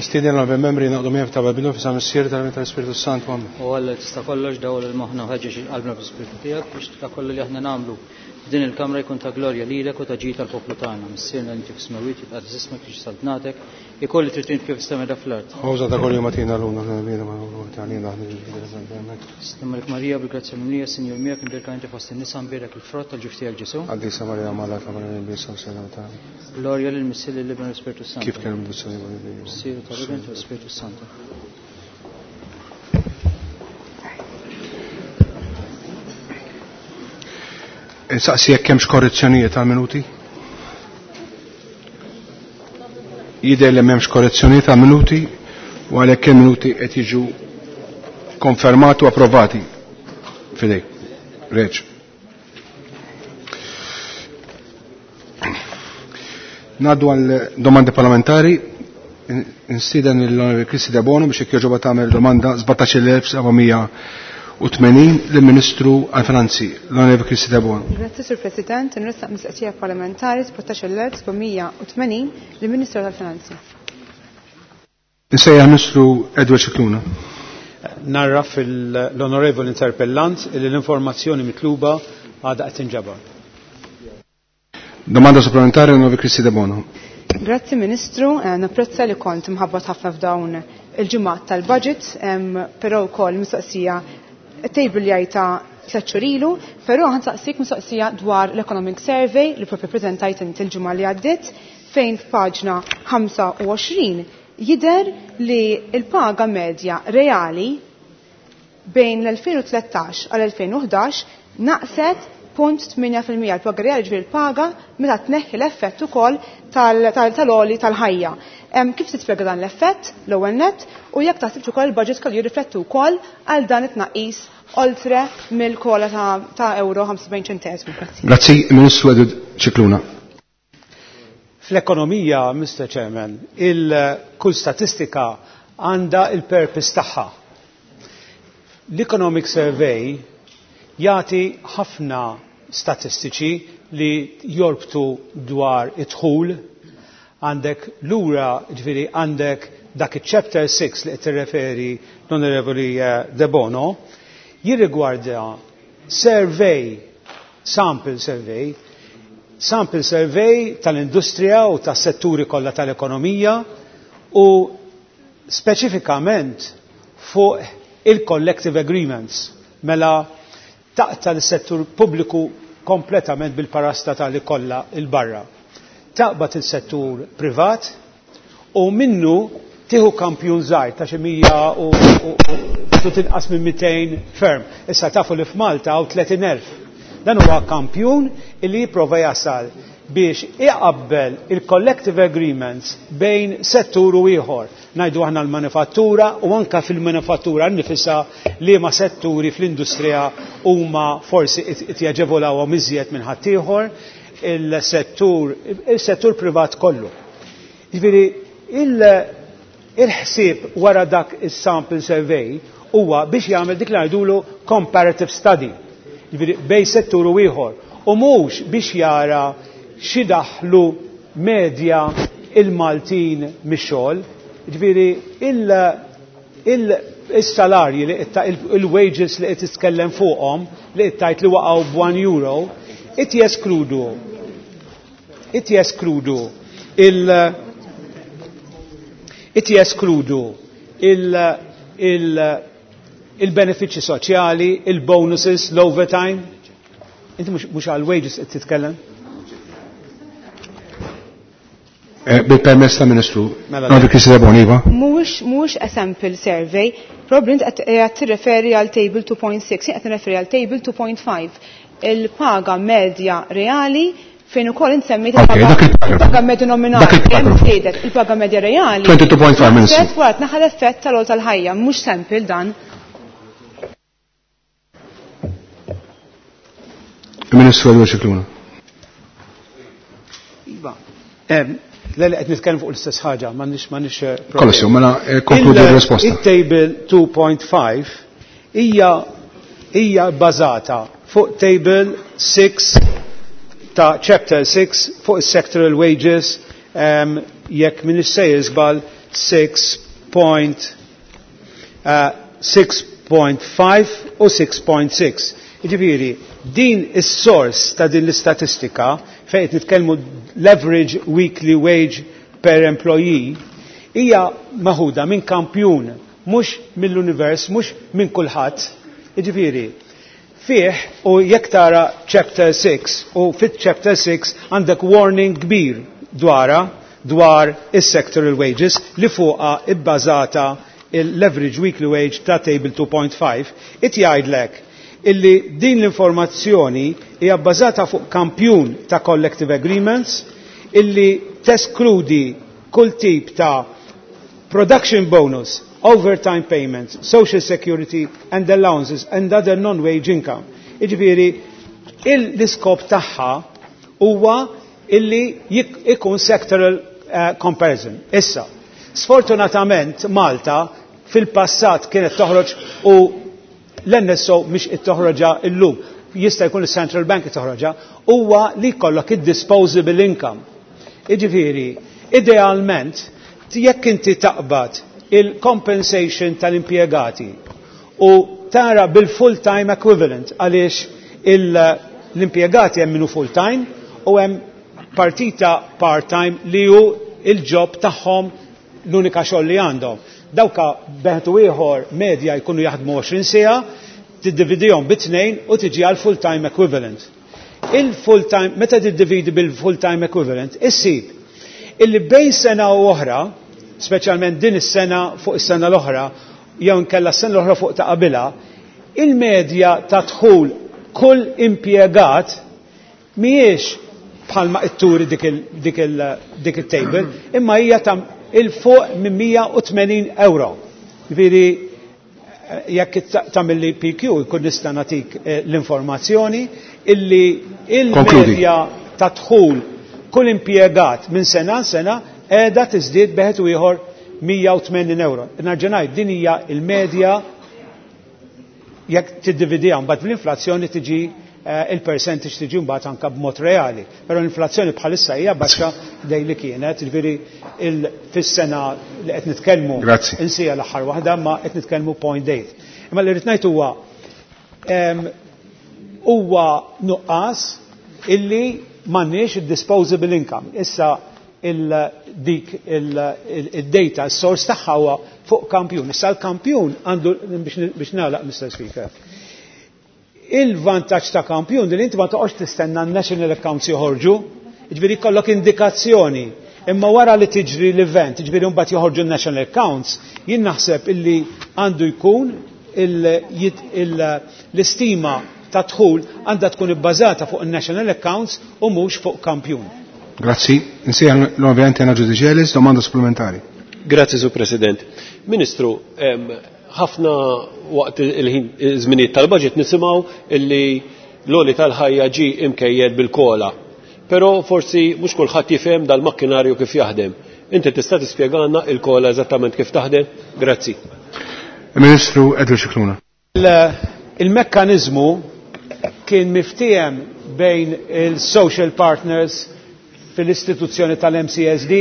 Nistieden l membri naqdu miegħek ta' Babilo fi Missier tal tal-Ispirtu Santu. Amen. U Alla tista' kollox dawl il-moħħna u ħeġġeġ qalbna bl-Ispirtu tiegħek biex ta' kollu li aħna nagħmlu f'din il-kamra jkun ta' glorja lilek u ta' ġid tal-poplu tagħna. Missierna li inti fis-smewwiet jitqaddes ismek tiġi saltnatek, ikolli trid int kif istema fl-art. Ħawża ta' kollu matina l-lum aħna bina ma nagħmlu għalina aħna Stemmalek Marija bil-grazzja mimlija, Sinjur miegħek imbierka inti fost in-nisa mbierek il-frott tal-ġuf tiegħek Ġesu. Qaddisa Marija Malla ta' Marija Bisa u Sena ta' Glorja lil Missier lil Ibn u l-Ispirtu Santu. Kif kien mdussani Missier tal-Ibn u l-Ispirtu Santu. Insaqsi jekk hemmx korrezzjonijiet għal minuti? Jidher li m'hemmx korrezzjonijiet għal minuti u għalhekk il-minuti qed jiġu konfermati u approvati. Fidejk. Reġ. Naddu għal domandi parlamentari. Instiden l-Onorevoli Kristi Debono biex jekk jogħġobha tagħmel domanda 17780 lill-Ministru għall-Finanzi, l-Onorevoli Kristi Debono. Grazzi, Sur President, nressaq mistoqsija parlamentari 17780 lill-Ministru tal-Finanzi. Insejjaħ Ministru Edward Scicluna. Narraf l-onorevoli interpellant li l-informazzjoni mitluba għadha qed tinġabar. Domanda supplementare l-Onorevoli Kristi Debono. Grazzi Ministru, napprezza li kont mħabbat ħafna f'dawn il-ġimgħat tal-budget, però wkoll mistoqsija table li għajta tliet xhur ilu, però ħansaqsik mistoqsija dwar l-Economic Survey li propju preżentajt inti l-ġimgħa li għaddiet fejn f'paġna 25 jidher li l-paga medja reali bejn l-2013 għal 2011 naqset 0.8% l-paga reali ġifieri l-paga meta tneħħi l-effett ukoll tal-għoli tal-ħajja. Kif tispjega dan l-effett l-ewwel nett u jekk taħsibx ukoll il-budget kellu jirriflettu wkoll għal dan it-tnaqqis oltre mill-kola ta' euro 75 ċentesmu. Grazzi. Grazzi, Ministru Edward Scicluna. Fl-ekonomija, Mr. Chairman, il-kull statistika għandha il-purpose tagħha. L-Economic Survey jagħti ħafna statistiċi li jorbtu dwar id-dħul, għandek lura, ġifieri għandek dak il-chapter 6 li qed tirreferi l-Onorevoli De Bono, jirrigwarda survey, sample survey, sample survey tal-industrija u tas-setturi kollha tal-ekonomija u speċifikament fuq il-collective agreements, mela taqta l-settur pubbliku kompletament bil-parasta tal kollha il-barra. Taqbad il-settur privat u minnu tieħu kampjun żgħir ta' xi mija u tinqas minn 200 firm. Issa tafu li f'Malta hawn 30,000. Dan huwa kampjun illi jipprova jasal biex iqabbel il-collective agreements bejn settur u ieħor. Ngħidu aħna l-manifattura u anka fil-manifattura nnifisha li ma setturi fl-industrija huma forsi qed jaġevolawhom iżjed minn ħaddieħor, il-settur privat kollu. Jiġifieri il-ħsieb wara dak is-sample survey huwa biex jagħmel dik li ngħidulu comparative study, jiġifieri bejn settur u ieħor, u mhux biex jara xi daħlu medja il-Maltin mix-xogħol. Jiġifieri il-salarji li qed il-wages li qed titkellem fuqhom li qed tgħid li waqgħu b'1 euro, qed jeskludu qed jeskludu il qed jeskludu il-benefiċċji soċjali, il-bonuses, l-overtime. Inti mhux għal-wages qed titkellem? Bil-permess ta' Ministru, Mela, Onorevoli Kristi Debono, iva. Mhuwiex a sample survey, probabbli int qed tirreferi għal table 2.6, jien qed nirreferi għal table 2.5. Il-paga medja reali fejn ukoll insemmejt Ok, dak il-paragrafu. il-paga medja nominali, Dak il-paragrafu. hemm żdiedet il-paga medja reali. 22.5, Ministru. Naqset wara tnaħa l-effett tal-għol tal-ħajja, mhux sample dan. Ministru Edward Scicluna. Iva. Le, le, qed nitkellem fuq l-istess ħaġa, m'għandix problemi. Kollox, mela, konkludi r-risposta. Il-table 2.5 hija bbażata fuq table 6 ta' chapter 6 fuq is-sectoral wages, jekk min issejjer żball 6.5 u 6.6. Jiġifieri, din is-sors ta' din l-istatistika fejn qed nitkellmu l-average weekly wage per employee hija maħuda minn kampjun, mhux mill-univers, mhux minn kulħadd. Jiġifieri, fih u jekk tara chapter 6 u fit-chapter 6 għandek warning kbir dwarha dwar is-sectoral wages li fuqha ibbażata l-average weekly wage ta' table 2.5, it jgħidlek illi din l-informazzjoni hija bbażata fuq kampjun ta' collective agreements illi teskludi kull tip ta' production bonus, overtime payments, social security and allowances and other non-wage income. Jiġifieri, l-iskop tagħha huwa illi ikun sectoral comparison. Issa, sfortunatament Malta fil-passat kienet toħroġ u l-NSO mhix qed toħroġha illum, jista' jkun is-Central Bank toħroġha, huwa li jkollok id-disposable income. Jiġifieri, idealment, jekk inti taqbad il-compensation tal-impjegati u tara bil-full-time equivalent għaliex l-impjegati hemm minnu full-time u hemm partita part-time li hu il-job tagħhom l-unika xogħol li għandhom. Dawka beħtu ieħor medja jkunu jaħdmu 20 siegħa, tiddividihom bi tnejn u tiġi għal full-time equivalent. Il-full-time, meta tiddividi bil-full-time equivalent, issib illi bejn sena u oħra, speċjalment din is-sena fuq is-sena l-oħra, jew inkella s-sena l-oħra fuq ta' qabilha, il-medja ta' dħul kull impjegat mhijiex bħalma itturi dik il-table, imma hija ta' il-fuq minn 180 euro. Ġifieri jekk tagħmel li PQ jkun nista' nagħtik l-informazzjoni illi il-medja ta' dħul kull impjegat minn sena sena qiegħda tiżdied beħed u ieħor 180 euro. Nerġa' ngħid din hija il-medja jekk tiddividiha mbagħad bl-inflazzjoni tiġi il-percentage tiġi mbagħad anke b'mod reali. Però l-inflazzjoni bħalissa hija baxxa dej li kienet, jiġifieri fis-sena li qed nitkellmu insija l-aħħar waħda ma qed nitkellmu 0.8. Imma li rrid ngħid huwa huwa nuqqas illi m'għandniex id-disposable income. Issa dik il-data, s-sors tagħha huwa fuq kampjun. Issa l-kampjun għandu biex nagħlaq, Mr. Speaker. Il-vantaġġ ta' kampjun li inti ma toqgħodx tistenna n-national accounts joħorġu, jiġifieri jkollok indikazzjoni. Imma wara li tiġri l-event, jiġifieri mbagħad joħorġu n-national accounts, jien naħseb illi għandu jkun l-istima ta' dħul għandha tkun ibbażata fuq in-national accounts u mhux fuq kampjun. Grazzi. Insejjaħ l-Onorevoli Anna Giudicelis, domanda supplementari. Grazzi, Sur President. Ministru, ħafna waqt il-ħin żminijiet tal-budget nisimgħu illi l-għoli tal-ħajja ġi imkejjed bil-kola. Però forsi mhux kulħadd jifhem dal-makkinarju kif jaħdem. Inti tista' tispjegana il-kola eżattament kif taħdem? Grazzi. Ministru Edward Scicluna. Il-mekkaniżmu kien miftiehem bejn il-social partners fil-istituzzjoni tal-MCSD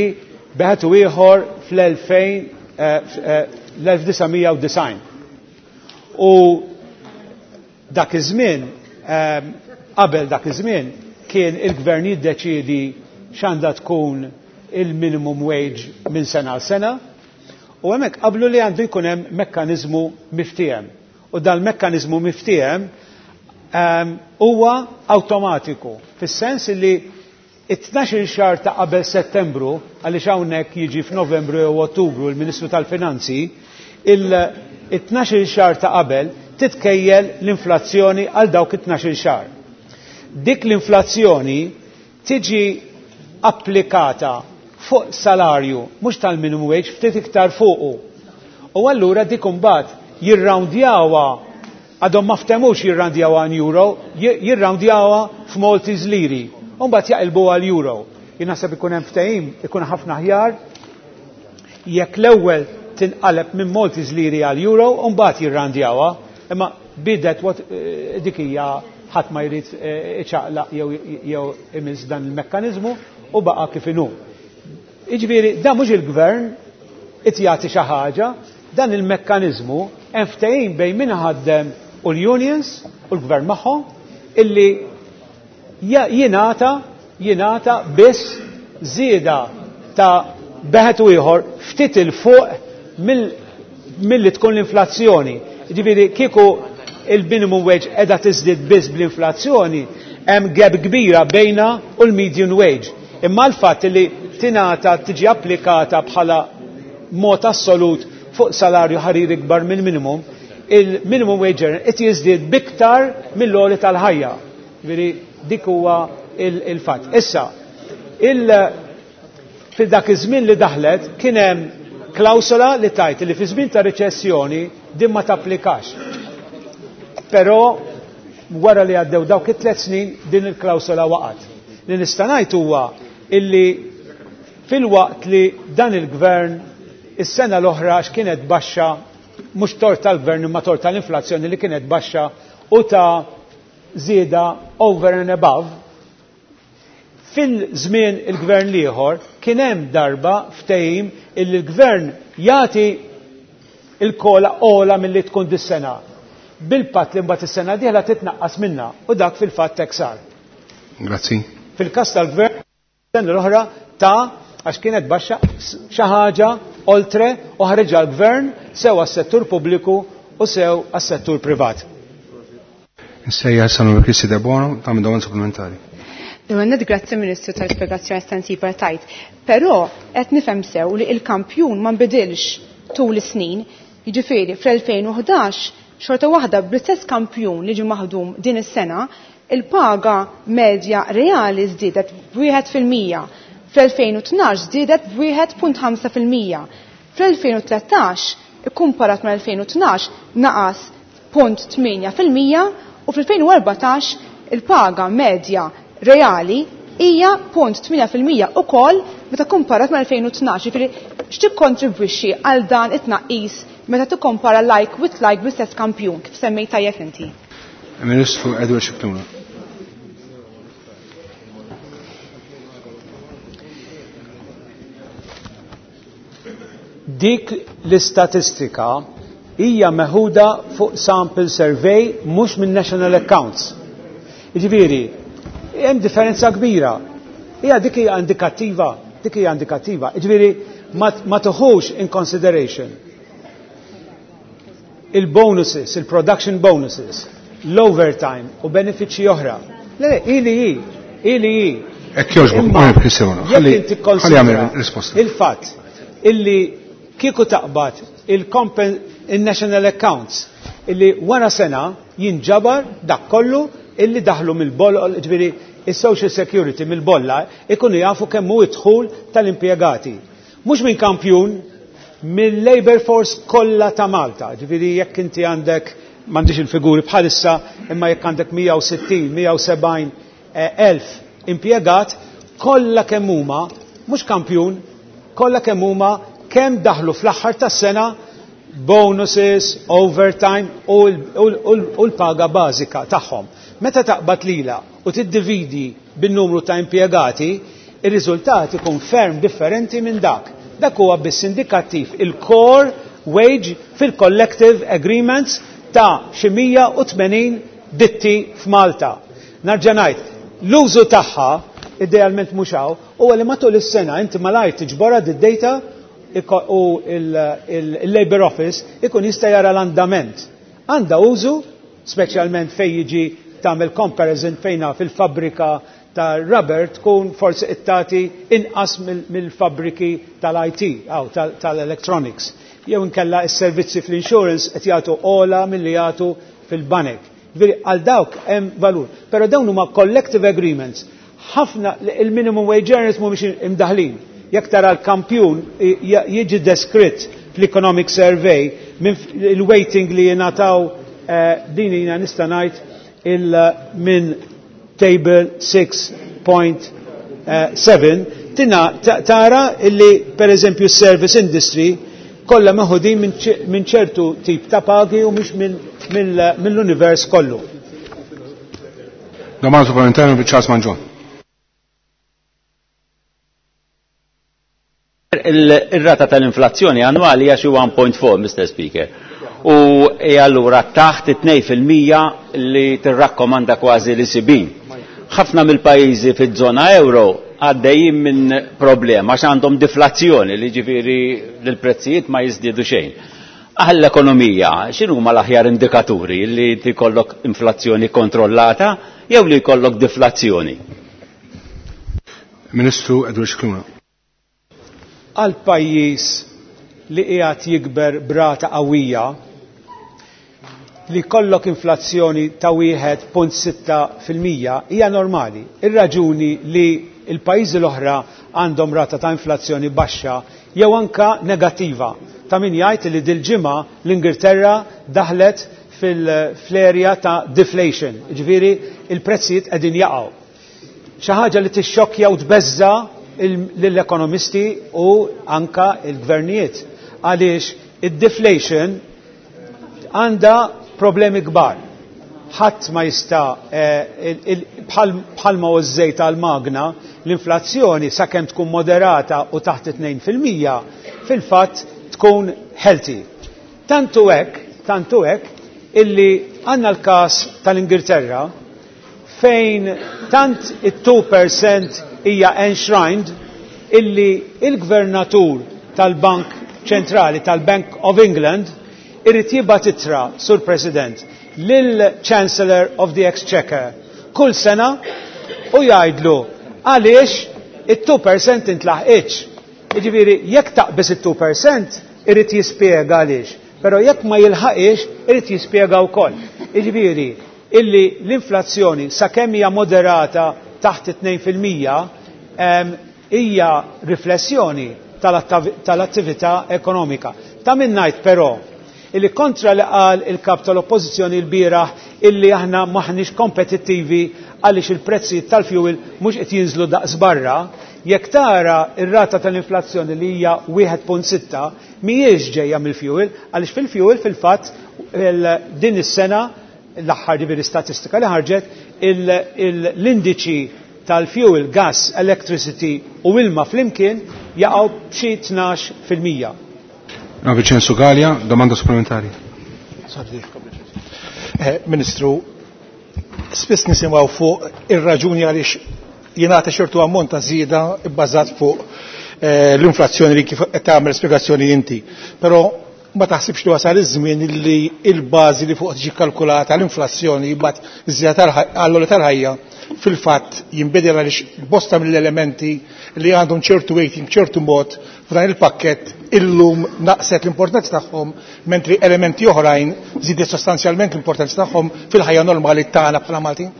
beħet u ieħor fl-1990. U dak iż-żmien, qabel dak iż-żmien, kien il-gvern jiddeċiedi x'għandha tkun il-minimum wage minn sena għal sena, u hemmhekk qablu li għandu jkun hemm mekkaniżmu miftiehem. U dal-mekkaniżmu miftiehem huwa awtomatiku, fis-sens li it-tnax-il xahar ta' qabel Settembru, għaliex hawnhekk jiġi f'Novembru jew Ottubru l-Ministru tal-Finanzi, it-tnax-il xahar ta' qabel titkejjel l-inflazzjoni għal dawk it-tnax-il xahar. Dik l-inflazzjoni tiġi applikata fuq salarju, mhux tal-minimum wage, ftit iktar fuqu. U allura dik imbagħad jirroundjawha, għadhom ma ftemux jirroundjawha in euro, jirroundjawha f'Maltese liri. U mbagħad jaqilbu għal euro. Jien naħseb ikun hemm ftehim, ikun ħafna aħjar jekk l-ewwel tinqaleb minn Maltese liri għal euro u mbagħad jirroundjawha. Imma bidet what dik hija ħadd ma jrid iċaqlaq jew imiss dan il-mekkaniżmu u baqa' kif inhu. Jiġifieri da mhux il-gvern qed jagħti xi ħaġa, dan il-mekkaniżmu hemm ftehim bejn min ħaddem u l-unions u l-gvern magħhom illi jingħata biss żieda ta' beħet u ieħor ftit il fuq milli tkun l-inflazzjoni. Ġifieri kieku il-minimum wage qiegħda tiżdied biss bl-inflazzjoni, hemm gap kbira bejna u l-median wage. Imma l-fatt li tingħata tiġi applikata bħala mod assolut fuq salarju ħarir ikbar mill-minimum, il-minimum wage qed jiżdied biktar mill-għoli tal-ħajja. Ġifieri dik huwa il-fatt. Issa, fil-dak iż-żmien li daħlet kien hemm klawsola li tajt li fi żmien ta' riċessjoni din ma tapplikax. Però wara li għaddew dawk it-3 snin din il-klawsola waqgħet. Li nista' ngħid huwa illi fil-waqt li dan il-gvern is-sena l-oħra x'kienet baxxa, mhux tort tal-gvern imma tort tal-inflazzjoni li kienet baxxa u ta' żieda over and above, fil-żmien il-gvern l-ieħor kien hemm darba ftehim illi l-gvern jagħti il-kola ola milli tkun dis-sena. Bil-patt li mbagħad is-sena dieħla titnaqqas minna u dak fil-fatt hekk sar. Grazzi. Fil-każ tal-gvern sena l-oħra ta' għax kienet baxxa xi ħaġa oltre u ħareġha l-gvern sew għas-settur pubbliku u sew għas-settur privat. Nsejja Sanu Kristi Debono ta' domanda supplementari. Għannet grazzi Ministru tal-spiegazzjoni estensiva tajt. Però qed nifhem sew li il-kampjun ma nbidilx tul is-snin, jiġifieri fl-2011 xorta waħda bl-istess kampjun li ġie maħdum din is-sena, il-paga medja reali żdiedet b'1%, fl-2012 żdiedet b'1.5%, fl-2013 ikkumparat mal-2012 naqas 0.8% u fl-2014 il-paga medja reali hija 0.8% ukoll meta kumparat mal-2012. Jiġifieri x'tikkontribwixxi għal dan it-tnaqqis meta tikkompara like with like bl-istess kampjun kif semmejt tajjeb inti? Ministru Edward Scicluna. Dik l-istatistika hija meħuda fuq sample survey mhux minn national accounts. Jiġifieri, hemm differenza kbira. Hija dik hija indikattiva, dik hija indikattiva. Jiġifieri ma tuħux in consideration il-bonuses, il-production bonuses, l-overtime u benefiċċji oħra. Le, le, ili hi, ili hi. Hekk jogħġbok, Imma Onorevoli Cristiano, jekk inti ħalli jagħmel konsidra risposta. Il-fatt illi kieku taqbad il-national accounts illi wara sena jinġabar dak kollu illi daħlu mill-bolla, ġifieri il-Social Security mill-bolla ikunu jafu kemm hu id-dħul tal-impjegati. Mhux minn kampjun, mill-labor force kollha ta' Malta. Ġifieri jekk inti għandek, m'għandix il-figuri bħalissa, imma jekk għandek 160, 170 elf impjegat, kollha kemm huma, mhux kampjun, kollha kemm huma kemm daħlu fl-aħħar tas-sena bonuses, overtime u l-paga bażika tagħhom. Meta taqbad lila u tiddividi bin-numru ta' impjegati, ir-riżultat ikun ferm differenti minn dak. Dak huwa biss indikattiv il-core wage fil-collective agreements ta' xi 180 ditti f'Malta. Nerġa' ngħid, l-użu tagħha idealment mhux hawn, huwa li matul is-sena inti malajr tiġborha d-data u il-Labor Office ikun jista' jara l-andament. Għandha użu, speċjalment fejn jiġi tagħmel comparison fejna fil-fabbrika ta' rubber tkun forsi ittati inqas mill-fabbriki tal-IT aw tal-electronics. Jew inkella s-servizzi fl-insurance qed jagħtu ola milli jagħtu fil-banek. Ġifieri għal dawk hemm valur. Però dawn huma collective agreements. Ħafna il-minimum wage earners mhumiex imdaħlin. Jekk tara l-kampjun jiġi deskritt fl-economic survey minn il-weighting li jingħataw din jiena nista' ngħid minn table 6.7 tina tara illi per eżempju service industry kollha meħudin minn ċertu tip ta' pagi u mhux mill-univers kollu. Domanda supplementari per Charles Mangion. Ir-rata tal-inflazzjoni annwali hija xi 1.4, Mr. Speaker. U allura taħt 2% li tirrakkomanda kważi l-ECB. Ħafna mill-pajjiżi fiż-żona euro għaddejjin minn problema għax għandhom deflazzjoni li ġifieri l-prezzijiet ma jiżdiedu xejn. Għall-ekonomija, x'inhuma l-aħjar indikaturi li tikollok inflazzjoni kontrollata jew li jkollok deflazzjoni? Ministru Edward Scicluna. Għal pajjiż li qiegħed jikber brata qawwija li kollok inflazzjoni ta' 1.6% hija normali. Ir-raġuni li l-pajjiżi l-oħra għandhom rata ta' inflazzjoni baxxa jew anka negattiva. Ta' min jgħid li dil-ġimgħa l-Ingilterra daħlet fil-area ta' deflation, ġifieri il-prezzijiet qegħdin jaqgħu. Xi ħaġa li tixxokkja u tbeżza lill-ekonomisti u anka il-gvernijiet għaliex id-deflation għandha problemi kbar. Ħadd ma jista' bħalma hu żejt għall-magna, l-inflazzjoni sakemm tkun moderata u taħt 2% fil-fatt tkun healthy. Tantu hekk, tantu hekk illi għandna l-każ tal-Ingilterra fejn tant it-2% hija enshrined illi il-gvernatur tal-Bank Ċentrali tal-Bank of England irid jibgħat ittra, Sur President, lil Chancellor of the Exchequer kull sena u jgħidlu għaliex it-2% intlaħqitx. Jiġifieri jekk taqbeż it-2% irid jispjega għaliex, però jekk ma jilħaqix irid jispjega wkoll. Jiġifieri illi l-inflazzjoni sakemm hija moderata taħt 2% hija riflessjoni tal-attività ekonomika. Ta' min ngħid però illi kontra li qal il-kap tal-oppożizzjoni l-bieraħ illi aħna maħniex kompetittivi għaliex il-prezzijiet tal-fuel mhux qed jinżlu daqs barra, jekk tara ir-rata tal-inflazzjoni li hija 1.6 mhijiex ġejja mill-fuel għaliex fil-fuel fil-fatt din is-sena l-aħħar ġifieri statistika li ħarġet l-indiċi tal-fuel, gas, electricity u ilma flimkien jaqgħu b'xi 12%. Vincenzo Galea, domanda supplementari. Ministru, spiss nisimgħu fuq ir-raġuni għaliex jingħata ċertu ammont ta' żieda bbażat fuq l-inflazzjoni li kif qed tagħmel spjegazzjoni inti. Però ma taħsibx li wasal iż-żmien li l-bażi li fuq tiġi kalkulata l-inflazzjoni mbagħad iż-żieda għall-għoli tal-ħajja fil-fatt jinbidel għaliex bosta mill-elementi li għandhom ċertu weighting ċertu mod f'dan il-pakkett illum naqset l-importanza tagħhom mentri elementi oħrajn żiedet sostanzjalment l-importanza tagħhom fil-ħajja normali tagħna bħala Maltin?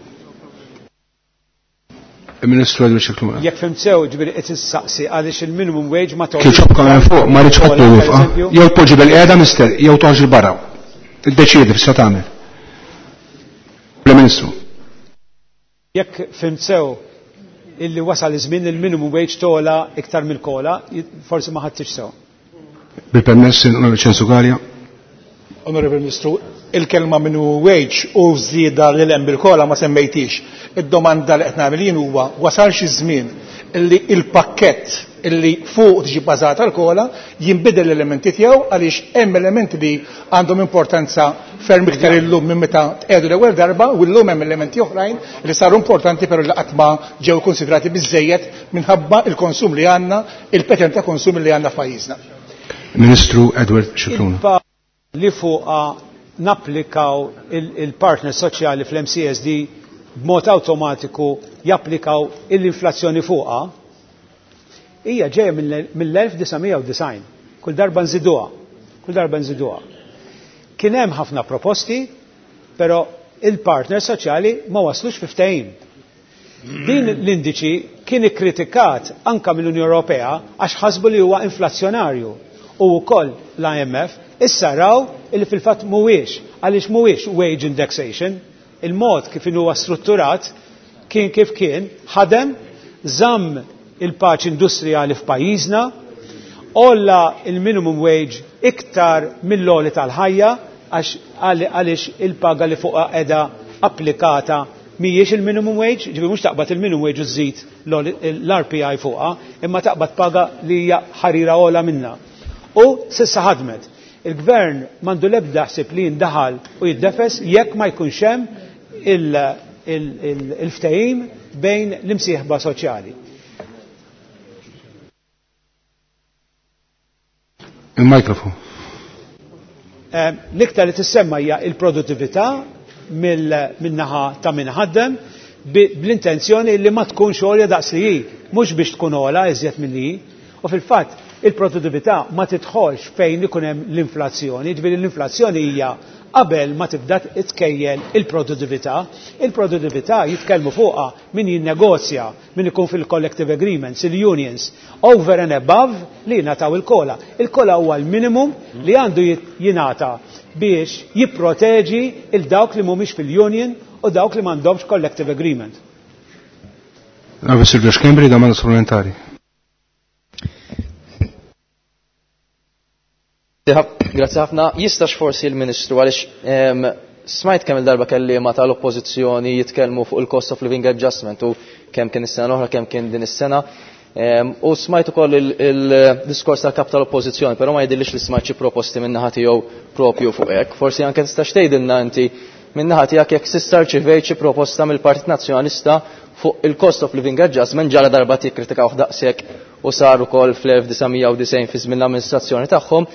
Il-Ministru Edward Scicluna. Jekk fhimt sew, ġifieri qed issaqsi għaliex il-minimum wage ma Kif xobkom hemm fuq ma rridx ħadd jifqa'. Jew tpoġġi bil-qiegħda mister, jew toħroġ il barra. Iddeċiedi f'sa tagħmel. Il-Ministru. Jekk fhimt sew illi wasal iż-żmien il-minimum wage tola iktar mill-COLA, forsi ma ħadtix sew. Bil-permess Onorevole Censu Galea. Onorevole Ministru, il-kelma minimum wage u żieda lil hemm bil-COLA ma semmejtix. Id-domanda li qed nagħmel jien huwa wasal xi żmien illi il-pakkett illi fuq tiġi bbażata l-COLA jinbidel l-elementi tiegħu għaliex hemm elementi li għandhom importanza ferm iktar illum minn meta tqiegħdu l-ewwel darba u llum hemm elementi oħrajn li saru importanti però li qatt ma ġew konsidrati biżejjed minħabba il-konsum li għandna, il-pattern ta' konsum li għandna f'pajjiżna. Ministru Edward Scicluna. Li fuqha napplikaw il-partner soċjali fl-MCSD b'mod awtomatiku japplikaw l-inflazzjoni fuqha hija ġejja mill-1990. Kull darba nżiduha, kull darba nżiduha. Kien hemm ħafna proposti, però il-partner soċjali ma waslux fi ftehim. Din l-indiċi kien ikkritikat anka mill-Unjoni Ewropea għax ħasbu li huwa inflazzjonarju u wkoll l-IMF issa raw li fil-fatt mhuwiex għaliex mhuwiex wage indexation, il-mod kif huwa strutturat kien kif kien, ħadem, żamm il-paċi industrijali f'pajjiżna, għolla il-minimum wage iktar mill-għoli tal-ħajja għaliex il-paga li fuqha qiegħda applikata Mhijiex il-minimum wage, ġifieri mhux taqbad il-minimum wage u żżid l-RPI fuqha, imma taqbad paga li hija ħarira ogħla minnha. U s'issa ħadmet. Il-gvern m'għandu l-ebda ħsieb li jindaħal u jiddefes jekk ma jkunx hemm il-ftehim bejn l-imsieħba soċjali. Il-mikrofon. L-iktar li tissemma hija il-produttività min-naħa ta' min ħaddem bl-intenzjoni li ma tkunx għolja daqs li hi, mhux biex tkun ogħla iżjed milli hi. U fil-fatt il-produttività ma tidħolx fejn ikun hemm l-inflazzjoni, ġifieri l-inflazzjoni hija qabel ma tibda tkejjel il-produttività. Il-produttività jitkellmu fuqha min jinnegozja, min ikun fil-collective agreements, il-unions, over and above li jingħataw il-COLA. Il-COLA huwa l-minimum li għandu jingħata biex jipproteġi il dawk li mhumiex fil-union u dawk li m'għandhomx collective agreement. Onorevole Silvio Schembri, domanda supplementari. Grazie ħafna. Jistax forsi il-Ministru għaliex smajt kemm il-darba kelliema tal-Oppożizzjoni jitkellmu fuq il-cost of living adjustment u kemm kien is-sena l-oħra, kemm kien din is-sena. U smajt ukoll il-diskors tal-kap tal-Oppożizzjoni, però ma jidhirlix li smajt xi proposti min-naħa tiegħu propju fuq hekk. Forsi anke tistax tgħidilna inti min-naħa tiegħek jekk s'issa rċivejt xi proposta mill-Partit Nazzjonalista fuq il-cost of living adjustment ġala darba tikkritikawh daqshekk u sar ukoll fl-1990 fi żmien l-amministrazzjoni tagħhom,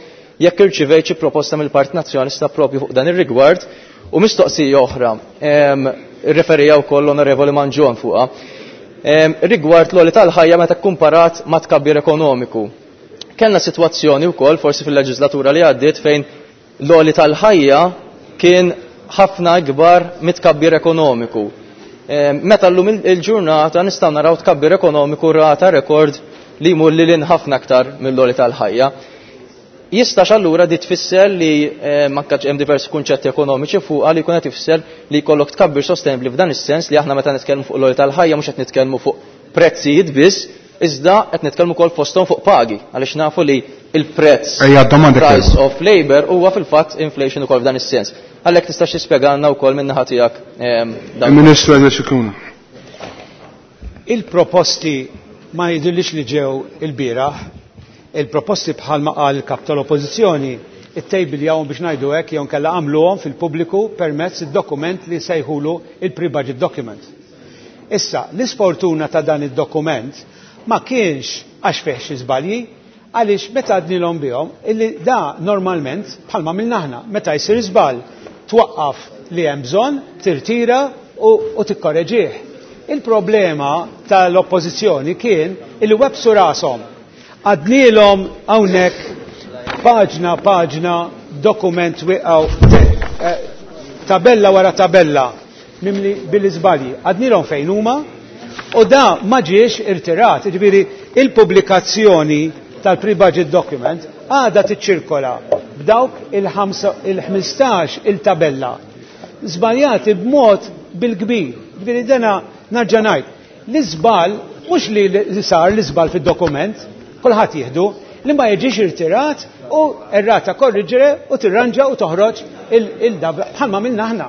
jekk irċivejt xi proposta mill-Partit Nazzjonalista propju fuq dan ir-rigward. U mistoqsija oħra, irreferija wkoll l-Onorevoli Mangion fuqha. Rigward l-għoli tal-ħajja meta kkumparat ma' tkabbir ekonomiku. Kellna sitwazzjoni wkoll forsi fil-leġislatura li għaddiet fejn l-għoli tal-ħajja kien ħafna ikbar mit-tkabbir ekonomiku. Meta llum il-ġurnata nistgħu naraw tkabbir ekonomiku rata rekord li jmur lil ħafna aktar mill-għoli tal-ħajja. Jistax allura di tfisser li manka hemm diversi kunċetti ekonomiċi fuqha li jkun qed ifisser li jkollok tkabbir sostenibbli f'dan is-sens li aħna meta nitkellmu fuq l-għoli tal-ħajja mhux qed nitkellmu fuq prezzijiet biss, iżda qed nitkellmu wkoll fosthom fuq pagi, għaliex nafu li il-prezz Ejja, domanda price kellu. of labor huwa fil-fatt inflation ukoll f'dan is-sens. Għalhekk tistax tispjegalna wkoll min-naħa tiegħek dan. Il-Ministru Edward Scicluna. Il-proposti ma jidhirlix li ġew il-bieraħ, il-proposti bħalma qal il-kap tal-Oppożizzjoni, it-table jawhom biex ngħidu hekk jew nkella għamluhom fil-pubbliku permezz id-dokument li sejħulu il-pre-budget document. Issa, l-isfortuna ta' dan id-dokument ma kienx għax fih xi żbalji, għaliex meta għadnilhom bihom illi da normalment bħalma minna aħna, meta jsir żball twaqqaf li hemm bżonn, tirtira u tikkoreġih. Il-problema tal-oppożizzjoni kien illi websu rashom. Għadnilhom hawnhekk paġna paġna dokument wieqgħu tabella wara tabella mimli bil-iżbalji. Għadnilhom fejn huma u da ma ġiex irtirat, jiġifieri il-pubblikazzjoni tal-pre-budget document għadha tiċċirkola b'dawk il-15 il-tabella żbaljati b'mod bil-kbir. Jiġifieri dena narġa' ngħid, l-iżball mhux li sar l-iżball fid-dokument, kulħadd jieħdu, li ma jiġix irtirat u errata korriġere u tirranġa u toħroġ il-dabra bħalma minna aħna.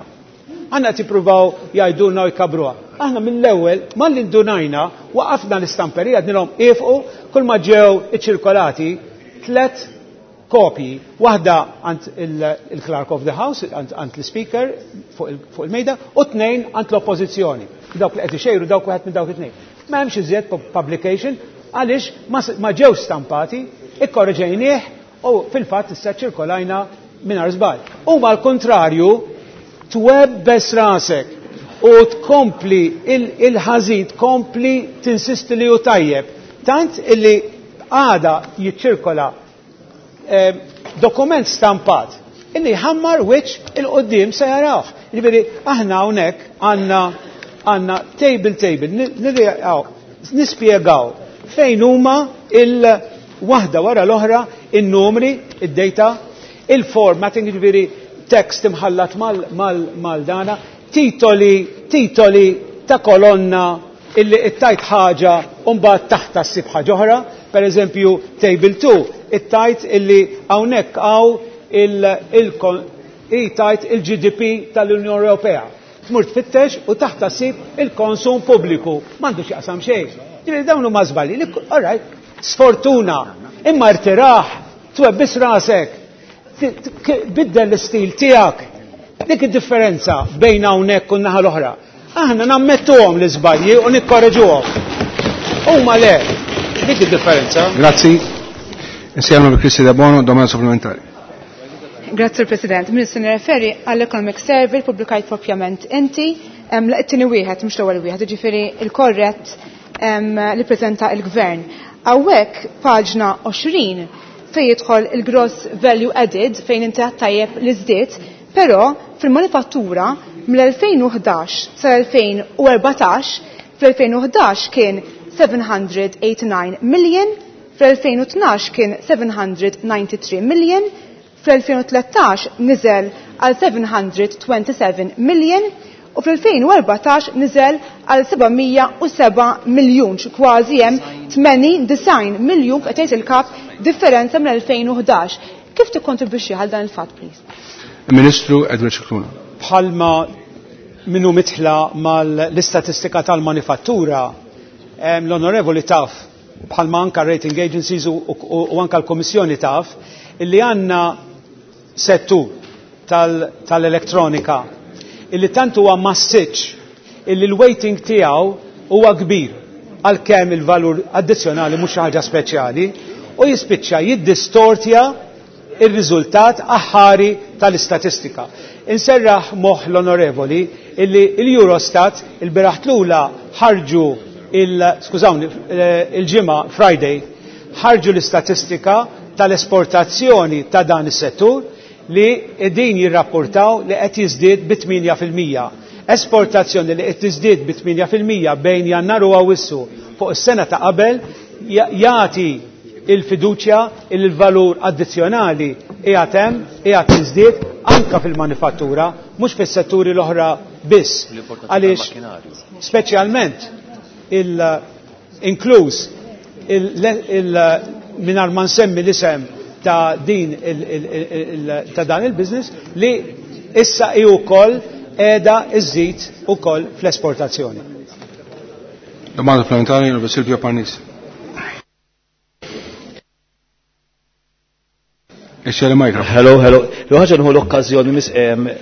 Għanna tippruvaw jgħidulna u jkabruha. Aħna mill-ewwel malli ndunajna waqafna l-istamperija għednilhom ifqu kull ma ġew iċċirkolati 3 kopji, waħda għand il-Clerk of the House, għand l-Speaker fuq il-mejda, u 2 għand l-Oppożizzjoni. Dawk li qed ixejru dawk wieħed minn dawk it-tnejn. Ma hemmx iżjed publication għaliex ma ġew stampati, ikkorreġejnieh u fil-fatt issa ċirkolajna mingħajr żball. U mal-kontrarju twebbes rasek u tkompli il-ħażin, tkompli tinsisti li hu tajjeb. Tant illi għada jiċċirkola dokument stampat illi jħammar wiċċ il-qoddim se jarawh. Jiġifieri aħna hawnhekk għandna table table, nispjegaw fejn huma il-waħda wara l-oħra in-numri, id-data, il-formatting, jiġifieri text imħallat mal-dana, titoli ta' kolonna illi ittajt ħaġa u mbagħad taħta ssib ħaġa oħra, per eżempju table 2, ittajt illi hawnhekk hawn il-tajt il-GDP tal-Unjoni Ewropea. Tmur tfittex u taħt ssib il-konsum pubbliku. M'għandu x'jaqsam xejn. Ġifieri dawn huma żbalji li all right, sfortuna, imma rtiraħ, twebbis rasek, biddel l-istil tiegħek. Dik id-differenza bejn hawnhekk u n-naħa l-oħra. Aħna nammettuhom l-iżbalji u nikkoreġuhom. Huma le, dik id-differenza. Grazzi. Insieme bi Kristi Debono, domanda supplementari. Grazie President. Ministru, nirreferi għall-Economic Survey pubblikajt propjament inti, it-tieni wieħed mhux l-ewwel wieħed, jiġifieri il-korrett li preżenta l-Gvern. Hawnhekk paġna 20 fejn jidħol il-gross value added fejn inti tajjeb li żdied, però fil-manifattura mill-2011 sal-2014, fl-2011 kien 789 million, fl-2012 kien 793 million, fl-2013 niżel għal 727 million u fl-2014 niżel għal 707 miljun, kważi hemm 89 miljun qed jgħid il-kap differenza mill-2011. Kif tikkontribwixxi għal dan il-fatt, please? Ministru Edward Scicluna. Bħalma minnu mitħla mal-istatistika tal-manifattura, l-onorevoli taf, bħalma anka rating agencies u anka l-Komissjoni taf, illi għanna settur tal-elettronika illi tant huwa massiċ illi l-weighting tiegħu huwa kbir għalkemm il-valur addizzjonali mhux xi ħaġa speċjali u jispiċċa jiddistortja il-riżultat aħħari tal-istatistika. Inserraħ moħħ l-onorevoli illi l-Eurostat il-biraħ tlula ħarġu skużawni, il-ġimgħa Friday ħarġu l-istatistika tal-esportazzjoni ta' dan is-settur li din jirrapportaw li qed jiżdied bi 8%. Esportazzjoni li qed tiżdied bi 8% bejn Jannar u Awwissu fuq is-sena ta' qabel jagħti il-fiduċja il-valur addizzjonali qiegħed hemm, qiegħed jiżdied anka fil-manifattura, mhux fis-setturi l-oħra biss. Għaliex speċjalment inkluż mingħajr ma nsemmi l-isem ta' din ta' dan il-business li issa hi wkoll qiegħda iżżid ukoll fl-esportazzjoni. Domanda supplementari onorevole Silvio Parnis. Hello, hello. L-ħaġa nħu l-okkażjoni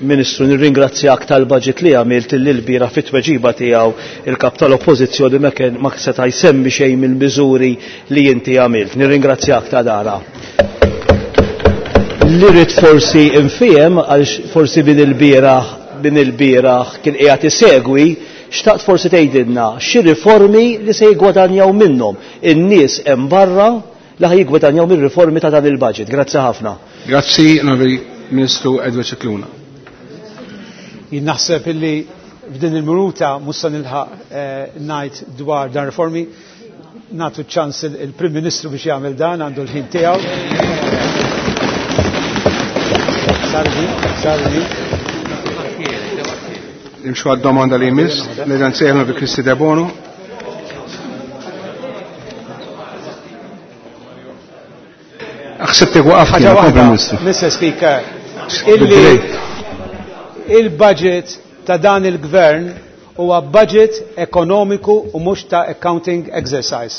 Ministru nirringrazzjak tal-budget li għamilt l-bira fit-tweġiba tiegħu il-kap tal-Oppożizzjoni ma kien ma seta' jsemmi xejn mill-miżuri li inti għamilt. Nirringrazzjak ta' dara. Li rrid forsi nfiem għaliex forsi min il-bieraħ kien qiegħed isegwi, xtaqt forsi tgħidilna xi riformi li se jiggwadanjaw minnhom in-nies hemm barra li ħaj jiggwadanjaw mir-riformi ta' dan il-budget. Grazzi ħafna. Grazzi, Onorevoli Ministru Edward Scicluna. Jien naħseb illi f'din il-minuta mhux se nilħaq ngħid dwar dan riformi, nagħtu ċans il-Prim Ministru biex jagħmel dan, għandu l-ħin tiegħu. Sardi, sardi. Nimxu għad-domanda li jmiss, l-Eġenzija Onorevoli Kristi Debono. Aħsebtek waqaf Ħaġa kien, waħda, kompli, Ministru. Mister Speaker, illi il-budget ta' dan il-gvern huwa budget ekonomiku u mhux ta' accounting exercise.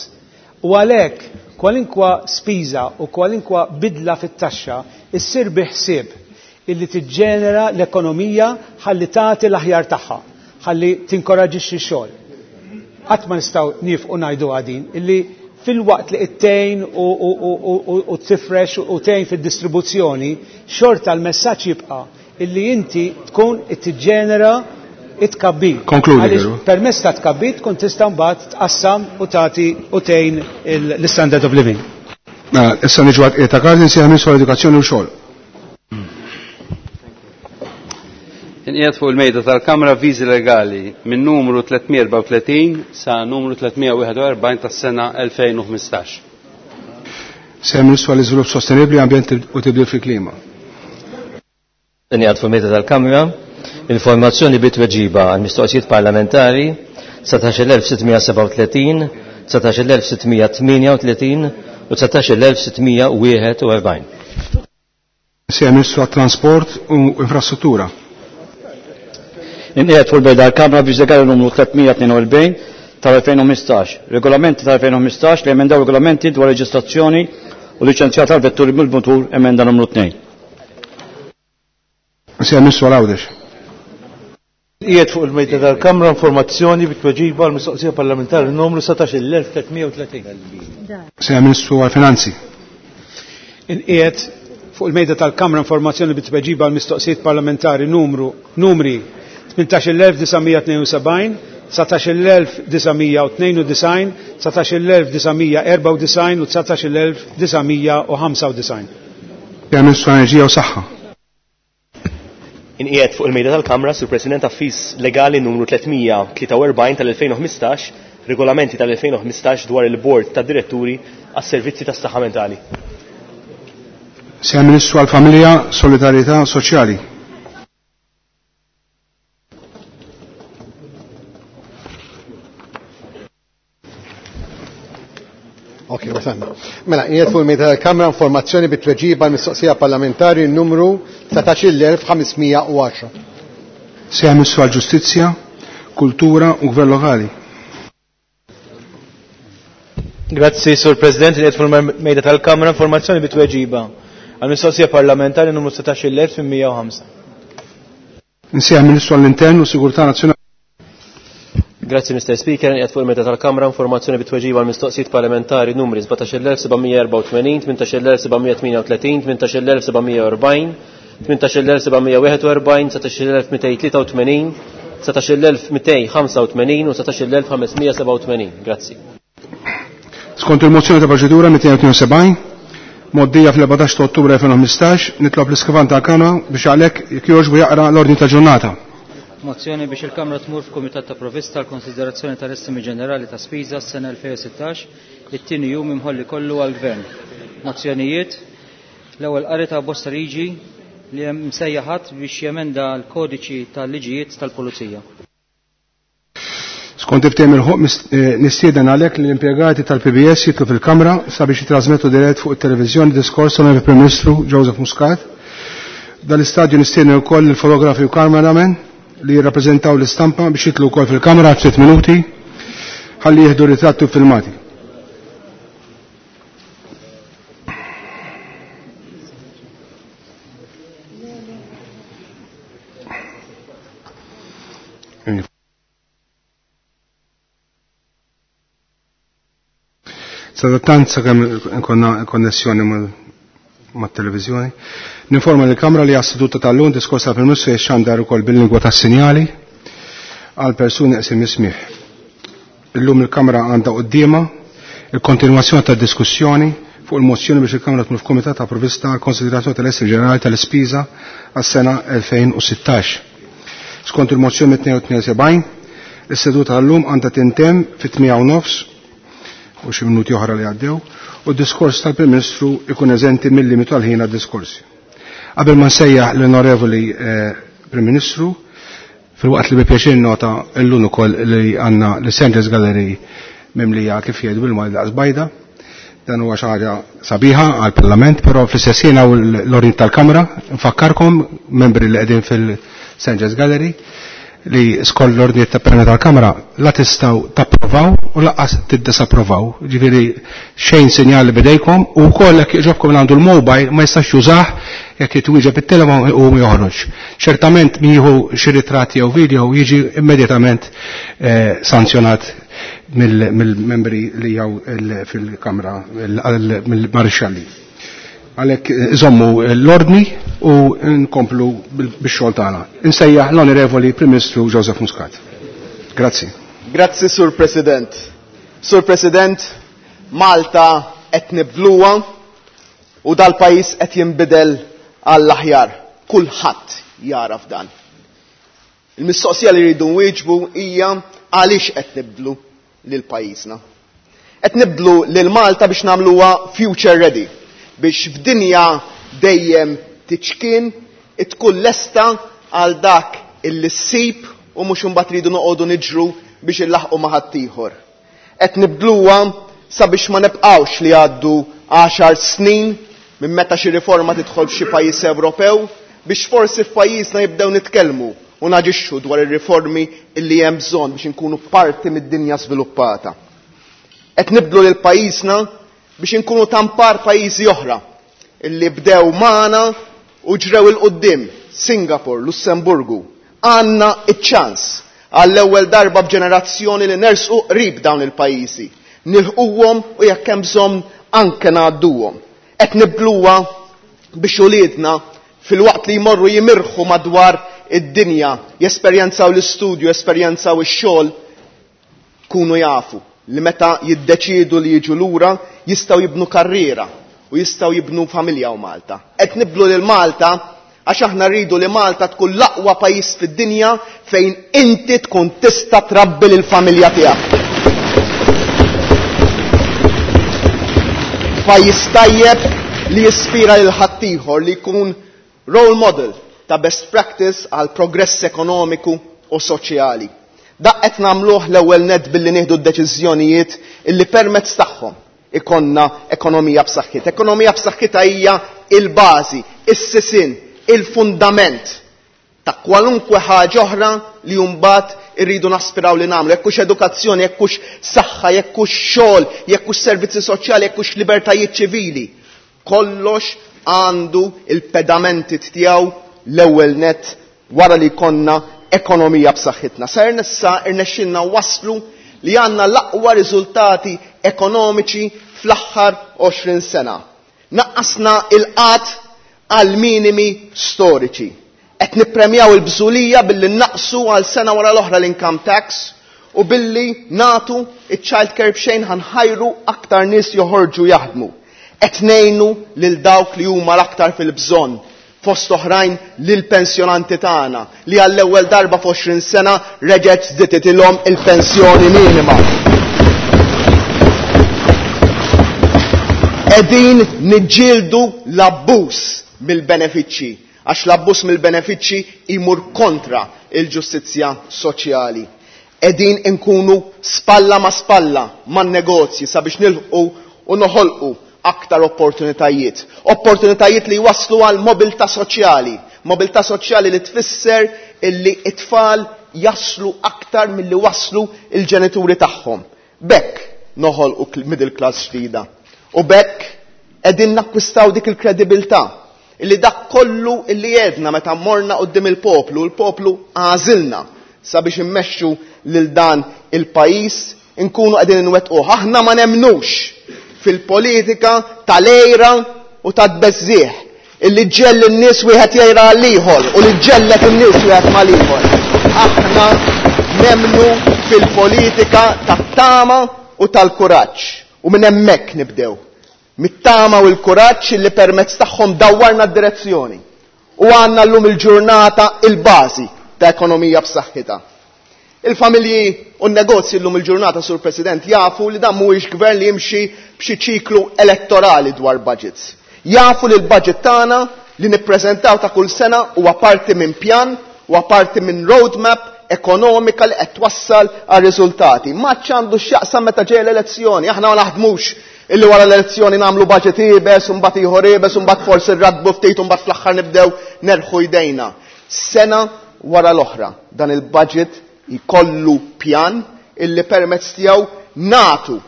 U għalhekk kwalinkwa spiża u kwalinkwa bidla fit-taxxa issir bi ħsieb illi tiġġenera l-ekonomija ħalli tagħti l-aħjar tagħha, ħalli tinkoraġixxi x-xogħol. Qatt ma nistgħu niefqu ngħidu għadin illi fil-waqt li ittejn u tifrex u tejn fid-distribuzzjoni, xorta l-messaġġ jibqa' illi inti tkun tiġġenera it-tkabbir. Konkludi, Għaliex Veru. permezz ta' tkabbir tkun tista' mbagħad tqassam u tagħti u tgħin l-standard of living. Mela, issa niġu għad ta' Karli nsejħ Ministru għall-Edukazzjoni u xogħol. Inqiegħed fuq il-mejda tal-Kamra viżi legali minn numru 334 sa numru 341 tas-sena 2015. Sejħ Ministru għall-Iżvilupp Sostenibbli, Ambjent u Tibdil fil-Klima. Inqiegħed fuq il-mejda tal-Kamra informazzjoni bit-tweġiba għal mistoqsijiet parlamentari 19637, 19638 u 19641. Sejħ Ministru għat-Trasport u Infrastruttura. Inqiegħed fuq il-bejda l-Kamra biex legali numru 342 tal-2015, regolamenti tal-2015 li emendaw regolamenti dwar reġistrazzjoni u liċenzjar tal-vetturi mill-mutur emenda numru 2. Sija Ministru Għawdex. Qiegħed fuq il-mejda tal-Kamra informazzjoni bit-tweġiba għal mistoqsija parlamentari numru 17330. Sija Ministru għal-Finanzi. Inqiegħed fuq il-mejda tal-Kamra informazzjoni bit-tweġiba għal mistoqsijiet parlamentari numru numri 18972, 19992, 19994 u 19995. Sija Ministru Enerġija u Saħħa. Inqiegħed fuq il-mejda tal-Kamra sur President Affis Legali numru 343 tal-2015, regolamenti tal-2015 dwar il-Bord tad Diretturi għas-Servizzi tas-Saħħa Mentali. Sija Ministru għal-Familja, Solidarjetà Soċjali. Ok, wasanna. Mela, qiegħed fuq il-mejda tal-Kamra informazzjoni bit-tweġiba għall-mistoqsija parlamentari numru 19510. Sija Ministru għal-Ġustizzja, Kultura u Gvern Lokali. Grazzi, Sur President, li fuq il-mejda tal-Kamra informazzjoni bit-tweġiba għal-mistoqsija parlamentari numru 16805. Insejjaħ Ministru għall-Intern u Sigurtà Nazzjonali. Grazzi Mr. Speaker, qiegħed fuq il-mejda tal-Kamra informazzjoni bit-tweġiba għal mistoqsijiet parlamentari numri 17784, 18738, 18740, 18741, 19283, 19285 u 19587. Grazzi. Skont il-mozzjoni ta' proċedura 272, moddija fl-14 ta' Ottubru 2015, nitlob l-iskrivan tal-Kamra biex għalhekk jekk jogħġbu jaqra l-ordni ta' ġurnata. Mozzjoni biex il-Kamra tmur f'Kumitat ta' Provvista għal konsiderazzjoni tal-estimi ġenerali ta' spiża s-sena 2016, it-tieni jum imħolli kollu għall-Gvern. Mozzjonijiet, l-ewwel qari ta' bosta liġi li hemm msejjaħat biex jemenda l-kodiċi tal-liġijiet tal-Pulizija. Skont iftehim il-ħoq nistieden għalhekk li l-impjegati tal-PBS jitlu fil-Kamra sabiex jitrasmettu dirett fuq it-televiżjoni diskors tal Prim Ministru Joseph Muscat. Dal-istadju nistieden ukoll il-fotografi u cameraman li jirrappreżentaw l-istampa biex jitlu wkoll fil-kamra f'sitt minuti ħalli jieħdu ritratti u filmati. Sadattant sakemm konna konnessjoni mat-televizjoni. Ninforma l-Kamra li għas-seduta tal-lum diskors tal-Prim Ministru jixxandar ukoll bil-lingwa tas-sinjali għal persuni qsim ismih. Illum il-Kamra għandha quddiemha il-kontinwazzjoni tad-diskussjoni fuq il-mozzjoni biex il-Kamra tmur f'Kumitat ta' Provvista għal konsiderazzjoni tal-Essri Ġenerali tal-Ispiża għas-sena 2016. Skont il-mozzjoni 272, is-seduta tal-lum għandha tintemm fit-8:30 u xi minuti oħra li għaddew u d-diskors tal-Prim Ministru ikun eżenti mill-limitu għal-ħin għad-diskorsi. Qabel ma nsejjaħ l-Onorevoli Prim Ministru, fil-waqt li bi pjaċir nota llum ukoll li għandna l-Centres Gallery mimlija kif jgħidu bil-Malti daqs bajda, dan huwa xi ħaġa sabiħa għall-Parlament, però fl-istess ħin hawn l-ordni tal-Kamra, nfakkarkom membri li qegħdin fil-Centres Gallery li skont l-ordni ta' perna tal-Kamra la tistgħu tapprovaw u lanqas tiddisapprovaw. Ġifieri xejn sinjali bidejkom u wkoll jekk jogħġobkom għandu l-mobile ma jistax jużah jekk jitwieġeb it-telefon u joħroġ. Ċertament min jieħu xi ritratti jew video jiġi immedjatament sanzjonat mill-membri li jew fil-Kamra mill-marixxalli. Għalhekk iżommu l-ordni u nkomplu bix-xogħol tagħna. Insejjaħ l-Onorevoli Prim Ministru Joseph Muscat. Grazzi. Grazzi, Sur President. Sur President, Malta qed nibdluha u dal-pajjiż qed jinbidel għall-aħjar. Kulħadd jaraf dan. Il-mistoqsija li rridu nwieġbu hija għaliex qed nibdlu lil pajjiżna. Qed nibdlu lil Malta biex nagħmluha future ready, biex f'dinja dejjem tiċkien tkun lesta għal dak illi ssib u mhux imbagħad ridu noqogħdu niġru biex illaħqu ma' ħaddieħor. Qed nibdluha sabiex ma nibqgħux li għaddu 10 snin minn meta xi riforma tidħol f'xi pajjiż Ewropew biex forsi f'pajjiżna jibdew nitkellmu u naġixxu dwar ir-riformi illi hemm bżonn biex inkunu parti mid-dinja żviluppata. Qed nibdlu lil pajjiżna biex inkunu tampar pajjiżi oħra illi bdew magħna u ġrew 'il quddiem, Singapore, Lussemburgu. Għandna iċ-ċans għall-ewwel darba b'ġenerazzjoni li nersqu qrib dawn il-pajjiżi, nilħquhom u jekk hemm bżonn anke ngħadduhom. Qed nibdluha biex uliedna filwaqt li jmorru jimirħu madwar id-dinja, jesperjenzaw l-istudju, jesperjenzaw ix-xogħol, kunu jafu li meta jiddeċiedu li jiġu lura jistgħu jibnu karriera u jistgħu jibnu familja u Malta. Qed nibdlu lil Malta għax aħna rridu li Malta tkun l-aqwa pajjiż fid-dinja fejn inti tkun tista' trabbi lill-familja tiegħek. Pajjiż tajjeb li jispira lil ħaddieħor li jkun role model ta' best practice għal progress ekonomiku u soċjali. Dak qed nagħmluh l-ewwel nett billi nieħdu d-deċiżjonijiet illi permezz tagħhom ikonna ekonomija b'saħħitha. Ekonomija b'saħħitha hija il-bażi, is-sisien, il-fundament ta' kwalunkwe ħaġa oħra li mbagħad irridu naspiraw li nagħmlu. Jekk hux edukazzjoni, jekk hux saħħa, jekk hux xogħol, jekk hux servizzi soċjali, jekk hux libertajiet ċivili. Kollox għandu il-pedamenti tiegħu l-ewwel nett wara li jkollna ekonomija b'saħħitna. Sa issa irnexxilna waslu li għandna l-aqwa riżultati ekonomiċi fl-aħħar 20 sena. Naqqasna il-qgħad għal minimi storiċi. Qed nippremjaw il-bżulija billi naqsu għal sena wara l-oħra l-income tax u billi natu iċ-child care b'xejn ħa nħajru aktar nies joħorġu jaħdmu. Qed ngħinu lil dawk li huma l-aktar fil-bżonn, fost oħrajn lil pensjonanti tagħna li għall-ewwel darba f'20 sena reġgħet żdietitilhom il-pensjoni minima. Qegħdin niġġieldu l-abbuż mill-benefiċċji, għax l-abbuż mill-benefiċċji jmur kontra il-ġustizzja soċjali. Qegħdin inkunu spalla ma' spalla man-negozji sabiex nilħqu u noħolqu aktar opportunitajiet. Opportunitajiet li jwasslu għal mobilità soċjali. Mobilità soċjali li tfisser illi it-tfal jaslu aktar milli waslu il-ġenituri tagħhom. B'hekk noħolqu middle class ġdida. U b'hekk qegħdin nakkwistaw dik il-kredibilità illi dak kollu illi għedna meta morna quddiem il-poplu, il-poplu għażilna sabiex immexxu lil dan il-pajjiż, inkunu qegħdin inwettquh. Aħna ma nemnux fil-politika tal-għira u tat-tbeżżigħ illi ġġell in-nies wieħed jgħira għall-ieħor u li ġġellet in-nies wieħed mal-ieħor. Aħna nemmnu fil-politika tat-tama u tal-kuraġġ u minn hemmhekk nibdew. Mit-tama u l-kuraġġ illi permezz tagħhom dawwarna d-direzzjoni u għandna llum il-ġurnata il-bażi ta' ekonomija b'saħħitha. Il-familji u n-negozji llum il-ġurnata, Sur President, jafu li dan mhuwiex gvern li jimxi b'xi ċiklu elettorali dwar budgets. Jafu li l-budget tagħna li nippreżentaw ta' kull sena huwa parti minn pjan, huwa parti minn roadmap ekonomika li qed twassal għal riżultati. Ma għandu x'jaqsam meta ġej l-elezzjoni, aħna ma naħdmux illi wara l-elezzjoni nagħmlu budget iebes, u mbagħad ieħor iebes, u mbagħad forsi rradbu ftit u mbagħad fl-aħħar nibdew nerħu jdejna. Sena wara l-oħra dan il-budget jkollu pjan illi permezz tiegħu natu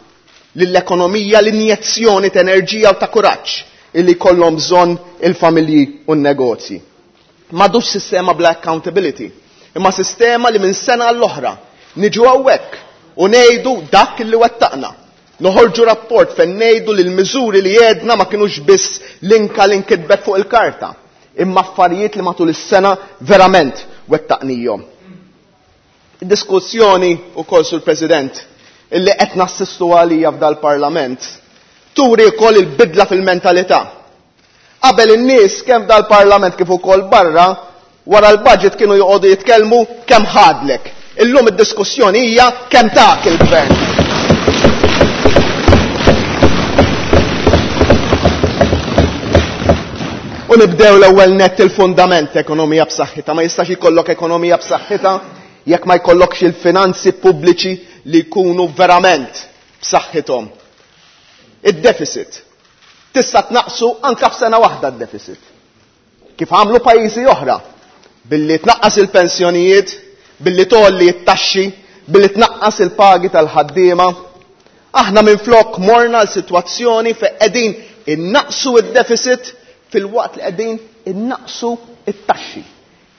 lill-ekonomija l-injezzjoni ta' enerġija u ta' kuraġġ illi jkollhom bżonn il-familji u n-negozji. M'għadux sistema bla accountability, imma sistema li minn sena għall-oħra niġu hawnhekk u ngħidu dak illi wettaqna. Noħorġu rapport fejn ngħidu li l-miżuri li għedna ma kinux biss linka li nkitbet fuq il-karta, imma affarijiet li matul is-sena verament wettaqnihom. Id-diskussjoni wkoll, Sur President, illi qed nassistu għalija f'dal-Parlament turi wkoll il-bidla fil-mentalità. Qabel in-nies kemm f'dal-Parlament kif ukoll barra wara l-budget kienu joqogħdu jitkellmu kemm ħadlek. Illum id-diskussjoni hija kemm tak il-gvern. U nibdew l-ewwel nett il-fundament ekonomija b'saħħitha. Ma jistax ikollok ekonomija b'saħħitha jekk ma jkollokx il-finanzi pubbliċi li jkunu verament b'saħħithom. Id-deficit tista' tnaqsu anke f'sena waħda d-deficit. Kif għamlu pajjiżi oħra. Billi tnaqqas il-pensjonijiet, billi tgħolli t-taxxi, billi tnaqqas il-pagi tal-ħaddiema. Aħna minflok morna l-sitwazzjoni fejn qegħdin innaqsu id-deficit filwaqt li qegħdin innaqsu it-taxxi.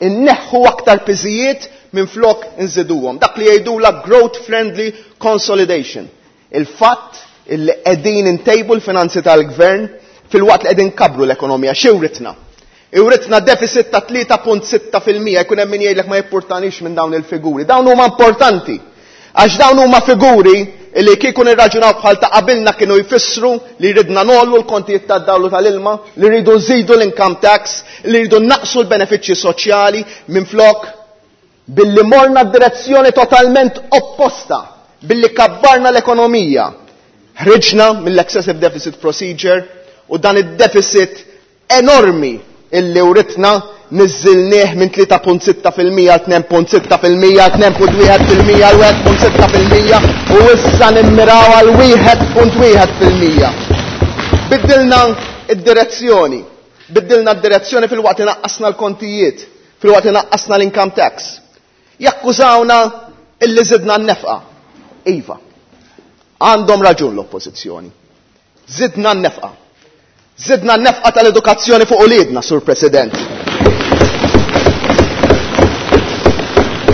Inneħħu aktar piżijiet minflok inżiduhom. Dak li jgħidula growth friendly consolidation. Il-fatt illi qegħdin intejbu l-finanzi tal-gvern filwaqt li qegħdin kabru l-ekonomija. Xi writna? Iwritna deficit ta' 3.6% jkun hemm min jgħidlek ma jippurtanix minn dawn il-figuri. Dawn huma importanti. Għax dawn huma figuri li kieku nirraġunaw bħal ta' qabilna kienu jfissru li ridna nollu l-kontijiet tad-dawlu tal-ilma, li rridu nżidu l-income tax, li rridu naqsu l-benefiċċji soċjali minflok billi morna direzzjoni totalment opposta, billi kabbarna l-ekonomija. Ħriġna mill-excessive deficit procedure u dan id-deficit enormi illi uritna niżilnieh minn 3.6% għal 2.6% għal 2.1% għal 1.6% u issa nimmiraw għal 1.1%. Biddilna id-direzzjoni, biddilna d-direzzjoni filwaqt li naqqasna l-kontijiet, filwaqt li naqqasna l-income tax. Jakkużawna illi zidna n-nefqa. Iva, għandhom raġun l-oppożizzjoni. Zidna n-nefqa. Zidna n-nefqa tal-edukazzjoni fuq uliedna, Sur President.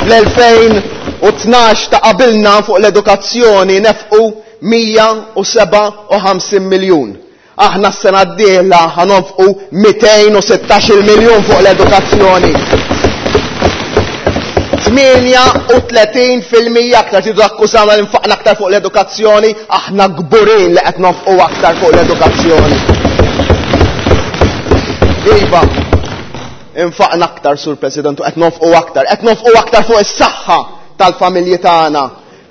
Fl-2012 ta' qabilna fuq l-edukazzjoni nefqu 157 miljun. Aħna s-sena d-dieħla ħanonfqu 216 miljun fuq l-edukazzjoni. 38% aktar tridu akkużawna li nfaqna aktar fuq l-edukazzjoni, aħna kburin li qed nonfqu aktar fuq l-edukazzjoni. Iva, infaqna aktar, Sur President, u qed nonfqu aktar, qed nonfqu aktar fuq is-saħħa tal-familji tagħna.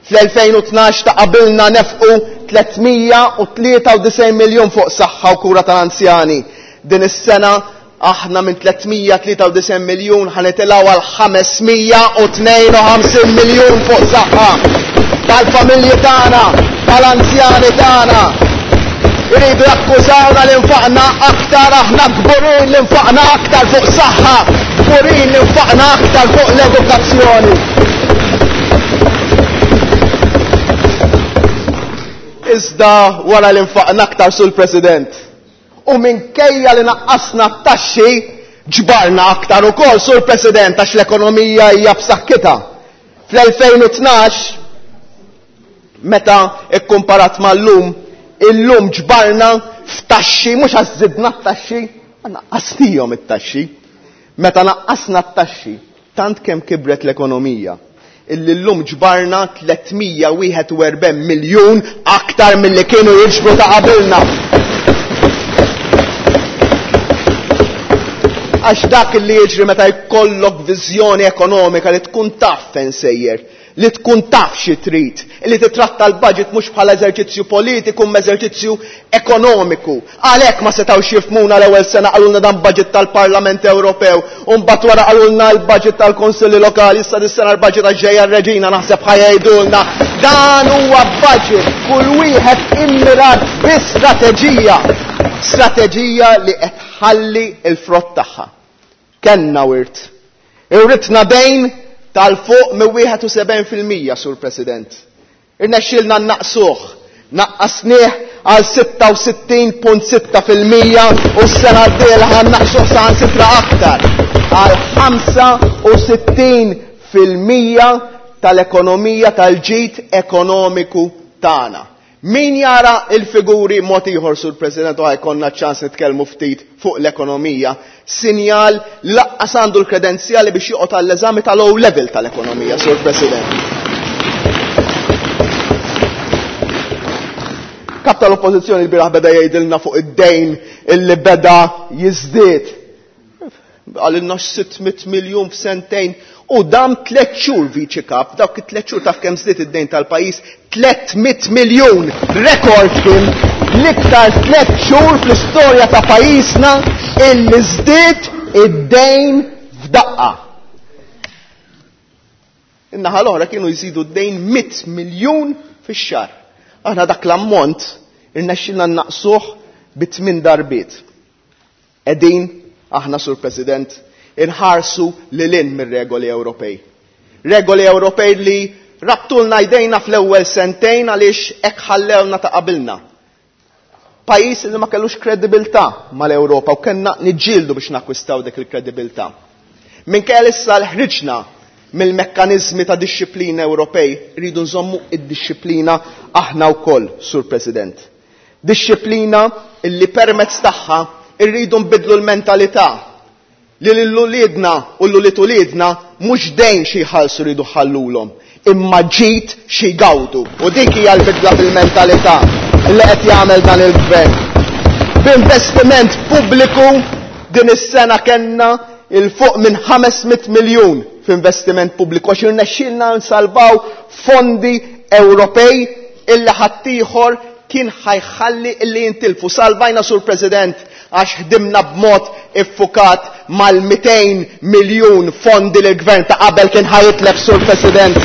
Fl-2012 ta' qabilna nefqu 393 miljun fuq saħħa u kura tal-anzjani. Din is-sena aħna minn 393 miljun ħanitilgħu għal 552 miljun fuq saħħa tal-familji tagħna, tal-anzjani tagħna. Iridu jakkużawna li nfaqna aktar, aħna kburin li nfaqna aktar fuq saħħa, kburin li nfaqna aktar fuq l-edukazzjoni. Iżda wara li nfaqna aktar sul President, u minkejja li naqqasna t-taxxi, ġbarna aktar ukoll sur President għax l-ekonomija hija b'saħħitha. Fl-2012, meta ikkumparat mal-lum, illum ġbarna f'taxxi, mhux għax żidna t-taxxi, naqqasnihom it-taxxi. Meta naqqasna t-taxxi, tant kemm kibret l-ekonomija, illi llum ġbarna 341 miljun aktar milli kienu jiġbru ta' qabilna. Għax dak li jiġri meta jkollok viżjoni ekonomika li tkun taf fejn sejjer, li tkun taf xi trid, li titratta l-budget mhux bħala eżerċizzju politiku imma eżerċizzju ekonomiku. Għalhekk ma setgħux jifhmuna l-ewwel sena qalulna dan budget tal-Parlament Ewropew, u mbagħad wara qalulna l-budget tal-Kunsilli Lokali, issa dis-sena l-budget għax ġejja r-Reġina naħseb ħajdulna. Dan huwa budget kull wieħed immirat bi strateġija, strateġija li qed tħalli l-frott tagħha. Kenna wirt. Irritna dejn tal-fuq minn 71%, Sur President. Irnexxielna naqsuh, naqqasnieh għal 66.6% u s-sena d-dieħla ħa naqsuh saħansitra aktar għal 65% tal-ekonomija tal-ġid ekonomiku tagħna. Min jara il-figuri mod ieħor, Sur President, u ħajkonna ċans nitkellmu ftit fuq l-ekonomija, sinjal laqqas għandu l-kredenzjali biex joqgħod għall-eżami tal-O level tal-ekonomija, Sur President. Kap tal-Oppożizzjoni l-bieraħ beda jgħidilna fuq id-dejn illi beda jiżdied. Qalilna 600 miljun f'sentejn u dam 3 xhur viċi kap, dawk it-tliet xhur taf kemm żdied id-dejn tal-pajjiż, 300 miljun, rekord kien l-iktar 3 xhur fl-istorja ta' pajjiżna illi żdied id-dejn f'daqqa. In-naħa l-oħra kienu jżidu d-dejn 100 miljun fix-xahar. Aħna dak l-ammont irnexxilna naqsuh bi 8 darbiet. Qegħdin aħna, Sur President, inħarsu lil hinn mir-regoli Ewropej. Regoli Ewropej li rabtulna jdejna fl-ewwel sentejn għaliex hekk ħallewna ta' qabilna. Pajjiż li ma kellux kredibilità mal-Ewropa u kellna niġġieldu biex nakkwistaw dik il-kredibilità. Minkejja li issa ħriġna mill-mekkaniżmi ta' dixxiplina Ewropej, rridu nżommu id-dixxiplina aħna wkoll, Sur President. Dixxiplina illi permezz tagħha rridu nbiddlu l-mentalità li lil uliedna u l ulied uliedna mhux dejn xi jħallsu rridu ħallulhom, imma ġid xi jgawdu. U dik hija l-bidla fil-mentalità li qed jagħmel dan il-gvern. B'investiment pubbliku din is-sena kellna 'il fuq minn 500 miljun f'investiment pubbliku għax irnexxielna nsalvaw fondi Ewropej illi ħaddieħor kien ħa jħalli illi jintilfu. Salvajna, Sur President, għax ħdimna b'mod iffukat mal-200 miljun fondi li l-gvern ta' qabel kien ħa jitlef, Sur President.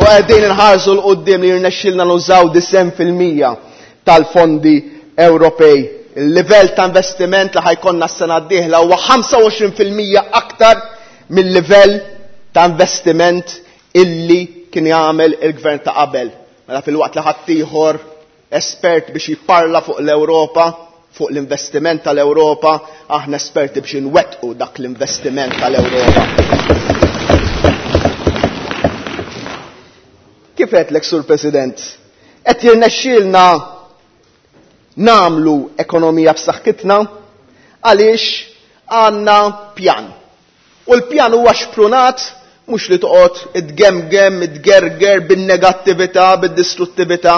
U qegħdin inħarsu 'l quddiem li jirnexxilna nużaw 90% tal-fondi Ewropej. Il-livell ta' investiment li ħa jkollna s-sena d-dieħla huwa 25% aktar mill-livell ta' investiment illi kien jagħmel il-gvern ta' qabel. Mela filwaqt li ħaddieħor espert biex jipparla fuq l-Ewropa, fuq l-investiment tal-Ewropa, aħna esperti biex inwettqu dak l-investiment tal-Ewropa. Kif għedtlek, Sur President, qed jirnexxielna nagħmlu ekonomija b'saħħitna għaliex għandna pjan. U l-pjan huwa xprunat mhux li toqgħod itgemgem, itgerger bin-negattività, bid-distruttività,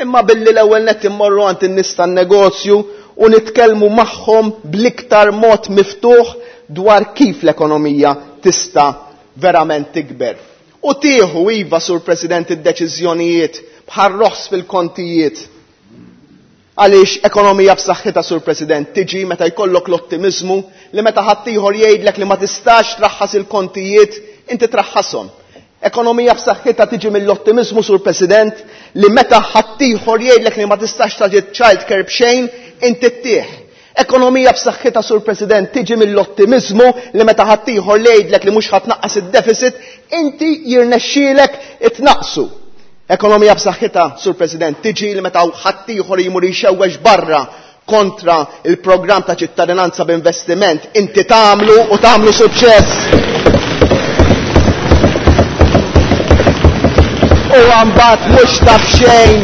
imma billi l-ewwel nett immorru għand in-nies tan-negozju u nitkellmu magħhom bl-iktar mod miftuħ dwar kif l-ekonomija tista' verament tikber. U tieħu, iva, Sur President, id-deċiżjonijiet bħal roħs fil-kontijiet. Għaliex ekonomija b'saħħitha, Sur President, tiġi meta jkollok l-ottimiżmu li meta ħaddieħor jgħidlek li ma tistax traħħas il-kontijiet, inti traħħashom. Ekonomija b'saħħitha tiġi mill-ottimiżmu, Sur President, li meta ħaddieħor jgħidlek li ma tistax tagħti child care b'xejn, inti ttih. Ekonomija b'saħħitha, Sur President, tiġi mill-ottimiżmu li meta ħaddieħor li jgħidlek li mhux ħa tnaqqas id-deficit, inti jirnexxielek itnaqqsu. Ekonomija b'saħħitha, Sur President, tiġi li meta ħaddieħor jmur jxewwex barra kontra il-programm ta' ċittadinanza b'investiment, inti tagħmlu u tagħmlu suċċess. U mbagħad mhux taf xejn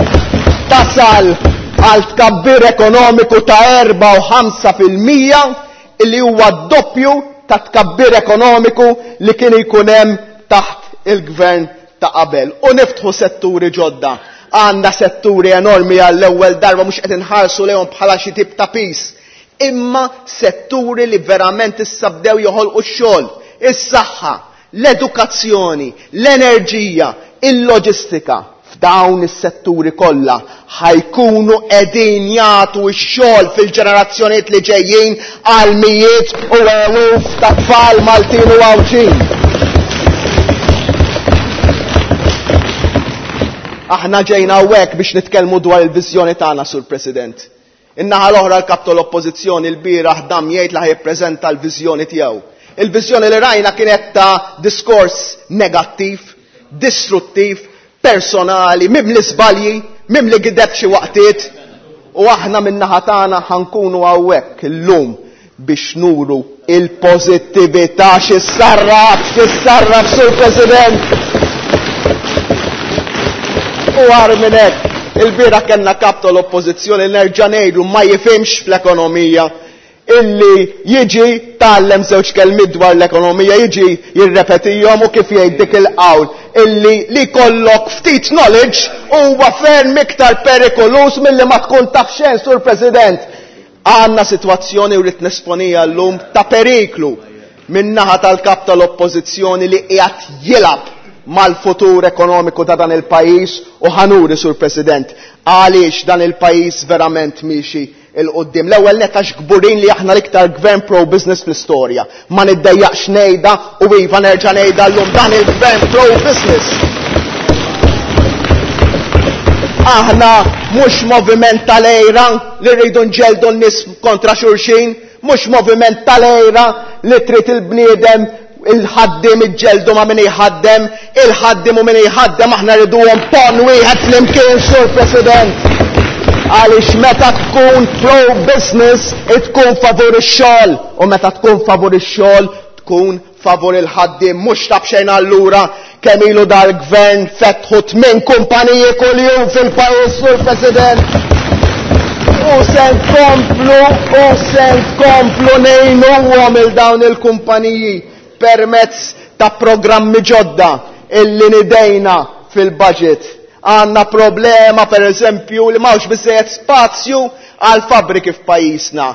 tasal għal tkabbir ekonomiku ta' 4 u 5% illi huwa doppju ta' tkabbir ekonomiku li kien jkun hemm taħt il-gvern ta' qabel. U niftħu setturi ġodda. Għandna setturi enormi għall-ewwel darba mhux qed inħarsu lejhom bħala xi tip ta' pis, imma setturi li verament issa bdew joħolqu x-xogħol, is-saħħa, l-edukazzjoni, l-enerġija, il-loġistika. F'dawn is-setturi kollha ħa jkunu qegħdin jagħtu x-xogħol fil-ġenerazzjonijiet li ġejjin għal mijiet u eluf ta' tfal Maltin u Għawdxin. Aħna ġejna hawnhekk biex nitkellmu dwar il-viżjoni tagħna, Sur President. In-naħa l-oħra l-kap tal-Oppożizzjoni l-bieraħ dam jgħid li ħa jippreżenta l-viżjoni tiegħu. Il-viżjoni li rajna kienet ta' diskors negattiv, distruttiv, personali, mimli żbalji, mimli gideb xi waqtiet, u aħna min-naħa tagħna ħa nkunu hawnhekk illum biex nuru il-pożittività xi ssarraf, xi ssarraf, Sur President. U agħar minn hekk, il-bieraħ kellna kap tal-Oppożizzjoni, nerġa' ngħidu, ma jifhimx fl-ekonomija, illi jiġi tgħallem żewġ kelmiet dwar l-ekonomija, jiġi jirrepetihom u kif jgħid dik il-qawl illi li kollok ftit knowledge huwa ferm iktar perikolus milli ma tkun taf xejn, Sur President. Għandna sitwazzjoni u rrid nesponija llum ta' periklu min-naħa tal-kap tal-Oppożizzjoni li qiegħed jilgħab mal-futur ekonomiku ta' dan il-pajjiż u ħa nuri, Sur President, għaliex dan il-pajjiż verament miexi 'il quddiem. L-ewwel nett għax kburin li aħna l-iktar gvern pro-business fl-istorja. Ma niddejjaqx ngħidha u iva nerġa' ngħidha llum, dan il-gvern pro-business. Aħna mhux moviment tal-għira li rridu nġeldu n-nies kontra xulxin, Mhux moviment tal-għira li trid il-bniedem il-ħaddiem iġġeldu ma' min jħaddem, il-ħaddiem u min jħaddem aħna rriduhom pon wieħed flimkien, Sur President. Għaliex meta tkun pro-business, tkun favur ix-xogħol, u meta tkun favur ix-xogħol, tkun favur il-ħaddiem. Mhux ta' b'xejn allura kemm ilu dal-gvern fetħu 8 kumpaniji kuljum fil-pajjiż, Sur President. U se nkomplu, u se nkomplu ngħinuhom il dawn il-kumpaniji permezz ta' programmi ġodda illi nidejna fil-budget. Għandna problema per eżempju li m'hawnx biżejjed spazju għal fabbriki f'pajjiżna.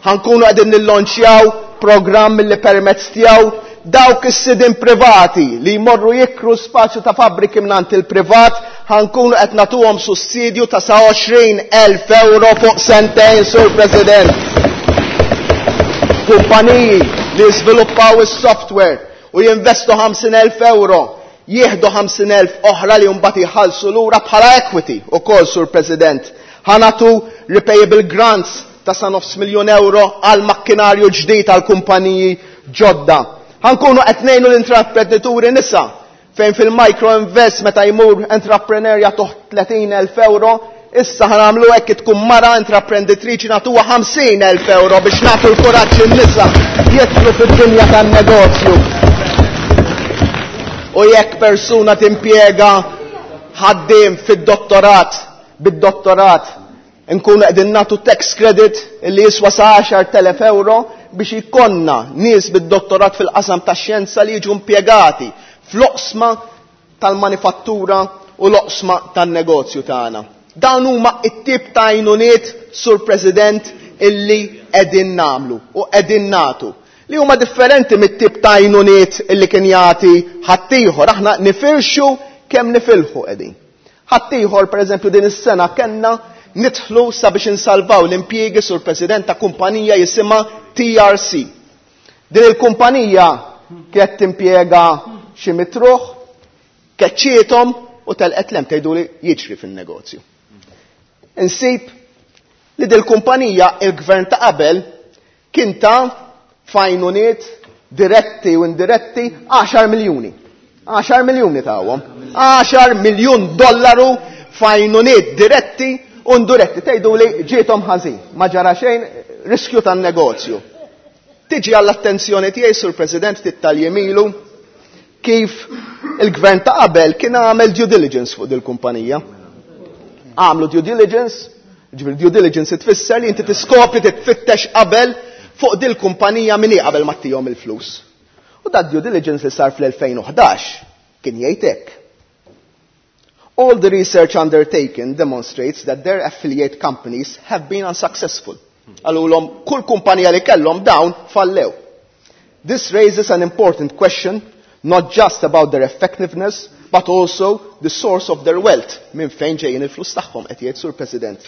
Ħankunu qegħdin nillonċjaw programm li permezz tiegħu dawk is-sidien privati li jmorru jikru spazju ta' fabbriki mingħand il-privat ħankunu qed nagħtuhom sussidju ta' sa 20,000 euro fuq sentejn, Sur President. Kumpaniji li jiżviluppaw is-software u jinvestu 50,000 euro jieħdu 50,000 oħra li mbagħad jħallsu lura bħala equity ukoll, Sur President. Ħanatu repayable grants ta' sa nofs miljun euro għal makkinarju ġdid għal kumpaniji ġodda. Ħankunu qed ngħinu l-intraprenditori nisa fejn fil-micro invest meta jmur entrepreneur jagħtuh 30,000 euro, issa ħanamlu hekk tkun mara intraprenditriċi nagħtuha 50,000 euro biex nagħtu l-kuraġġ in-nisa jidħlu fid-dinja tan-negozju. U jekk persuna timpjega ħaddiem fid-dottorat, bid-dottorat, nkunu qegħdin nagħtu tax credit li jiswa sa 10,000 euro biex ikonna nies bid-dottorat fil-qasam tax-xjenza li jiġu impjegati fl-oqsma tal-manifattura u l-oqsma tan-negozju tagħna. Dawn huma t-tip ta' għajnuniet, Sur President, illi qegħdin nagħmlu u qegħdin nagħtu. Li huma differenti mit-tip ta' għajnuniet illi kien jagħti ħaddieħor. Aħna nifirxu kemm nifilħu qegħdin. Ħaddieħor, pereżempju, din is-sena kellna nidħlu sabiex insalvaw l-impjiegi, Sur President, ta' kumpanija jisimha TRC. Din il-kumpanija kienet timpjega xi mitruħ, keċċietom u telqet lem, tgħidu li jiġri fin-negozju. Insib li dil-kumpanija il-gvern ta' qabel kien ta' fajnuniet diretti u indiretti 10 miljuni. 10 miljuni tawhom. 10 miljun dollaru fajnuniet diretti u indiretti. Tgħidu li ġiethom ħażin, ma ġara xejn, riskju tan-negozju. Tiġi għall-attenzjoni tiegħi, Sur President, ftit tal-jemilu, kif il-gvern ta' qabel kien għamel due diligence fuq dil-kumpanija. Għamlu due diligence, ġifieri due diligence tfisser li inti tiskopri titfittex qabel fuq dil-kumpanija min hi qabel ma ttihom il-flus. U dat due diligence li sar fl-2011 kien jgħid hekk. All the research undertaken demonstrates that their affiliate companies have been unsuccessful. Għalulhom kull kumpanija li kellhom dawn fallew. This raises an important question, not just about their effectiveness, but also the source of their wealth. Minn fejn ġejjin il-flus tagħhom, qed jgħid Sur President.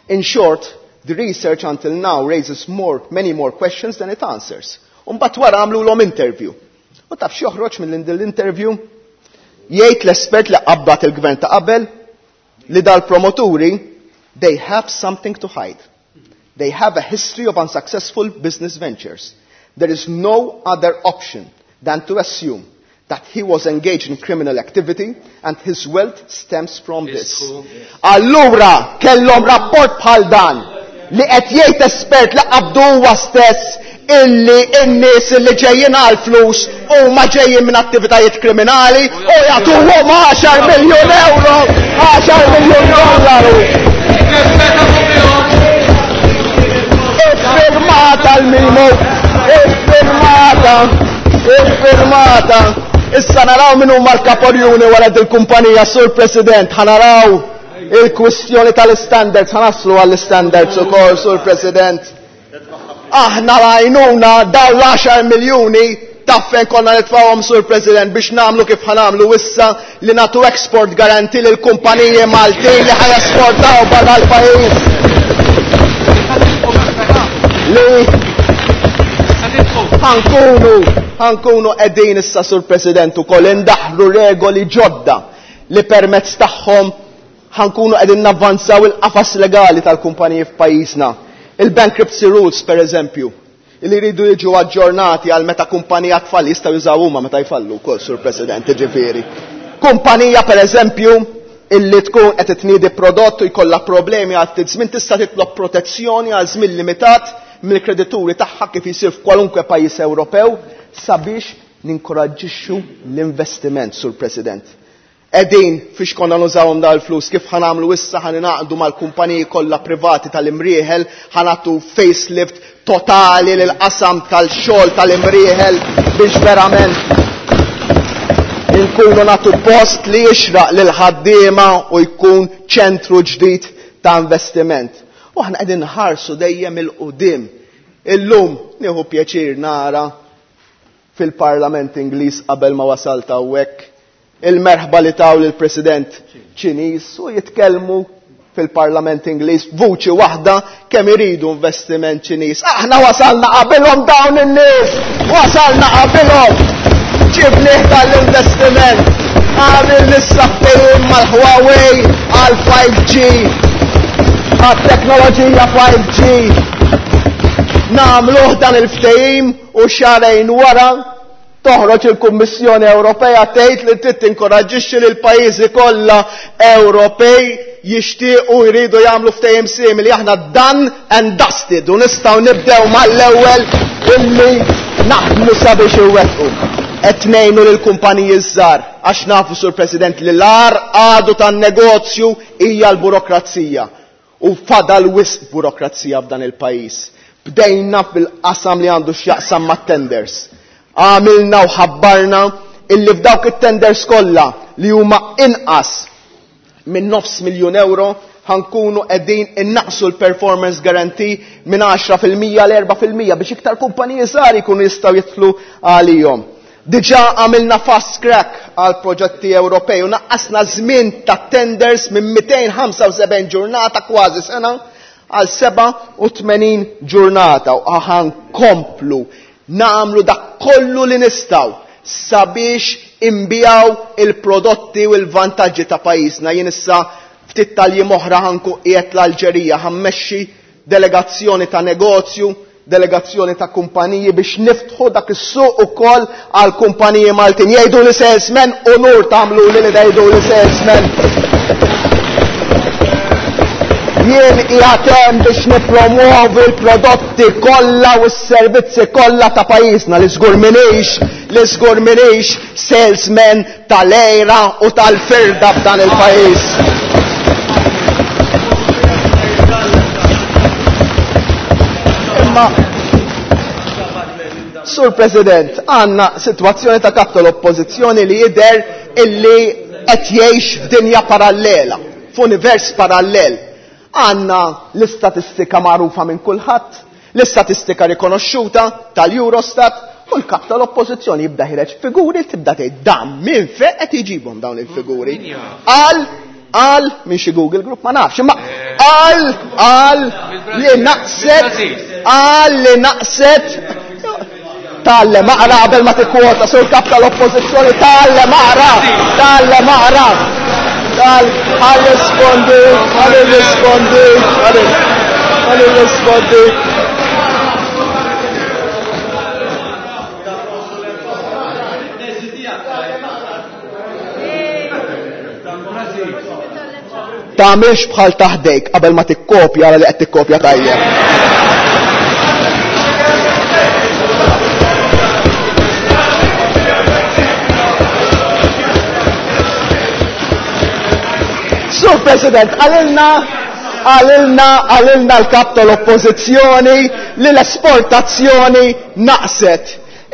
In short, the research until now raises many more questions than it answers. U mbagħad wara għamlu l-om interview. U taf x'joħroġ minn din l-interview? Jgħid l-espert li qabbat il-gvern ta' qabel li dal-promoturi, they have something to hide. They have a history of unsuccessful business ventures. There is no other option than to assume that he was engaged in criminal activity and his wealth stems from this. Allura, kellhom rapport bħal dan li qed jgħid espert li qabdu huwa stess illi n-nies illi ġejjin għal flus huma ġejjin minn attivitajiet kriminali u jagħtuhom 10 miljun euro, 10 miljun dollaru. Iffirmata l-mimo, iffirmata, iffirmata. Issa naraw min huma l-kaporjuni wara dil-kumpanija, Sur President, ħanaraw il-kwistjoni tal-standards, ħanaslu għall-standards ukoll, Sur President. Aħna rajnuna daw l-10 miljuni taffen konna nitfawhom, Sur President, biex namlu kif ħanamlu issa li natu export garanti lil kumpaniji Maltin li ħajesportaw barra l-pajjiż. Li ħankunu qegħdin issa, Sur President, ukoll indaħlu regoli ġodda li permezz tagħhom ħankunu qegħdin navvanzaw il-qafas legali tal-kumpaniji f'pajjiżna. Il-bankruptcy rules, per eżempju. li jridu jiġu aġġornati għal meta kumpanija tfalli jistgħu jużaw huma meta jfallu wkoll, Sur President, jiġifieri. Kumpanija pereżempju illi tkun qed tniedi prodott u jkollha problemi għal ftit żmien tista' titlob protezzjoni għal żmien limitat mill-kredituri tagħha kif isir f'kwalunkwe pajjiż Ewropew sabiex ninkoraġġixxu l-investiment, Sur President. Qegħdin fiex konna nużawhom dawn il-flus, kif ħa nagħmlu issa ħa ningħaqdu mal-kumpaniji kollha privati tal-Imrieħel, ħa nagħtu facelift totali lill-qasam tal-xogħol tal-Imrieħel biex verament inkunu nagħtu post li jixraq lill-ħaddiema u jkun ċentru ġdid ta' investiment. U aħna qegħdin nħarsu dejjem 'il quddiem. Illum nieħu pjaċir nara fil-Parlament Ingliż qabel ma wasalt hawnhekk il-merħba li taw lill-President Ċiniż u jitkellmu fil-Parlament Ingliż b'vuċi waħda kemm iridu investiment Ċiniż. Aħna wasalna qabilhom dawn in-nies! Wasalna qabilhom! Ġibnieh tal-investiment! Għamil issa ftehim mal-Huawei għal 5G, għat-teknoloġija 5G. Nagħmluh dan il-ftehim u xahrejn wara Toħroġ il-Kummissjoni Ewropea tgħid li trid tinkoraġġixxi lil pajjiżi kollha Ewropej jixtiequ jridu jagħmlu ftehim simili. Aħna done and dusted u nistgħu nibdew mal-ewwel illi naħdmu sabiex inwettqu. Qed ngħinu lill-kumpaniji ż-żgħar għax nafu, Sur President, li l-agħar għadu tan-negozju hija l-burokrazija. U fadal wisq burokrazija f'dan il-pajjiż. Bdejna fil-qasam li għandu x'jaqsam mat-tenders. Għamilna u ħabbarna illi f'dawk it-tenders kollha li huma inqas minn nofs miljun euro ħankunu qegħdin innaqqsu l-performance guarantee minn 10% l 4% biex iktar kumpaniji żgħar jkunu jistgħu jidħlu għalihom. Diġà għamilna fast track għal proġetti Ewropej u naqqasna żmien ta' tenders minn 275 ġurnata kważi sena għal 87 ġurnata u ħankomplu nagħmlu dak kollu li nistgħu sabiex inbiegħu il-prodotti u l-vantaġġi ta' pajjiżna. Jien issa ftit tal-jiem oħra ħankun qiegħed l-Alġerija ħammexxi delegazzjoni ta' negozju, delegazzjoni ta' kumpaniji biex niftħu dak is-suq ukoll għal kumpaniji Maltin. Jgħidu li salesman, unur tagħmlu li li tgħidu li salesman. Jien qiegħed hemm biex nippromuovi l-prodotti kollha u s-servizzi kollha ta' pajjiżna li żgur m'iniex, li żgur m'iniex salesman tal-għira u tal-firda f'dan il-pajjiż. Imma Sur President, għandna sitwazzjoni ta' kap tal-Oppożizzjoni li jidher illi qed jgħix f'dinja parallela, f'univers parallel. Għandna l-istatistika magħrufa minn kulħadd, L-istatistika rikonoxxuta tal-Eurostat u l-kap tal-Oppożizzjoni jibda ħireġ figuri tibda tgħid dan minn fejn qed iġibhom dawn il-figuri. Qal qal minn xi Google Group ma nafx, imma qal qal li naqset qal li naqset Tgħallem aqra qabel ma tikkwota sur kap tal-Oppożizzjoni tgħallem aqra, tgħallem aqra. Tal ħalli rispondi, ħalli rispondi, ħalli rispondi. Tagħmilx bħal ta' ħdejk qabel ma tikkopja ara li qed tikkopja tajjeb. Sur President, għalilna għalilna għalilna l-kap tal-oppożizzjoni li l-esportazzjoni naqset.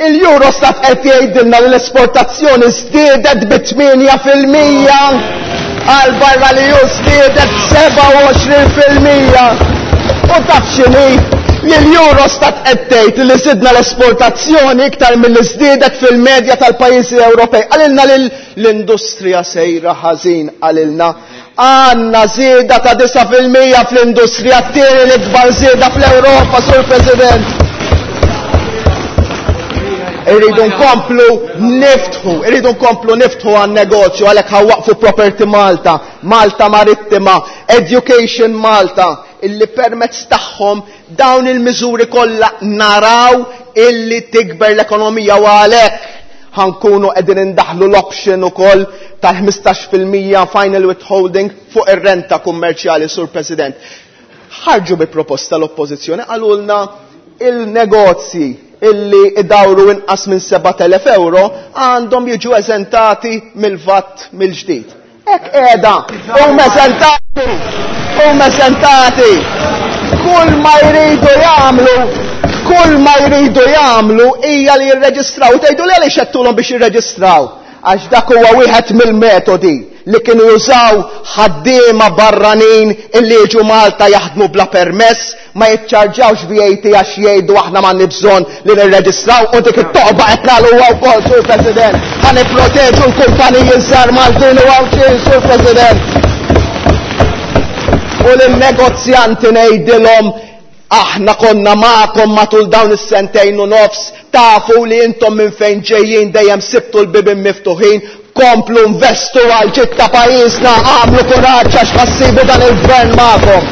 Il-Eurostat qed jgħidilna li l-esportazzjoni żdiedet bi 8% għal barra li hu żdiedet b'27%. U taf x'inhi? Li l-Eurostat qed tgħid li żidna l-esportazzjoni iktar milli żdiedet fil-medja tal-pajjiżi Ewropej. Qalilna li l-industrija sejra ħażin, qalilna. Għandna żieda ta' 9% fl-industrija, t-tieni l-ikbar żieda fl-Ewropa, Sur President. Irridu nkomplu niftħu, irridu nkomplu niftħu għan-negozju, għalhekk ħawaqfu Property Malta, Malta Marittima, Education Malta. illi permezz tagħhom dawn il-miżuri kollha naraw illi tikber l-ekonomija u għalhekk ħankunu qegħdin indaħlu l-option ukoll tal-15% final withholding fuq ir-renta kummerċjali, Sur President. Ħarġu bi proposta l-Oppożizzjoni, qalulna il-negozji illi idawru inqas minn 7,000 euro għandhom jiġu eżentati mill-VAT mill-ġdid. Hekk qiegħda, huma eżentati, huma eżentati. Kull ma jridu jagħmlu, kull ma jridu jagħmlu hija li jirreġistraw. Tgħidu li għaliex għedtulhom biex jirreġistraw? Għax dak huwa wieħed mill-metodi li kienu jużaw ħaddiema barranin illi jiġu Malta jaħdmu bla permess, ma jiċċarġawx VAT għax jgħidu aħna m'għandni bżonn li nirreġistraw, u dik it-toqba qed nagħluha wkoll, Sur President. Ħa nipproteġu l-kumpaniji żgħar Maltin u Għawdxin, Sur President. U lin-negozjanti ngħidilhom aħna konna magħkom matul dawn is-sentejn u nofs, tafu li intom minn fejn ġejjin dejjem sibtu l-bibien miftuħin, komplu investu għal ġid ta' pajjiżna, għamlu kuraġġ għax ħassibu dan il-gvern magħkom.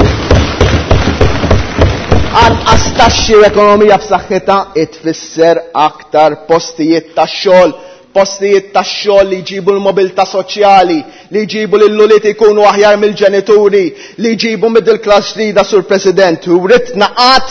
Anqas taxxi u ekonomija b'saħħitha tfisser aktar postijiet ta' xogħol, postijiet ta' xogħol li jġibu l-mobilità soċjali, li jġibu lil ulied ikunu aħjar mill-ġenituri, li jġibu middle class ġdida, Sur President. U ritna qatt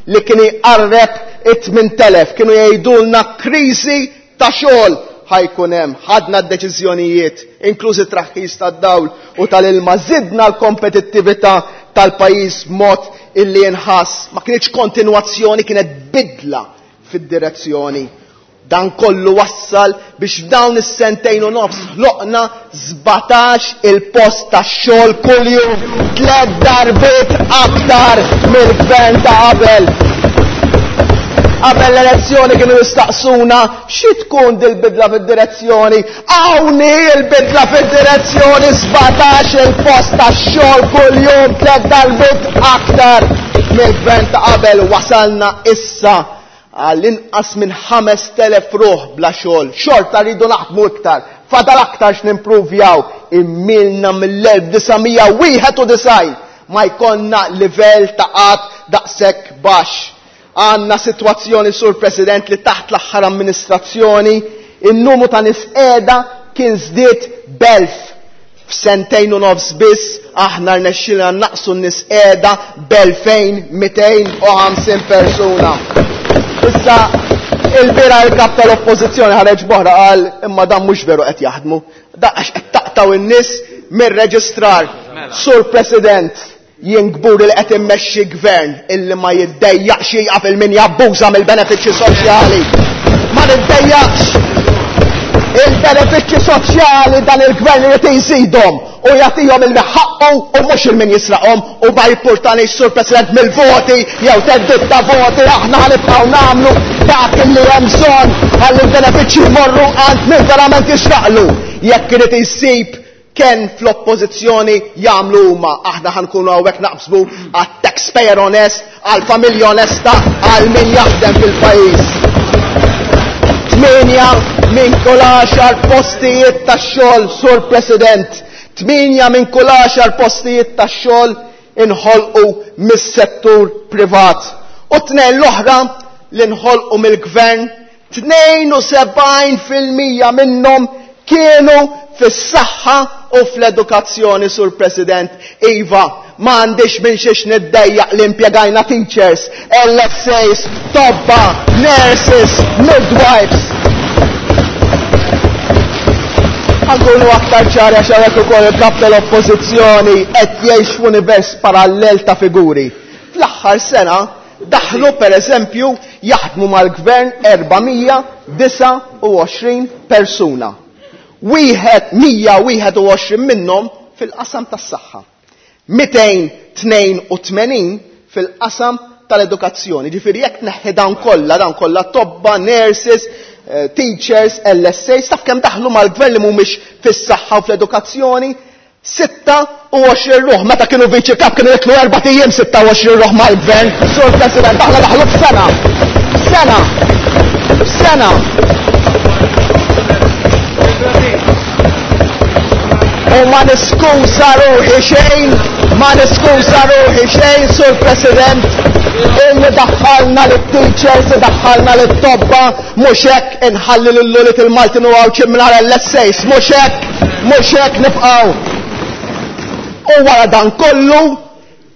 li kien iqarreb it-8000, kienu jgħidulna kriżi ta' xogħol ħajkun hemm. Ħadna d-deċiżjonijiet, inklużi traħħis tad-dawl u tal-ilma, żidna l-kompetittività tal-pajjiż b'mod illi jinħass. Ma kienx kontinwazzjoni, kienet bidla fid-direzzjoni. Dan kollu wassal biex f'dawn is-sentejn u nofs ħloqna 17 il-post ta' xogħol kuljum, 3 darbiet aktar mill-gvern ta' qabel. Qabel l-elezzjoni kienu jistaqsuna xi tkun dil-bidla fid-direzzjoni. Hawn hi l-bidla fid-direzzjoni, 17 il-post ta' xogħol kuljum, 3 darbiet aktar mill-gvern ta' qabel. Wasalna issa għall-inqas minn 5,000 ruħ bla xogħol. Xorta rridu naħdmu iktar, fadal aktar x'nimpruvjaw. Immilna mill-1991 ma jkollna livell ta' qatt daqshekk baxx. Għandna sitwazzjoni, Sur President, li taħt l-aħħar amministrazzjoni in-numru ta' nies qiegħda kien żdied b'elf. F'sentejn u nofs biss aħna rnexxilna naqsu n-nies qiegħda b'elfejn mitejn u ħamsin persuna. Issa il-bira il-kap tal-oppożizzjoni ħareġ boħra qal imma dan mhux veru qed jaħdmu. Da għax qed taqtaw in-nies mir-reġistrar. Sur President, jien kburi li qed immexxi gvern illi ma jiddejjaqx jieqaf il min jabbuża mill-benefiċċji soċjali. Ma niddejjaqx. Il-benefiċċji soċjali dan il-gvern irid jżidhom u jagħtihom il ħaqqu u mhux il min jisraqhom, u ma jippurtanix, Sur President, mill-voti jew teddid ta' voti, aħna ħanibqgħu nagħmlu dak li hemm bżonn ħalli l-benefiċċji jmorru għand min verament jixraqlu. Jekk irid jsib ken fl-oppożizzjoni jagħmlu huma, aħna ħankunu hawnhekk naqbżbu għat-taxpayer onest, għall-familja onesta, għal min jaħdem fil-pajjiż. 8 minn kull 10 postijiet tax-xogħol, Sur President, 8 minn kull 10 postijiet tax-xogħol inħolqu mis-settur privat. U tnejn l-oħra li nħolqu mill-gvern, tnejn u sebgħin fil-mija minnhom kienu fis-saħħa u fl-edukazzjoni, Sur President. Iva, ma għandix minn xiex niddejjaq li impjegajna teachers, LSAs, tobba, nurses, midwives. Għankunu aktar ċari għax hawnhekk ukoll il-kap tal-oppożizzjoni qed jgħix f'univers parallel ta' figuri. Fl-aħħar sena daħlu per eżempju jaħdmu mal-gvern 429 persuna. Wieħed 121 minnhom fil-qasam tas-saħħa. 282 fil-qasam tal-edukazzjoni. Ġifieri jekk tneħħi dawn kollha, dawn kollha tobba, nurses, teachers, LSAs, taf kemm daħlu mal-gvern li mhumiex fis-saħħa u fl-edukazzjoni? 26 ruħ. Meta kienu viċi kap kienu jitlu erba' ijiem 26 ruħ mal-gvern. Sur President, aħna daħlu f'sena. F'sena. F'sena. U ma niskuża ruħi xejn, ma niskuża ruħi xejn, Sur President, illi daħħalna lit-teachers, daħħalna lit-tobba, mhux hekk inħalli lil ulied il-Maltin u Għawdxin mingħajr LSAs, mhux hekk, mhux hekk nibqgħu. U wara dan kollu,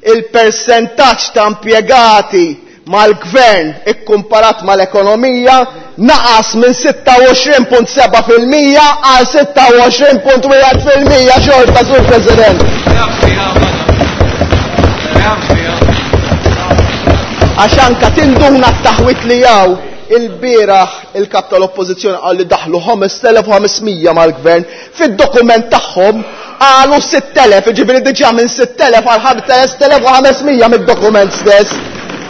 il-persentaġġ ta' impjegati mal-gvern ikkumparat mal-ekonomija naqas minn 26.7% għal 26.1% xorta, Sur President. Għax anka tinduna t-taħwit li jaw il-bieraħ il-kap tal-oppożizzjoni qal li daħlu 5500 mal-gvern fid-dokument tagħhom qalu 6000, jiġifieri diġà minn 6000 għal 5500 mid-dokument stess.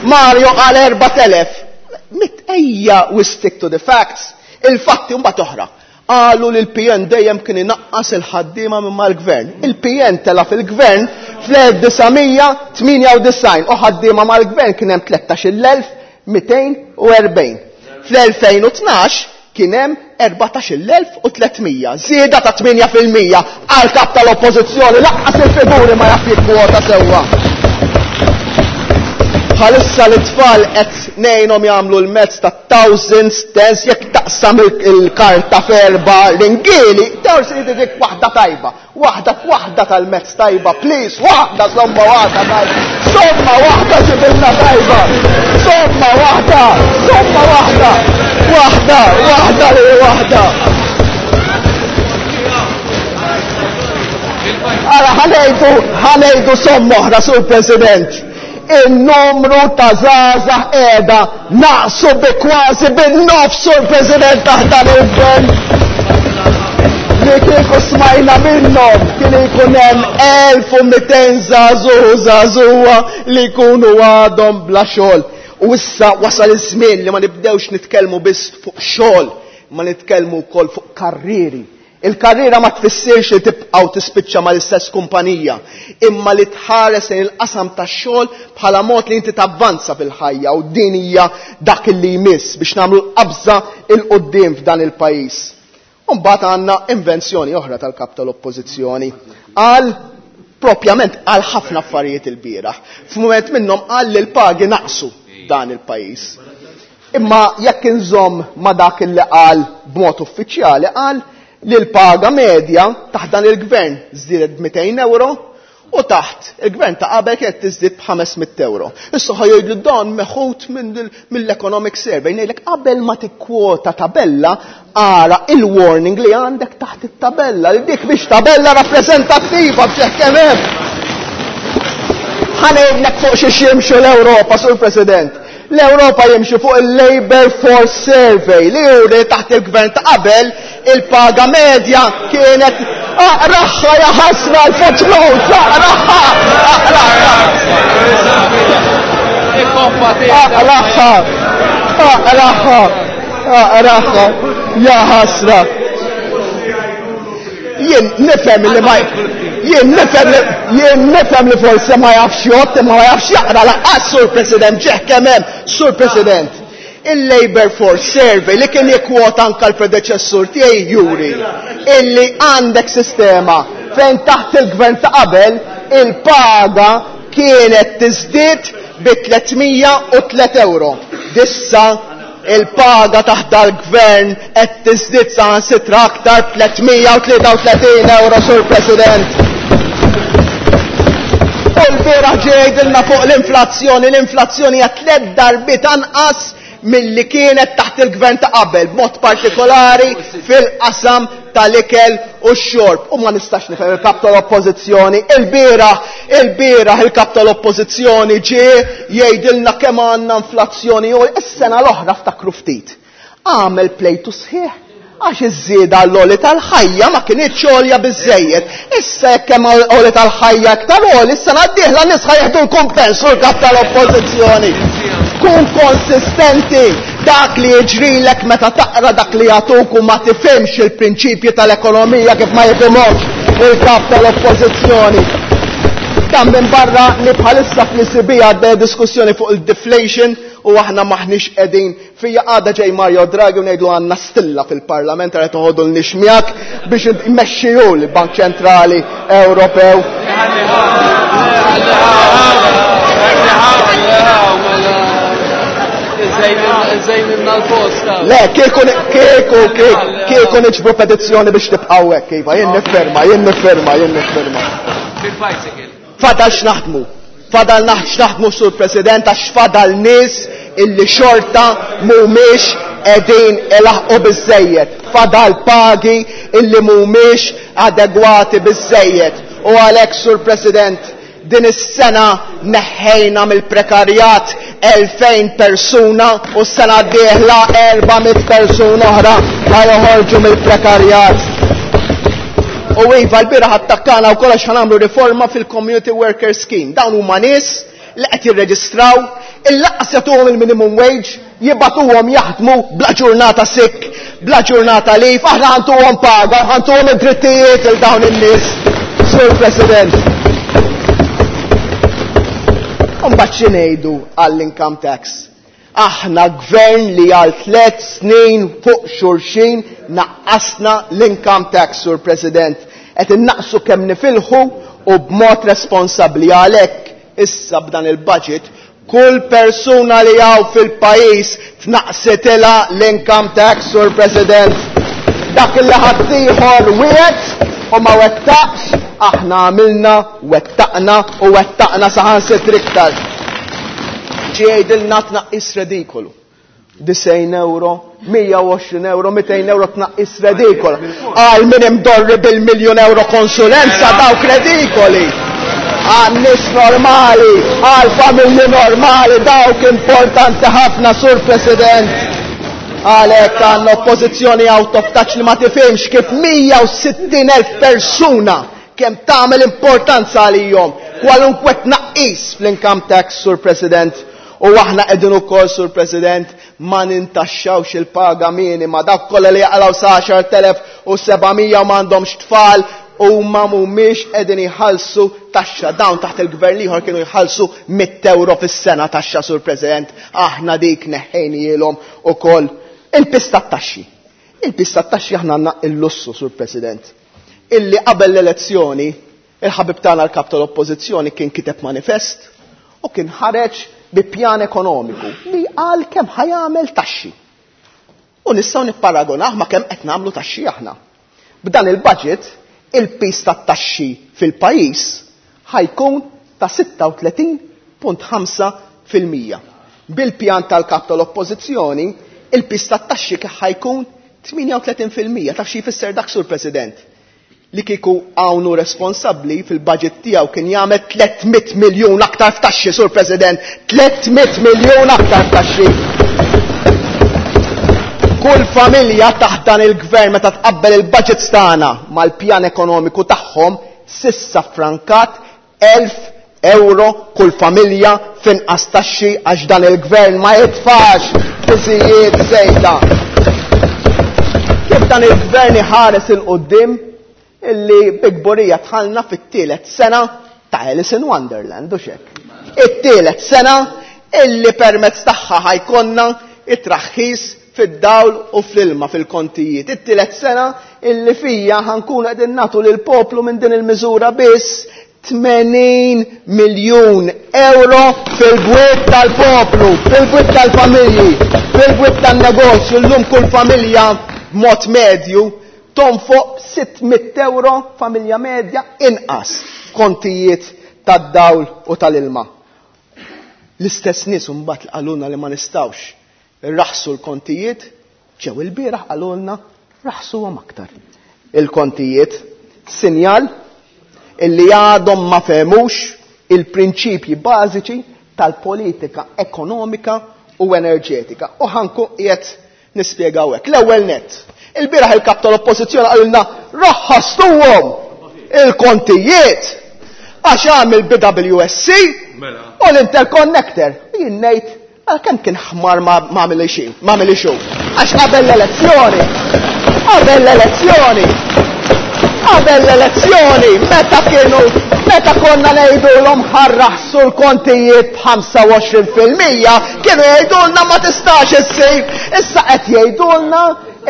Mario qal 4000. Mit ejja we stick to the facts. Il-fatti mbagħad oħra. Qalu li l-PN dejjem kien inaqqas il-ħaddiema minn mal-gvern. Il-PN tela fil-gvern fl-1998 u ħaddiema mal-gvern kien hemm 13,240. Fl-2012 kien hemm 14,300. Żieda ta' 8% għal kap tal-oppożizzjoni laqqas il-figuri ma jaf jikkwota sewwa. Bħalissa l-tfal qed ngħinhom jagħmlu l-mezz ta' thousands, tens, jekk taqsam il-karta f'erba' ringieli, forsi dik waħda tajba. Waħda waħda tal-mezz tajba, please, waħda somma waħda tajba. Somma waħda ġibilna tajba. Somma waħda, somma waħda. Waħda, waħda li waħda. Ara, ħanejdu somma oħra, Sur President. Il-numru ta' żgħażagħ qiegħda naqsu bi kważi bin-nofs, Sur President, taħt dan il-gvern. Li kieku smajna minnhom kien ikun hemm 1200 żagħżugħ u żagħżugħa li jkunu għadhom bla xogħol. U issa wasal iż-żmien li ma nibdewx nitkellmu biss fuq xogħol, ma nitkellmu wkoll fuq karrieri. Il-karriera ma tfissirx li tibqa' u tispiċċa mal-istess kumpanija, imma li tħares lejn il-qasam tax-xogħol bħala mod li inti tavvanza fil-ħajja, u din hija dak li jmiss biex nagħmlu l-qabża il quddiem f'dan il-pajjiż. U mbagħad għandna invenzjoni oħra tal-kap tal-oppożizzjoni. Qal propjament għal ħafna affarijiet il-bieraħ. F'mument minnhom qal li l-pagi naqsu dan il-pajjiż. Imma jekk inżomm ma dak li qal b'mod uffiċjali, qal li l-paga medja taħt dan il-gvern żdiedet b'mitejn euro u taħt il-gvern ta' qabel kienet tiżdied b'ħames mitt euro. Issa ħa jgħidlu dan meħud mill-Economic Survey, ngħidlek qabel ma tikkwota tabella ara il-warning li għandek taħt it-tabella, li dik biex tabella rappreżentattiva b'xeħ kemm hemm. Ħa ngħidlek fuq xi jimxu l-Ewropa, Sur President. L-Ewropa jimxu fuq il-Labor Force Survey li juri taħt il-gvern ta' qabel il-paga medja kienet aqraħħa ja ħasra l-footnotes, aqraħħa, aqraħħa. Aqraħħa, aqraħħa, aqraħħa, ja ħasra. Jien nifhem li ma jien nifhem li jien nifhem li forsi ma jafx jgħodd imma ma jafx jaqra laqqas, Sur President, ġeħ kemm hemm, Sur President. Il-Labor Force Survey li kien jikkwota anka l-predeċessur tiegħi juri illi għandek sistema fejn taħt il-gvern ta' qabel il-paga kienet tiżdied bi 303 euro. Dissa il-paga taħt dal-gvern qed tiżdied saħansitra aktar 333 euro, Sur President. U l-bieraħ ġie jgħidilna fuq l-inflazzjoni, l-inflazzjoni hija 3 darbiet anqas milli kienet taħt il-gvern ta' qabel, b'mod partikolari fil-qasam tal-ikel u x-xorb. U ma nistax nifhem il-kap tal-oppożizzjoni. Il-bieraħ il-kap tal-oppożizzjoni ġie jgħidilna kemm għandna inflazzjoni u s-sena l-oħra ftakru ftit. Għamel plejtu sħiħ għax iż-żieda l-għoli tal-ħajja ma kinitx għolja biżżejjed. Issa jekk hemm għoli tal-ħajja iktar għoli, issa d-dieħla nies ħa jieħdu l-kumpens u l-kap tal-oppożizzjoni. Kun konsistenti, dak li jiġrilek meta taqra dak li jagħtuk u ma tifhimx il-prinċipji tal-ekonomija kif ma jifhimhomx il-kap tal-oppożizzjoni. Dan minn barra li bħalissa fl-ECB għaddej diskussjoni fuq il-deflation. U aħna maħniex qegħdin fija għada ġej Mario Draghi u ngħidlu għandna stilla fil-Parlament qed toħodu l miegħek biex immexxiju l-Bank Ċentrali Ewropew. Le, kieku kieku kieku niġbru petizzjoni biex tibqgħu hekk, iva, jien nifferma, jien nifferma, jien nifferma. Fadal x'naħdmu. Fadal x'naħdmu sur President għax fadal nies illi xorta mhumiex qegħdin ilaħqu biżejjed. Fadal pagi illi mhumiex adegwati biżejjed. U għalhekk sur President din is-sena neħħejna mill-prekarjat 2000 persuna u s-sena d-dieħla 400 persuna oħra ħa joħorġu mill-prekarjat. U iva l-bieraħ attakkana wkoll għax ħanamlu riforma fil-Community Worker Scheme. Dawn huma nies li qed jirreġistraw, il-laqqas jagħtuhom il-minimum wage, jibatuhom jaħdmu bla ġurnata sick, bla ġurnata leave, aħna ħantuhom paga, ħantuhom id-drittijiet il dawn in-nies. Sur President. Mbagħad xi ngħidu għall-income tax? Aħna gvern li għal tlet snin fuq xulxin naqqasna l-income tax, Sur President. Qed innaqsu kemm nifilħu u b'mod responsabbli għalhekk issa b'dan il-budget kull persuna li hawn fil-pajjiż tnaqsitilha l-income tax, Sur President. Dak li ħaddieħor wiegħed u ma wettaqx, aħna għamilna, wettaqna u wettaqna saħansitra iktar. Ġie jgħidilna tnaqqis redikolu. 90 euro, 120 euro, 200 euro tnaqqis redikolu. Għal min imdorri bil-miljon euro konsulenza dawk redikoli. Għal nies normali, għal familji normali, dawk importanti ħafna, Sur President. Għalhekk għandna oppożizzjoni out of touch li ma tifhimx kif 160,000 persuna kemm tagħmel importanza għalihom kwalunkwe tnaqqis fl-income tax, Sur President. U aħna qegħdin ukoll, Sur President, ma nintaxxawx il-paga minima dak kollha li jaqalgħu sa 10,700 u m'għandhomx tfal u ma mhumiex qegħdin jħallsu taxxa. Dawn taħt il-gvern ieħor kienu jħallsu 100 euro fis-sena taxxa, Sur President. Aħna dik neħħejnielhom ukoll. Il-piż tat-taxxi. Il-piż tat-taxxi aħna għandna il-lussu, Sur President. Illi qabel l-elezzjoni, il-ħabib tagħna l-kap tal-Oppożizzjoni kien kiteb manifest u kien ħareġ bi pjan ekonomiku li qal kemm ħa jagħmel taxxi. U nistgħu nipparagonah ma' kemm qed nagħmlu taxxi aħna. B'dan il-budget, il-piż tat-taxxi fil-pajjiż ħajkun ta' 36.5%. Bil-pjan tal-kap tal-Oppożizzjoni, il-piż tat-taxxi ħajkun 38%. Taf xi jfisser dak, Sur President? Li kieku hawn responsabbli fil-budget tiegħu kien jagħmel 300 miljun aktar f'taxxi, Sur President, 300 miljun aktar f'taxxi. Kull familja taħt dan il-gvern meta tqabbel il-budgets tagħna mal-pjan ekonomiku tagħhom sissa frankat 1000 euro kull familja finqas taxxi għax dan il-gvern ma jitfax piżijiet żejda. Kif dan il-gvern iħares il-qudiem illi bi kburija dħalna fit-tielet sena ta' Alice in Wonderland, u xek. It-tielet sena illi permezz tagħha ħajkonna it-traħħis fid-dawl u fl-ilma fil-kontijiet. It-tielet sena illi fija ħankun qegħdin nagħtu lill-poplu minn din il-miżura biss 80 miljun euro fil-bwiet tal-poplu, fil-bwiet tal-familji, fil-bwiet tan-negozju. Llum kull familja b'mod medju tonfoq 600 euro familja medja inqas kontijiet tad-dawl u tal-ilma. L-istess nies imbagħad li qalulna li ma nistgħux irraħsu l-kontijiet, ġew il-bieraħ qalulna raħsuhom aktar. Il-kontijiet, sinjal illi għadhom ma fehmux il-prinċipji bażiċi tal-politika ekonomika u enerġetika. U ħanku qiegħed nispjegaw hekk. L-ewwel nett, il-bieraħ il-kap tal-Oppożizzjoni qalilna raħħastuhom il-kontijiet għax għamil BWSC u l-interconnector. Jien ngħid għal kemm kien ħmar ma għamil xejn, ma għamil xejn. Għax qabel l-elezzjoni, qabel l-elezzjoni, Qabel l-elezzjoni, meta kienu, meta konna ngħidulhom ħarraħsu l-kontijiet b'25%, kienu jgħidulna ma tistax issir. Issa qed jgħidulna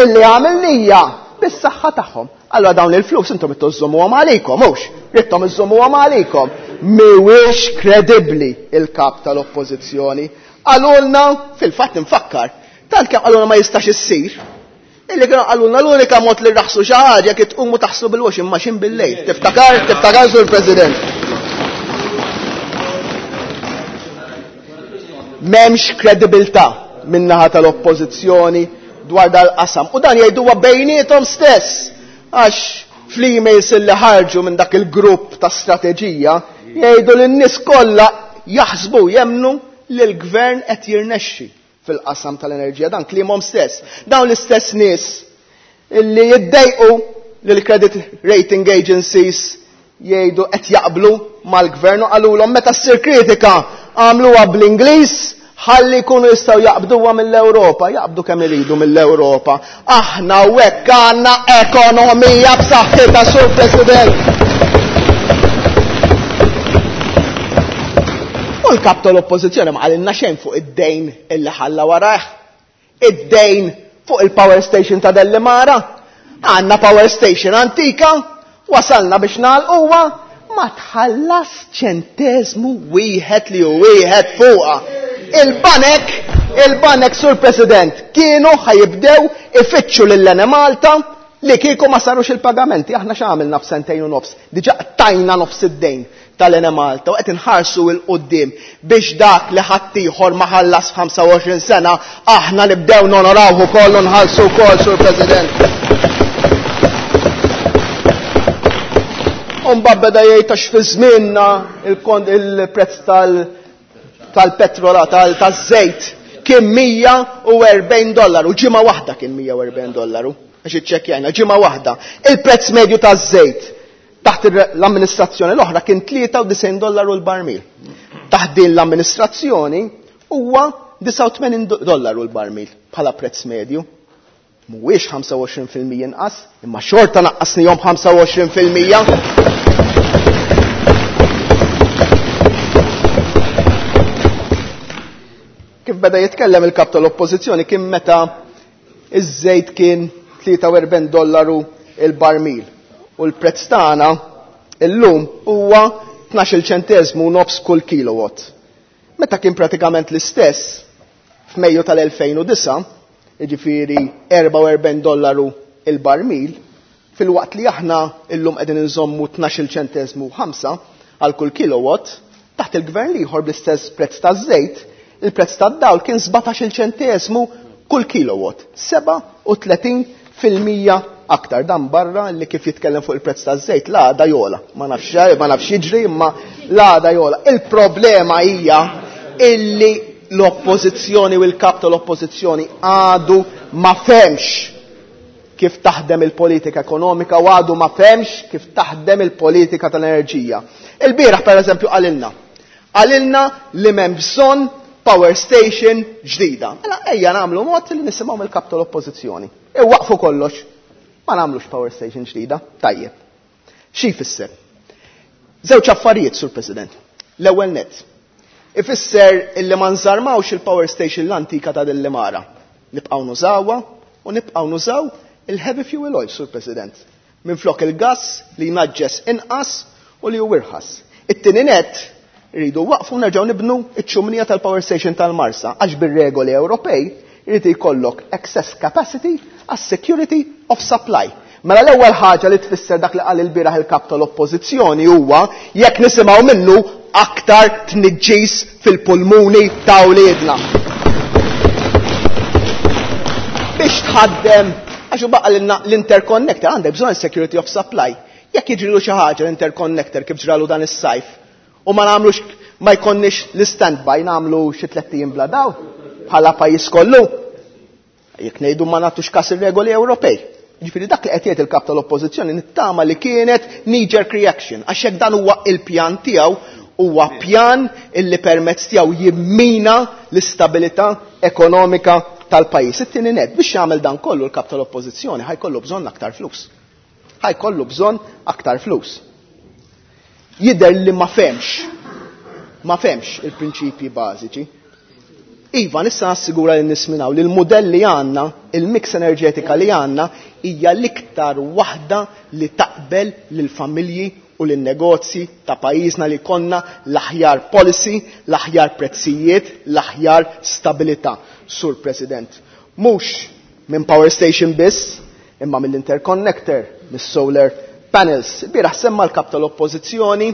illi għamilnija bis-saħħa tagħhom. Allora dawn il-flus intom ittu żżommuhom għalikom, mhux? Ridtom iżżommuhom għalikom. Mhuwiex kredibbli il-kap tal-Oppożizzjoni. Qalulna, fil-fatt infakkar, tant kemm qalulna ma jistax issir, illi kienu qalulna l-unika mod li rraħsu xi ħaġa kif tqumu taħslu bil-washing machine bil-lejl. Tiftakar, tiftakar Sur President. M'hemmx kredibilità min-naħa tal-Oppożizzjoni dwar dal-qasam. U dan jgħiduha bejniethom stess. Għax fl-emails li ħarġu minn dak il-grupp ta' strateġija jgħidu li n-nies kollha jaħsbu jemmnu li l-gvern qed jirnexxi fil-qasam tal-enerġija. Dan kliemhom stess. Dawn l-istess nies illi jiddejqu li l-credit rating agencies jgħidu qed jaqblu mal-gvern u qalulhom meta ssir kritika għamluha bl-Ingliż ħalli jkunu jistgħu jaqbduha mill-Ewropa, jaqbdu kemm iridu mill-Ewropa. Aħna hekk għandna ekonomija b'saħħitha, Sur President. U l-kap tal-Oppożizzjoni ma qalilna xejn fuq id-dejn illi ħalla warajh. Id-dejn fuq il-power station ta' Dellimara. Għandna power station antika, wasalna biex nagħlquha, ma tħallas ċentesmu wieħed li hu wieħed fuqha. Il-banek, il-banek, Sur President, kienu ħajibdew ifittxu lil Enemalta li kieku ma sarux il-pagamenti. Aħna x'għamilna f'sentejn u nofs? Diġà qtajna nofs id-dejn tal-Enemalta u qed inħarsu 'l quddiem biex dak li ħaddieħor ma ħallas f'ħamsa u sena aħna nibdew nonorawh ukoll u nħallsu wkoll, Sur President. U mbagħad beda jgħid għax fi żmienna il-prezz tal-petrola, taż-żejt kien 140 dollaru, ġimgħa waħda kien 140 dollaru, għax iċċekkjajna, ġimgħa waħda. Il-prezz medju taż-żejt taħt l-amministrazzjoni l-oħra kien 93 dollaru l-barmil. Taħt din l-amministrazzjoni huwa 89 dollaru l-barmil bħala prezz medju. Mhuwiex 25% inqas, imma xorta naqqasnihom 25%. Kif beda jitkellem il-kap tal-Oppożizzjoni kien meta iż-żejt kien 43 dollaru il-barmil u l-prezz tagħna illum huwa 12 ċenteżmu nofs kull kilowatt. Meta kien pratikament l-istess f'Mejju tal-2009, jiġifieri 44 dollaru il-barmil, filwaqt li aħna illum qegħdin inżommu 12 ċenteżmu 5 għal kull kilowatt, taħt il-gvern l-ieħor bl-istess prezz taż-żejt, il-prezz tad-dawl kien 17 ċenteżmu kull kilowatt, 37% aktar. Dan barra li kif jitkellem fuq il-prezz taż-żejt, l-għada jola. Ma nafx, ma nafx jiġri, imma l-għada jola. Il-problema hija illi l-oppożizzjoni u l-kap tal-oppożizzjoni għadu ma fehmx kif taħdem il-politika ekonomika u għadu ma fehmx kif taħdem il-politika tal-enerġija. Il-bieraħ per eżempju qalilna li m'hemm bżonn power station ġdida. Mela ejja nagħmlu mod li nisimgħu mill-kap tal-oppożizzjoni. Iwaqfu kollox. Ma nagħmlux power station ġdida. Tajjeb. Xi jfisser? Żewġ affarijiet, Sur President. L-ewwel nett. Ifisser illi ma nżarmawx il-power station l-antika ta' Dellimara. Nibqgħu nużawha u nibqgħu nużaw il-heavy fuel oil, Sur President. Minflok il-gas li jnaġġes inqas u li hu irħas. It-tieni nett, rridu waqfu nerġgħu nibnu iċ-ċumnija tal-power station tal-Marsa, għax bir-regoli Ewropej irid jkollok excess capacity għas security of supply. Mela l-ewwel ħaġa li tfisser dak li qal il-bieraħ il-kap tal-Oppożizzjoni huwa jekk nisimgħu minnu aktar tniġġis fil-pulmuni ta' wliedna. Biex tħaddem, għax u baqa l-interconnector, għandek bżonn security of supply. Jekk jiġrilu xi ħaġa l-interconnector kif ġralu dan is-sajf, u ma nagħmlux, ma jkollniex l-standby, nagħmlu xi tlett ijiem bla daw bħala pajjiż kollu. Jekk ngħidu ma nagħtux każ ir-regoli Ewropej. Ġifieri dak li qed jgħid il-kap tal-Oppożizzjoni nittama li kienet knee-jerk reaction, għax jekk dan huwa il-pjan tiegħu, huwa pjan illi permezz tiegħu jimmina l-istabilità ekonomika tal-pajjiż. It-tieni nett, biex jagħmel dan kollu l-kap tal-Oppożizzjoni ħajkollu bżonn aktar flus. Ħa jkollu bżonn aktar flus. Jidher li ma fehmx, ma fehmx il-prinċipji bażiċi. Iva, nista' nassigura lin nies minn hawn li l-mudell li għandna, il-mix enerġetika li għandna hija l-iktar waħda li taqbel lill-familji u lin-negozji ta' pajjiżna li jkollna l-aħjar policy, l-aħjar prezzijiet, l-aħjar stabilità. Sur President, mhux minn power station biss, imma mill-interconnector, mis-solar panels. Bieraħ semma l-kap tal-Oppożizzjoni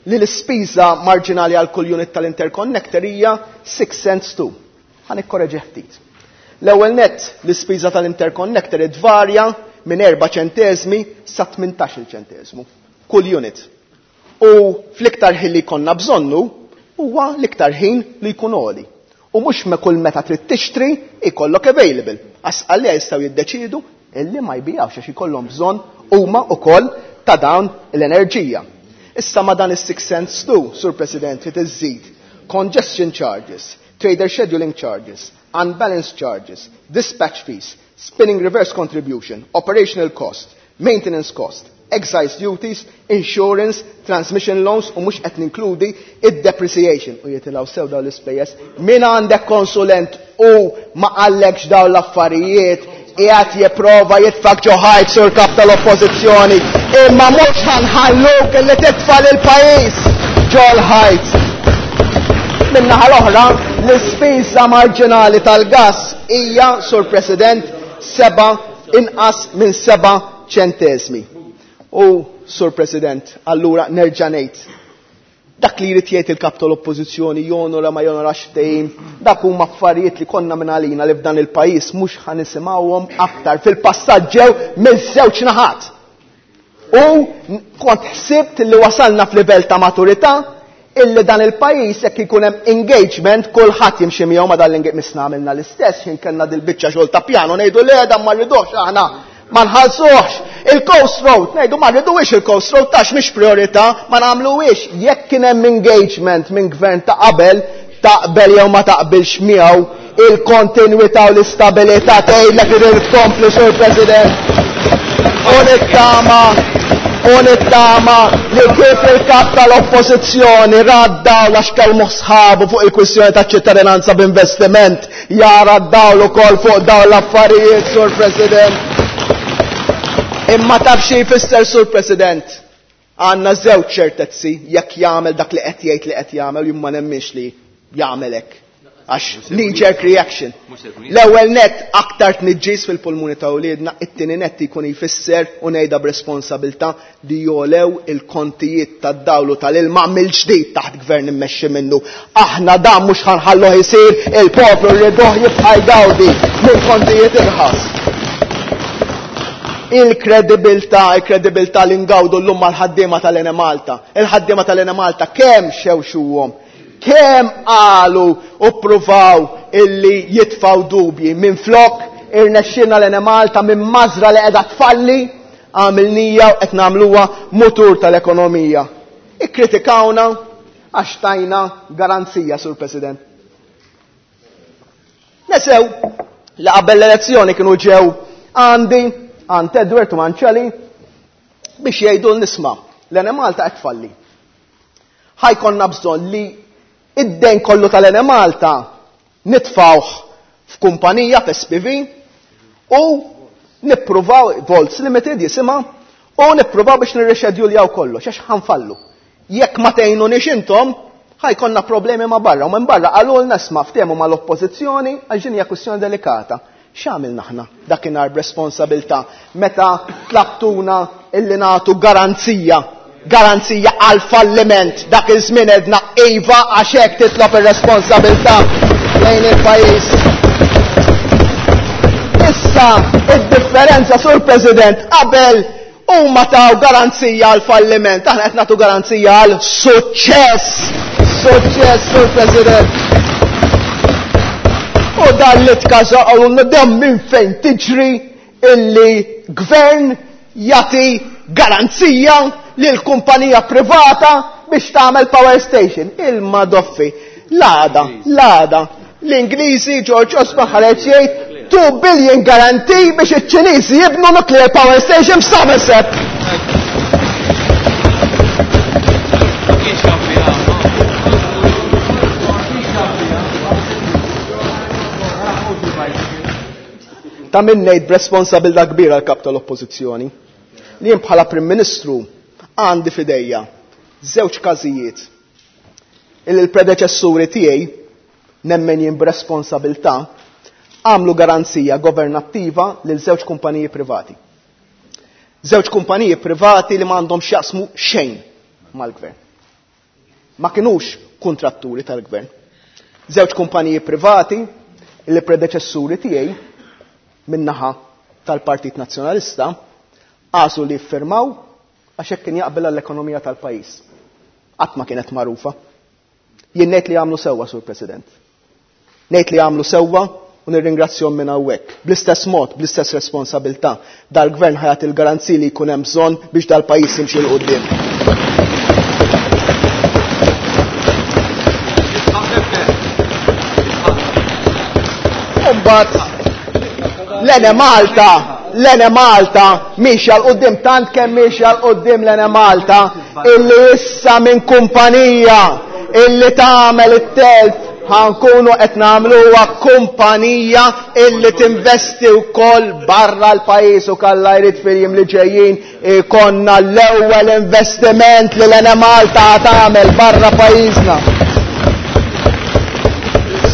li l-ispiża marġinali għal kull unit tal-interconnector hija 6 cents 2. Ħa nikkoreġi ftit. L-ewwel nett, l-ispiża tal-interconnector tvarja minn 4 ċenteżmi sa 18-il ċenteżmu kull unit. U fl-iktar ħin li jkollna bżonnu huwa l-iktar ħin li jkun għoli. U mhux me kull meta trid tixtri ikollok available. Għax għalija jistgħu jiddeċiedu illi ma jbijawx għax ikollhom bżonn huma wkoll ta' dawn l-enerġija. Issa ma dan is-6 cents 2, Sur President, trid iżżid congestion charges, trader scheduling charges, unbalanced charges, dispatch fees, spinning reverse contribution, operational cost, maintenance cost, excise duties, insurance, transmission loans u mhux qed ninkludi id-depreciation u jitilgħu sew dawn l-ispejjeż. Min għandek konsulent u ma qallekx dawn l-affarijiet qiegħed jipprova jitfak ġo ħajt sur kap tal-Oppożizzjoni, imma mhux ħa nħalluk illi titfa' lill-pajjiż ġol-ħajt. Min-naħa l-oħra, l-ispiża marġinali tal-gass hija, Sur President, 7 inqas minn 7 ċenteżmi. U, Sur President, allura nerġa' ngħid, dak li jrid jgħid il-kap tal-Oppożizzjoni jonora ma jonorax ftehim, dak huma affarijiet li konna minn għalina li f'dan il-pajjiż mhux ħa nisimgħuhom aktar. Fil-passat ġew miż-żewġ naħat. U kont ħsibt li wasalna f'livell ta' maturità illi dan il-pajjiż jekk ikun hemm engagement kulħadd jimxi miegħu ma dan l-engagement. Misna għamilna l-istess ħin kellna dil-biċċa xogħol ta' pjano ngħidu le dan ma rridux aħna ma nħallsuhx. Il-Coast Road ngħidu ma rridux il-Coast Road tax mhix priorità ma nagħmluhiex. Jekk kien hemm engagement minn gvern ta' qabel, taqbel jew ma taqbilx miegħu, il-kontinwità u l-istabilità tgħidlek irid tkompli, Sur President. U nittama li kif il-kap tal-Oppożizzjoni ra d-dawl għax kellmu sħabu fuq il-kwistjoni ta' ċittadinanza b'investiment, jara d-dawl ukoll fuq dawn l-affarijiet, Sur President. Imma taf xi jfisser, Sur President? Għandna żewġ ċertezzi jekk jagħmel dak li qed jgħid li qed jagħmel, jien ma nemminx li jagħmel hekk. Għax knee-jerk reaction. L-ewwel nett aktar tniġġis fil-pulmuni ta' wliedna, it-tieni nett jkun jfisser u ngħidha b'responsabilità li jolew il-kontijiet tad-dawl u tal-ilma mill-ġdid taħt gvern immexxi minnu. Aħna dan mhux ħa nħalluh isir, il-poplu rriduh jibqa' jgawdi minn kontijiet irħas. Il-kredibilità, il-kredibilità li ngawdu llum mal-ħaddiema tal-Enemalta. Il-ħaddiema tal-Enemalta kemm xewxuhom, kemm qalu u ppruvaw illi jitfaw dubji. Minn flok irnexxilna l-Enemalta minn mażra li qiegħda tfalli għamilnija u qed nagħmluha mutur tal-ekonomija. Ikkritikawna għax tajna garanzija, Sur President. Nesew li qabel l-elezzjoni kienu ġew għandi, għand Edward u Manċeli biex jgħidu l-nisma' l-Enemalta qed tfalli. Ħajkonna bżonn li id-dejn kollu tal-Enemalta nitfawh f'kumpanija f'SPV u nippruvaw Volts Limited jisimha u nippruvaw biex nirrixedjuljaw kollox għax ħanfallu. Jekk ma tgħinunix intom, ħajkonna problemi ma' barra u minn barra qalulna isma' ftehmu mal-oppożizzjoni għax din hija kwistjoni delikata. X'għamilna aħna dakinhar b'responsabilità meta tlabtuna illi nagħtu garanzija, garanzija għal falliment dak iż-żmien edna iva għax hekk titlob ir-responsabilità lejn il-pajjiż. Issa id-differenza, Sur President, qabel huma taw garanzija għal falliment, aħna qed nagħtu garanzija għal suċċess. Suċċess, Sur President. U dan li tkaża qalulna dan minn fejn tiġri illi gvern jagħti garanzija lil kumpanija privata biex tagħmel power station. Il-madoffi, l-għada, l-għada, l-Ingliżi George Osborne ħareġ jgħid 2 billion guarantee biex iċ-Ċiniżi jibnu nuclear power station f'Somerset. Ta' min ngħid b'responsabilità kbira l-kap tal-Oppożizzjoni li jien bħala Prim Ministru għandi f'idejja żewġ każijiet illi l-predeċessuri tiegħi nemmen jien b'responsabilità għamlu garanzija governattiva lil żewġ kumpaniji privati. Żewġ kumpaniji privati li m'għandhom x'jaqsmu xejn mal-gvern. Ma kinux kuntratturi tal-gvern. Żewġ kumpaniji privati li predeċessuri tiegħi min-naħa tal-Partit Nazzjonalista għażlu li jiffirmaw għax hekk kien jaqbel għall-ekonomija tal-pajjiż. Qatt ma kienet magħrufa. Jien ngħid li għamlu sewwa, Sur President. Ngħid li għamlu sewwa u nirringrazzjahom minn hawnhekk. Bl-istess mod, bl-istess responsabilità, dal-gvern ħa jagħti l-garanziji li jkun hemm bżonn biex dal-pajjiż jimxi 'l quddiem. U mbagħad l-Enemalta, l-Enemalta miexja 'l quddiem tant kemm miexja 'l quddiem l-Enemalta illi issa minn kumpanija illi tagħmel it-telf ħankunu qed nagħmluha kumpanija illi tinvesti wkoll barra l-pajjiż u kalla jrid fil-jiem li ġejjin ikonna l-ewwel investiment li l-Enemalta tagħmel barra pajjiżna.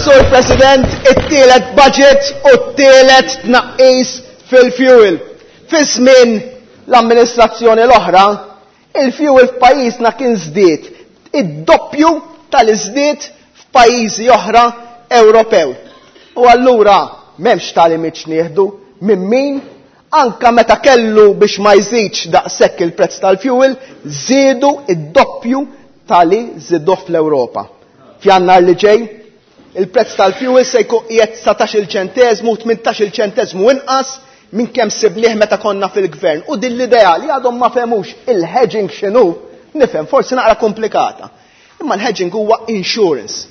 Sur President, it-tielet budget u t-tielet tnaqqis fil-fuel. Fi żmien l-amministrazzjoni l-oħra, il-fuel f'pajjiżna kien żdied id-doppju tal-iżdied f'pajjiżi oħra Ewropew. U allura m'hemmx tagħlimiet x'nieħdu minn min anka meta kellu biex ma jżidx daqshekk il-prezz tal-fuel, żiedu id-doppju tali żiduh fl-Ewropa. F'Jannar li ġej, il-prezz tal-fuel se jkun qiegħed 19-il ċenteżmu u 18-il ċenteżmu inqas minn kemm sibnieh meta konna fil-gvern. U din l-idea li għadhom ma fehmux il-hedging x'inhu, nifhem forsi naqra komplikata. Imma l-hedging huwa insurance.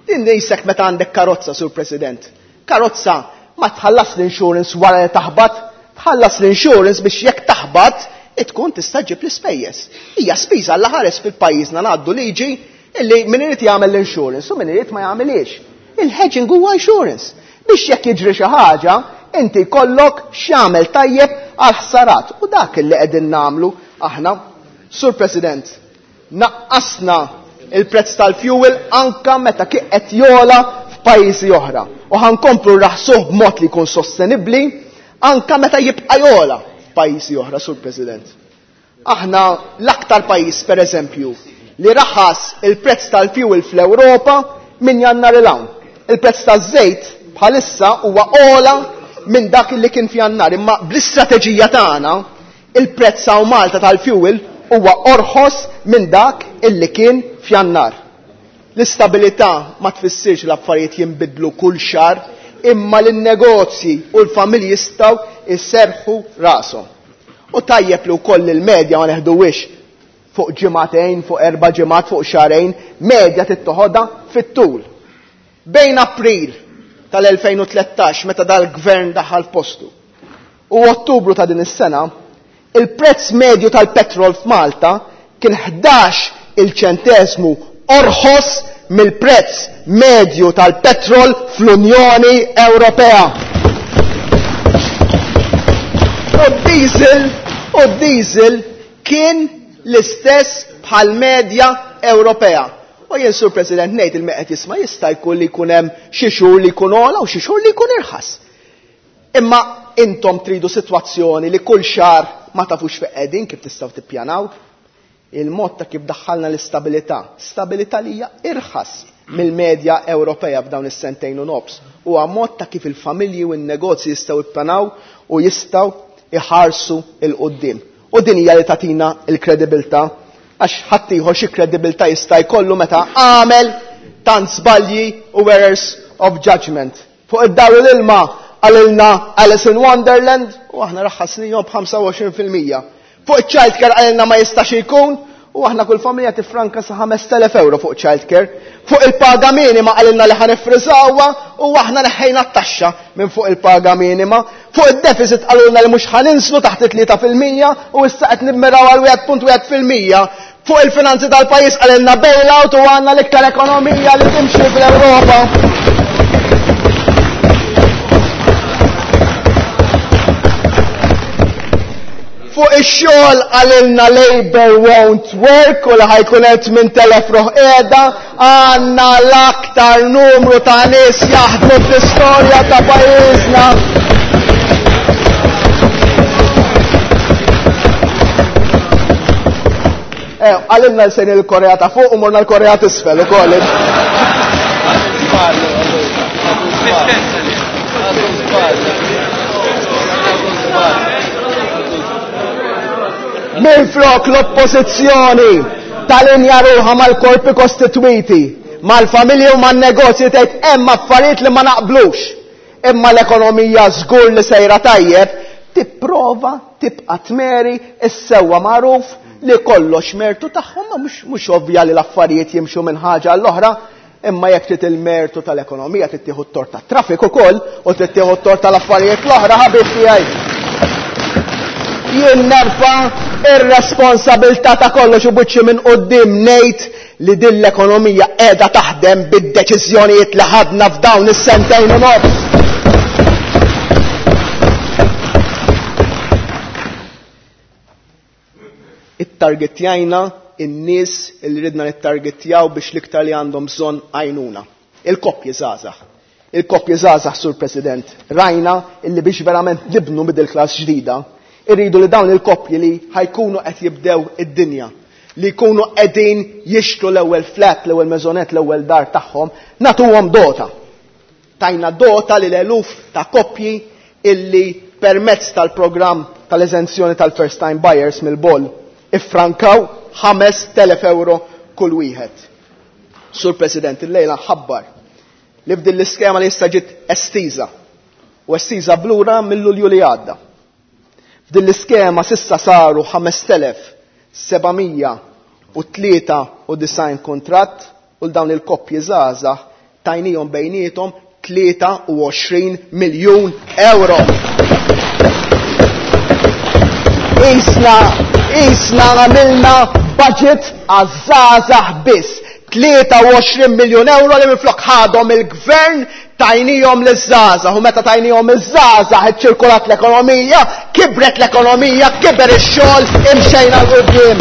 Din qisek meta għandek karozza, Sur President. Karozza ma tħallas l-insurance wara li taħbat, tħallas l-insurance biex jekk taħbat tkun tista' ġib l-ispejjeż. Hija spiża l ħares fil-pajjiżna ngħaddu liġi illi min irid jagħmel l-insurance u min irid ma jagħmilhiex. Il-hedging huwa insurance. Biex jekk jiġri xi ħaġa, inti jkollok x'jagħmel tajjeb għal ħsarat. U dak li qegħdin nagħmlu aħna. Sur President, naqqasna il-prezz tal-fuel anka meta kien qed jogħla f'pajjiżi oħra. U ħankomplu nraħsuh b'mod li jkun sostenibbli anka meta jibqa' jogħla f'pajjiżi oħra, Sur President. Aħna l-aktar pajjiż, per eżempju, li raħas il-prezz tal-fuel fl-Ewropa minn Jannar 'l hawn. Il-prezz taż-żejt bħalissa huwa ogħla minn dak li kien f'Jannar, imma bl-istrateġija tagħna il-prezz hawn Malta tal-fuel huwa orħos minn dak illi kien f'Jannar. L-istabilità ma tfissirx l-affarijiet jinbidlu kull xahar, imma l-negozji u l-familji jistgħu jserrħu rashom. U tajjeb li wkoll il-medja ma neħduwix fuq ġimagħtejn, fuq 4 ġimgħat, fuq xahrejn, medja tittoħodha fit-tul. Bejn April tal-2013, meta dal-gvern daħal f'postu, u Ottubru ta' din is-sena, il-prezz medju tal-petrol f'Malta kien ħdax il-ċentesmu orħos mill-prezz medju tal-petrol fl-Unjoni Ewropea. U d-diesel kien l-istess bħal medja Ewropea. U jien, Sur President, ngħid il qed jisma' jista' jkun li jkun hemm xi xhur li jkun ogħla u xi xhur li jkun irħas. Imma intom tridu sitwazzjoni li kull xahar ma tafux fejn qegħdin kif tistgħu tippjanaw. Il-mod ta' kif daħħalna l-istabilità, stabilità li hija irħas mill-medja Ewropea f'dawn is-sentejn u nofs, huwa mod ta' kif il-familji u n-negozji jistgħu jippjanaw u jistgħu iħarsu 'l quddiem. U din hija li tagħtina l-kredibilità, għax ħadd ieħor xi kredibilità jista' jkollu meta għamel tant żbalji u errors of judgment. Fuq id-dawl u l-ilma qalilna Alice in Wonderland u aħna raħħasnihom b'ħamsa u għoxrin fil-mija. Fuq iċ-childcare qalilna ma jistax ikun U aħna kull familja tifranka sa 5000 euro fuq childcare. Fuq il-paga minima qalilna li ħa nifriżawha u aħna neħħejna t-taxxa minn fuq il-paga minima. Fuq id-deficit qalulna li mhux ħa ninslu taħt it-3% u issa qed nimmiraw għal 1.1%. Fuq il-finanzi tal-pajjiż qalilna bailout u għandna l-iktar ekonomija li timxi fl-Ewropa. Fuq ix-xogħol qalilna Labour won't work u li ħajkun hemm 8,000 ruħ qiegħda, għandna l-aktar numru ta' nies jaħdmu fl-istorja ta' pajjiżna. Qalilna li sejrin il-Korea ta' fuq u morna l-Korea t'isfel ukoll. Minflok l-oppożizzjoni talinja ruħha mal-korpi kostitwiti, mal-familji u man-negozji tgħid hemm affarijiet li ma naqblux. Imma l-ekonomija żgur li sejra tajjeb, tipprova tibqa' tmeri s-sewwa magħruf li kollox mertu tagħhom, ma mhux ovvja li l-affarijiet jimxu minn ħaġa għall-oħra, imma jekk trid il-mertu tal-ekonomija trid tieħu t-tort tat-traffic ukoll u trid tieħu t-tort tal-affarijiet l-oħra ħabib tiegħi. Jien nerfa' ir-responsabilità ta' kollox u buċċi minn quddiem ngħid li din l-ekonomija qiegħda taħdem bid-deċiżjonijiet li ħadna f'dawn is-sentejn u nofs. Ittargetjajna in-nies li ridna nittargetjaw biex l-iktar li għandhom bżonn għajnuna. Il-koppji żgħażagħ. Il-koppji żgħażagħ, Sur President, rajna illi biex verament nibnu middle class ġdida, irridu li dawn il-koppji li ħajkunu qed jibdew id-dinja, li jkunu qegħdin jixtru l-ewwel flat, l-ewwel mezonet, l-ewwel dar tagħhom, nagħtuhom dota. Tajna dota lil eluf ta' koppji illi permezz tal-programm tal-eżenzjoni tal-first time buyers mill-boll iffrankaw 5,000 euro kull wieħed. Sur President, illejla nħabbar li f'din l-iskema li issa ġiet estiża u estiża blura mill-Lulju li għadda. F'din l-iskema sissa saru 5,793 kuntratt u l-dawn il-koppji żgħażagħ tajnihom bejniethom 23 miljun euro. Isna, isna għamilna budget għaż-żgħażagħ biss. 23 miljun euro li minflok ħadhom il-gvern tajnihom liż-żgħażagħ u meta tajnihom iż-żgħażagħ iċċirkulat l-ekonomija, kibret l-ekonomija, kiber ix-xogħol, imxejna 'l quddiem.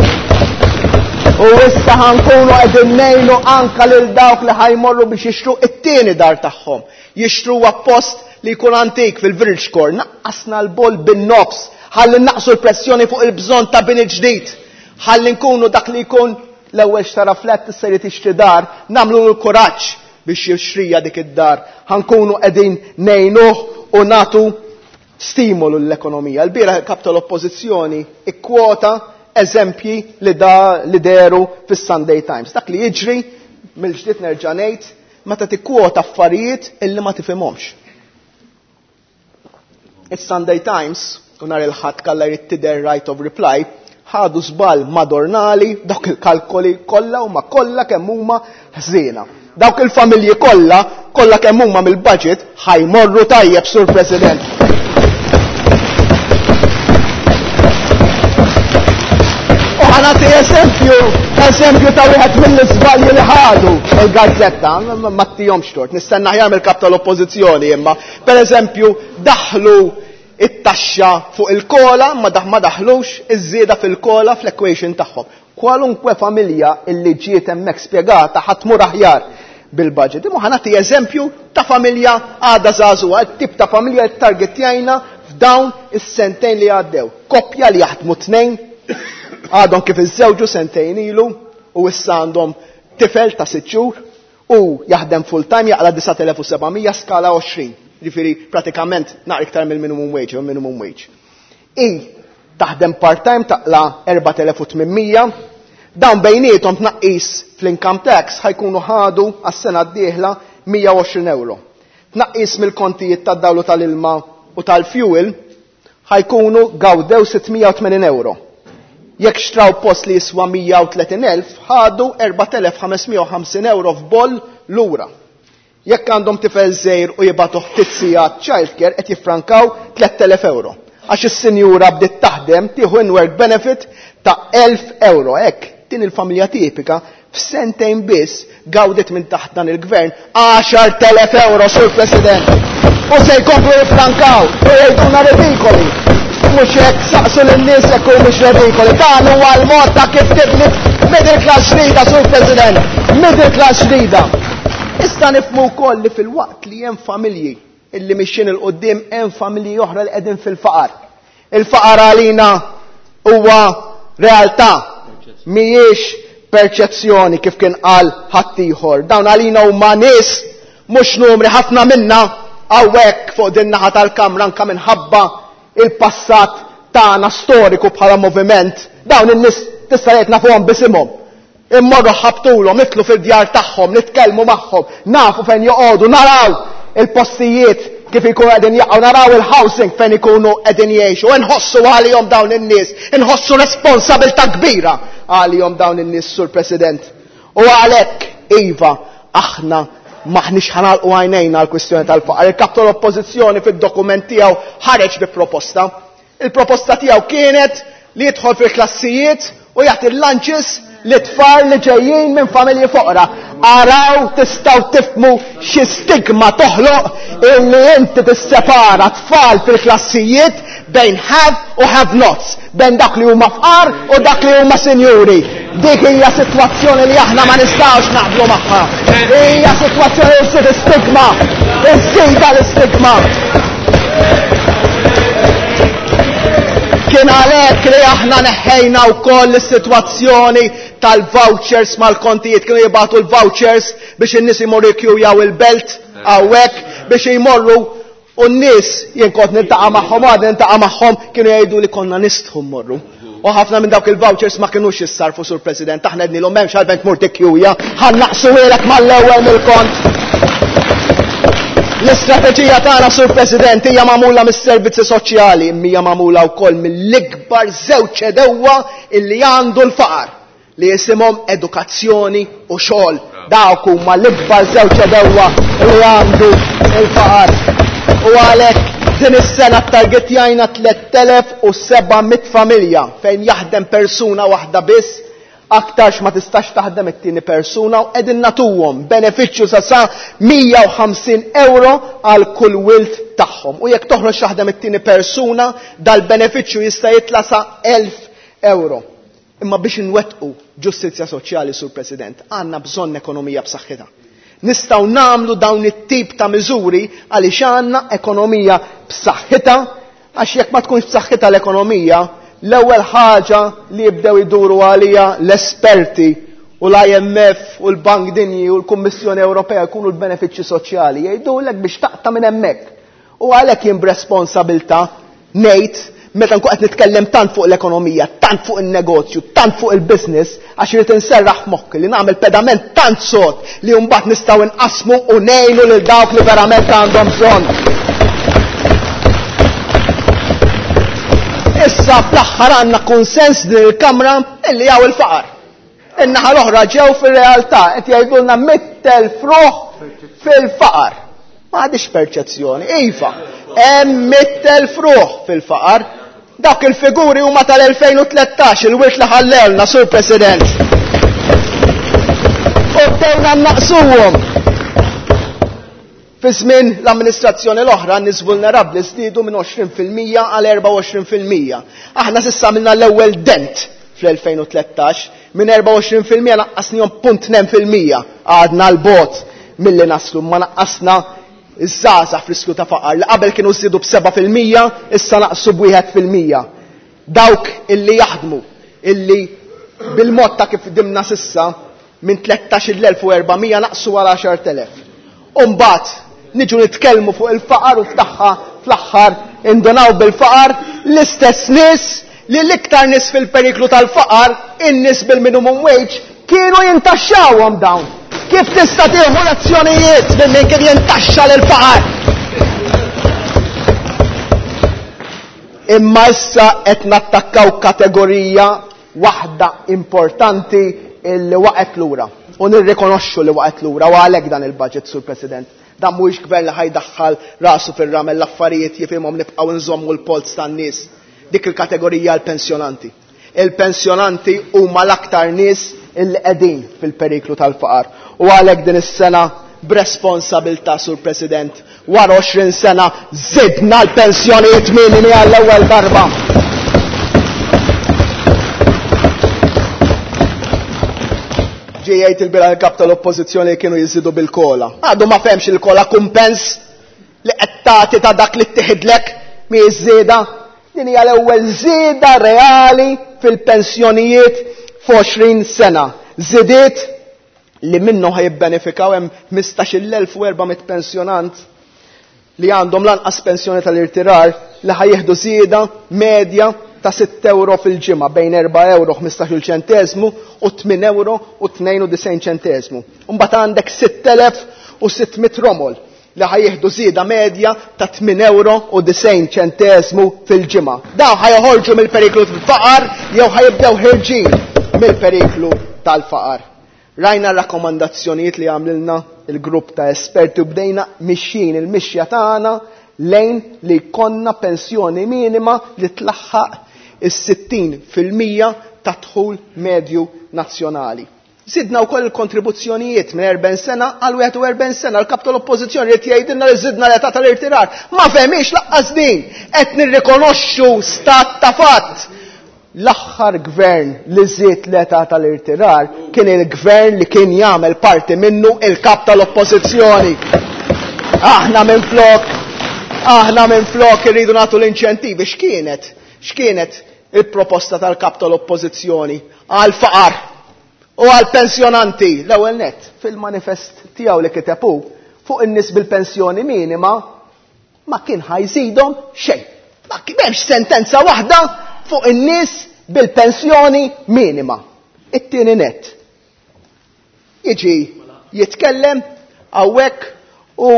U issa ħankunu qegħdin ngħinu anka lil dawk li ħajmorru biex jixtru it-tieni dar tagħhom. Jixtru post li jkun antik fil-Village Core, naqqasna l-boll bin-nofs, ħalli naqsu l-pressjoni fuq il-bżonn ta' bini ġdid. Ħalli nkunu dak li jkun l-ewwel xtara flat issa jrid jixtri dar, nagħmlu l-kuraġġ biex jixtrija dik id-dar. Ħankunu qegħdin ngħinuh u nagħtu stimolu l-ekonomija. L-bieraħ il-kap tal-Oppożizzjoni ikkwota eżempji li da li deru fis-Sunday Times. Dak li jiġri mill-ġdid nerġa' ngħid meta tikkwota affarijiet illi ma tifhimhomx. Is-Sunday Times u nhar il-Ħadd kalla jrid tidher right of reply ħadu żball madornali dawk il-kalkoli kollha huma kollha kemm huma ħżiena. Dawk il-familji kollha, kollha kemm huma mill-budget ħajmorru tajjeb, Sur President. U ħanati eżempju, eżempju ta' wieħed mill-iżbalji li ħadu il-gazzetta, ma ttihomx tort, nistenna aħjar mill-kap tal-Oppożizzjoni imma, per eżempju, daħlu it-taxxa fuq il-kola, ma ma daħlux iż-żieda fil-kola fl-equation tagħhom. Kwalunkwe familja illi ġiet hemmhekk spjegata ħa tmur aħjar bil-budget. Imma ħa nagħti eżempju ta' familja għadha żagħżugħa, tip ta' familja li targetjajna f'dawn is-sentejn li għaddew. Koppja li jaħdmu tnejn, għadhom kif iżżewġu sentejn ilu u issa għandhom tifel ta' 6 xhur u jaħdem full time jaqla' 9700 skala 20. Ġifieri pratikament naqra iktar mill-minimum wage, jew minimum wage. I taħdem part-time taqla' 4800, dawn bejniethom tnaqqis fl-income tax ħajkunu ħadu għas-sena d-dieħla 120 euro. Tnaqqis mill-kontijiet tad-dawlu tal-ilma u tal-fuel ħajkunu gawdew 680 euro. Jekk xtraw post li jiswa 130,000, ħadu 4,550 euro f'boll lura. Jekk għandhom tifel żgħir u jibgħatu ftit sigħat childcare qed jiffrankaw 3,000 euro. Għax is-sinjura bdiet taħdem tieħu in-work benefit ta' 1,000 euro. Hekk din il-familja tipika f'sentejn biss gawdet minn taħt dan il-gvern 10,000 euro, Sur President. U se jkomplu jiffrankaw u jgħiduna redikoli. Mhux hekk saqsu lin-nies jekk humiex redikoli. Dan huwa l-mod ta' kif tibni middle class ġdida, Sur President. Middle class ġdida. Issa nifhmu wkoll li filwaqt li hemm familji illi mixjin 'il quddiem hemm familji oħra li qegħdin fil-faqar. Il-faqar għalina huwa realtà, mhijiex perċezzjoni kif kien qal ħaddieħor. Dawn għalina huma nies mhux numri ħafna minna hawnhekk fuq din naħa tal-kamra anke minħabba il-passat tagħna storiku bħala moviment. Dawn in-nies tista' tgħid nafuhom b'isimhom. Immorru ħabtulhom, nidħlu fid-djar tagħhom, nitkellmu magħhom, nafu fejn joqogħdu, naraw il-postijiet kif ikunu qegħdin jaqgħu, naraw il-housing fejn ikunu qegħdin jgħixu, inħossu għalihom dawn in-nies, inħossu responsabilità kbira għalihom dawn in-nies, Sur President. U għalhekk, iva, aħna m'aħniex ħa nagħlqu għajnejna għall-kwistjoni tal-faqar. Il-Kap tal-Oppożizzjoni fid-dokument tiegħu ħareġ bi proposta. Il-proposta tiegħu kienet li jidħol fil-klassijiet u jagħti l-lunches li tfal li ġejjin minn familji foqra. Araw tistgħu tifhmu xi stigma toħloq illi inti tissepara tfal fil-klassijiet bejn have u have nots, bejn dak li huma fqar u dak li huma sinjuri. Dik hija sitwazzjoni li aħna ma nistgħux naqblu magħha. Hija sitwazzjoni li ssir stigma, iżżida l-istigma. Kien għalhekk li aħna neħħejna wkoll is-sitwazzjoni tal-vouchers mal-kontijiet. Kienu jibgħatu l-vouchers biex in-nies imorru jkjujaw il-belt hawnhekk biex jmorru u n-nies jien kont niltaqa' magħhom għad niltaqa' magħhom kienu jgħidu li konna nistħu mmorru. U ħafna minn dawk il-vouchers ma kinux jissarfu, Sur President, aħna għednilhom m'hemmx għalfejn tmur tikkjuja, ħa naqsuhielek mal-ewwel mill-kont. L-istrateġija tagħna, Sur President, hija magħmula mis-servizzi soċjali, imma hija magħmula wkoll mill-ikbar żewġ għedewwa illi għandu l-faqar, li jisimhom edukazzjoni u xogħol. Dawk huma l-ikbar żewġ għedewwa li għandu l-faqar. U għalhekk din is-sena ttargetjajna 3700 familja fejn jaħdem persuna waħda biss, aktarx ma tistax taħdem it-tieni persuna, u qegħdin nagħtuhom benefiċċju sa sa 150 euro għal kull wild tagħhom. U jekk toħroġ taħdem it-tieni persuna, dal-benefiċċju jista' jitla' sa 1000 euro. Imma biex inwettqu ġustizzja soċjali, Sur President, għandna bżonn ekonomija b'saħħitha. Nistgħu nagħmlu dawn it-tip ta' miżuri għaliex għandna ekonomija b'saħħitha, għax jekk ma tkunx b'saħħitha l-ekonomija, l-ewwel ħaġa li jibdew iduru għalija l-esperti u l-IMF u l-Bank Dinji u l-Kummissjoni Ewropea jkunu l-benefiċċji soċjali, jgħidulek biex taqta' minn hemmhekk. U għalhekk jien b'responsabilità ngħid meta nkun qed nitkellem tant fuq l-ekonomija, tant fuq in-negozju, tant fuq il-business, għax irid inserraħ f'moħħi li nagħmel pedament tant sod li mbagħad nistgħu nqassmu u ngħinu lil dawk li verament għandhom bżonn. Issa fl-aħħar għandna kunsens din il-Kamra illi hawn il-faqar. In-naħa l-oħra ġew fir-realtà qed jgħidulna 100,000 ruħ fil-faqar. Ma għadix perċezzjoni. Iva, hemm 100,000 ruħ fil-faqar. Dak il-figuri huma tal-2013, il-wirt li ħallewlna, Sur President. U bdejna naqsuhom. Fi żmien l-amministrazzjoni l-oħra, n-nies vulnerabbli żdiedu minn 20% għal 24%. Aħna s'issa għamilna l-ewwel dent fl-2013, minn 24% naqqasnihom punt tnejn fil-mija. Għadna l-bogħod milli naslu, ma naqqasna iż-żgħażagħ f'riskju ta' faqar li qabel kienu żdiedu b'seba' fil-mija, issa naqsu b'wieħed fil-mija. Dawk illi jaħdmu, illi bil-mod ta' kif dimna s'issa, minn 13,400 naqsu għal 10,000. U mbagħad niġu nitkellmu fuq il-faqar u f'tagħha fl-aħħar indunaw bil-faqar l-istess nies li l-iktar nies fil-periklu tal-faqar, in-nies bil-minimum wage, kienu jintaxxawhom dawn. Kif tista' tieħu lezzjonijiet minn min kien jintaxxa lill-faqar? Imma issa qed nattakkaw kategorija waħda importanti illi waqgħet lura. U nirrikonoxxu li waqgħet lura u għalhekk dan il-budget, Sur President. Dan mhuwiex gvern li ħa jdaħħal rasu fir-ramel, l-affarijiet jifhimhom, nibqgħu nżommu l-polz tan-nies. Dik il-kategorija l-pensjonanti. Il-pensjonanti huma l-aktar nies illi qegħdin fil-periklu tal-faqar. U għalhekk din is-sena b'responsabilità, Sur President, wara 20 sena żidna l-pensjonijiet minimi għall-ewwel darba. Ġie jgħid il-bieraħ il-kap tal-Oppożizzjoni li kienu jiżidu bil-kola. Għadu ma fehmx il-kola kumpens li qed tagħti ta' dak li ttieħidlek mhijiex żieda. Din hija l-ewwel żieda reali fil-pensjonijiet f'20 sena. Żidiet li minnhom ħa jibbenefikaw hemm 15,400 pensjonant li għandhom lanqas pensjoni tal-irtirar li ħa jieħdu żieda medja ta' sitt euro fil-ġimgħa bejn erba' euro ħmistax-il ċenteżmu u tmien euro u tnejn u disgħin ċenteżmu. Imbagħad għandek 6,600 romol li ħa jieħdu żieda medja ta' tmien euro u disgħin ċenteżmu fil-ġimgħa. Dawn ħa joħorġu mill-periklu tal-faqar jew ħa jibdew ħirġin mill-periklu tal-faqar. Rajna r-rakkomandazzjonijiet li għamlilna il-grupp ta' esperti u bdejna mixjin il-mixja tagħna lejn li jkollna pensjoni minima li tlaħħaq is-sittin fil-mija ta' dħul medju nazzjonali. Żidna wkoll il-kontribuzzjonijiet minn 40 sena għal 41 sena. L-kap tal-Oppożizzjoni qed jgħidilna li żidna l-età tal-irtirar. Ma fehmiex laqqas din. Qed nirrikonoxxu stat ta' fatt. L-aħħar gvern li żied l-età tal-irtirar kien il-gvern li kien jagħmel parti minnu il-kap tal-Oppożizzjoni. Aħna minflok, aħna minflok irridu nagħtu l-inċentivi. X'kienet? X'kienet il-proposta tal-kap tal-Oppożizzjoni għall-faqar u għall-pensjonanti? L-ewwel nett, fil-manifest tiegħu li kiteb hu fuq in-nies bil-pensjoni minima ma kien ħa jżidhom xejn. Ma m'hemmx sentenza waħda fuq in-nies bil-pensjoni minima. It-tieni nett. Jiġi jitkellem hawnhekk u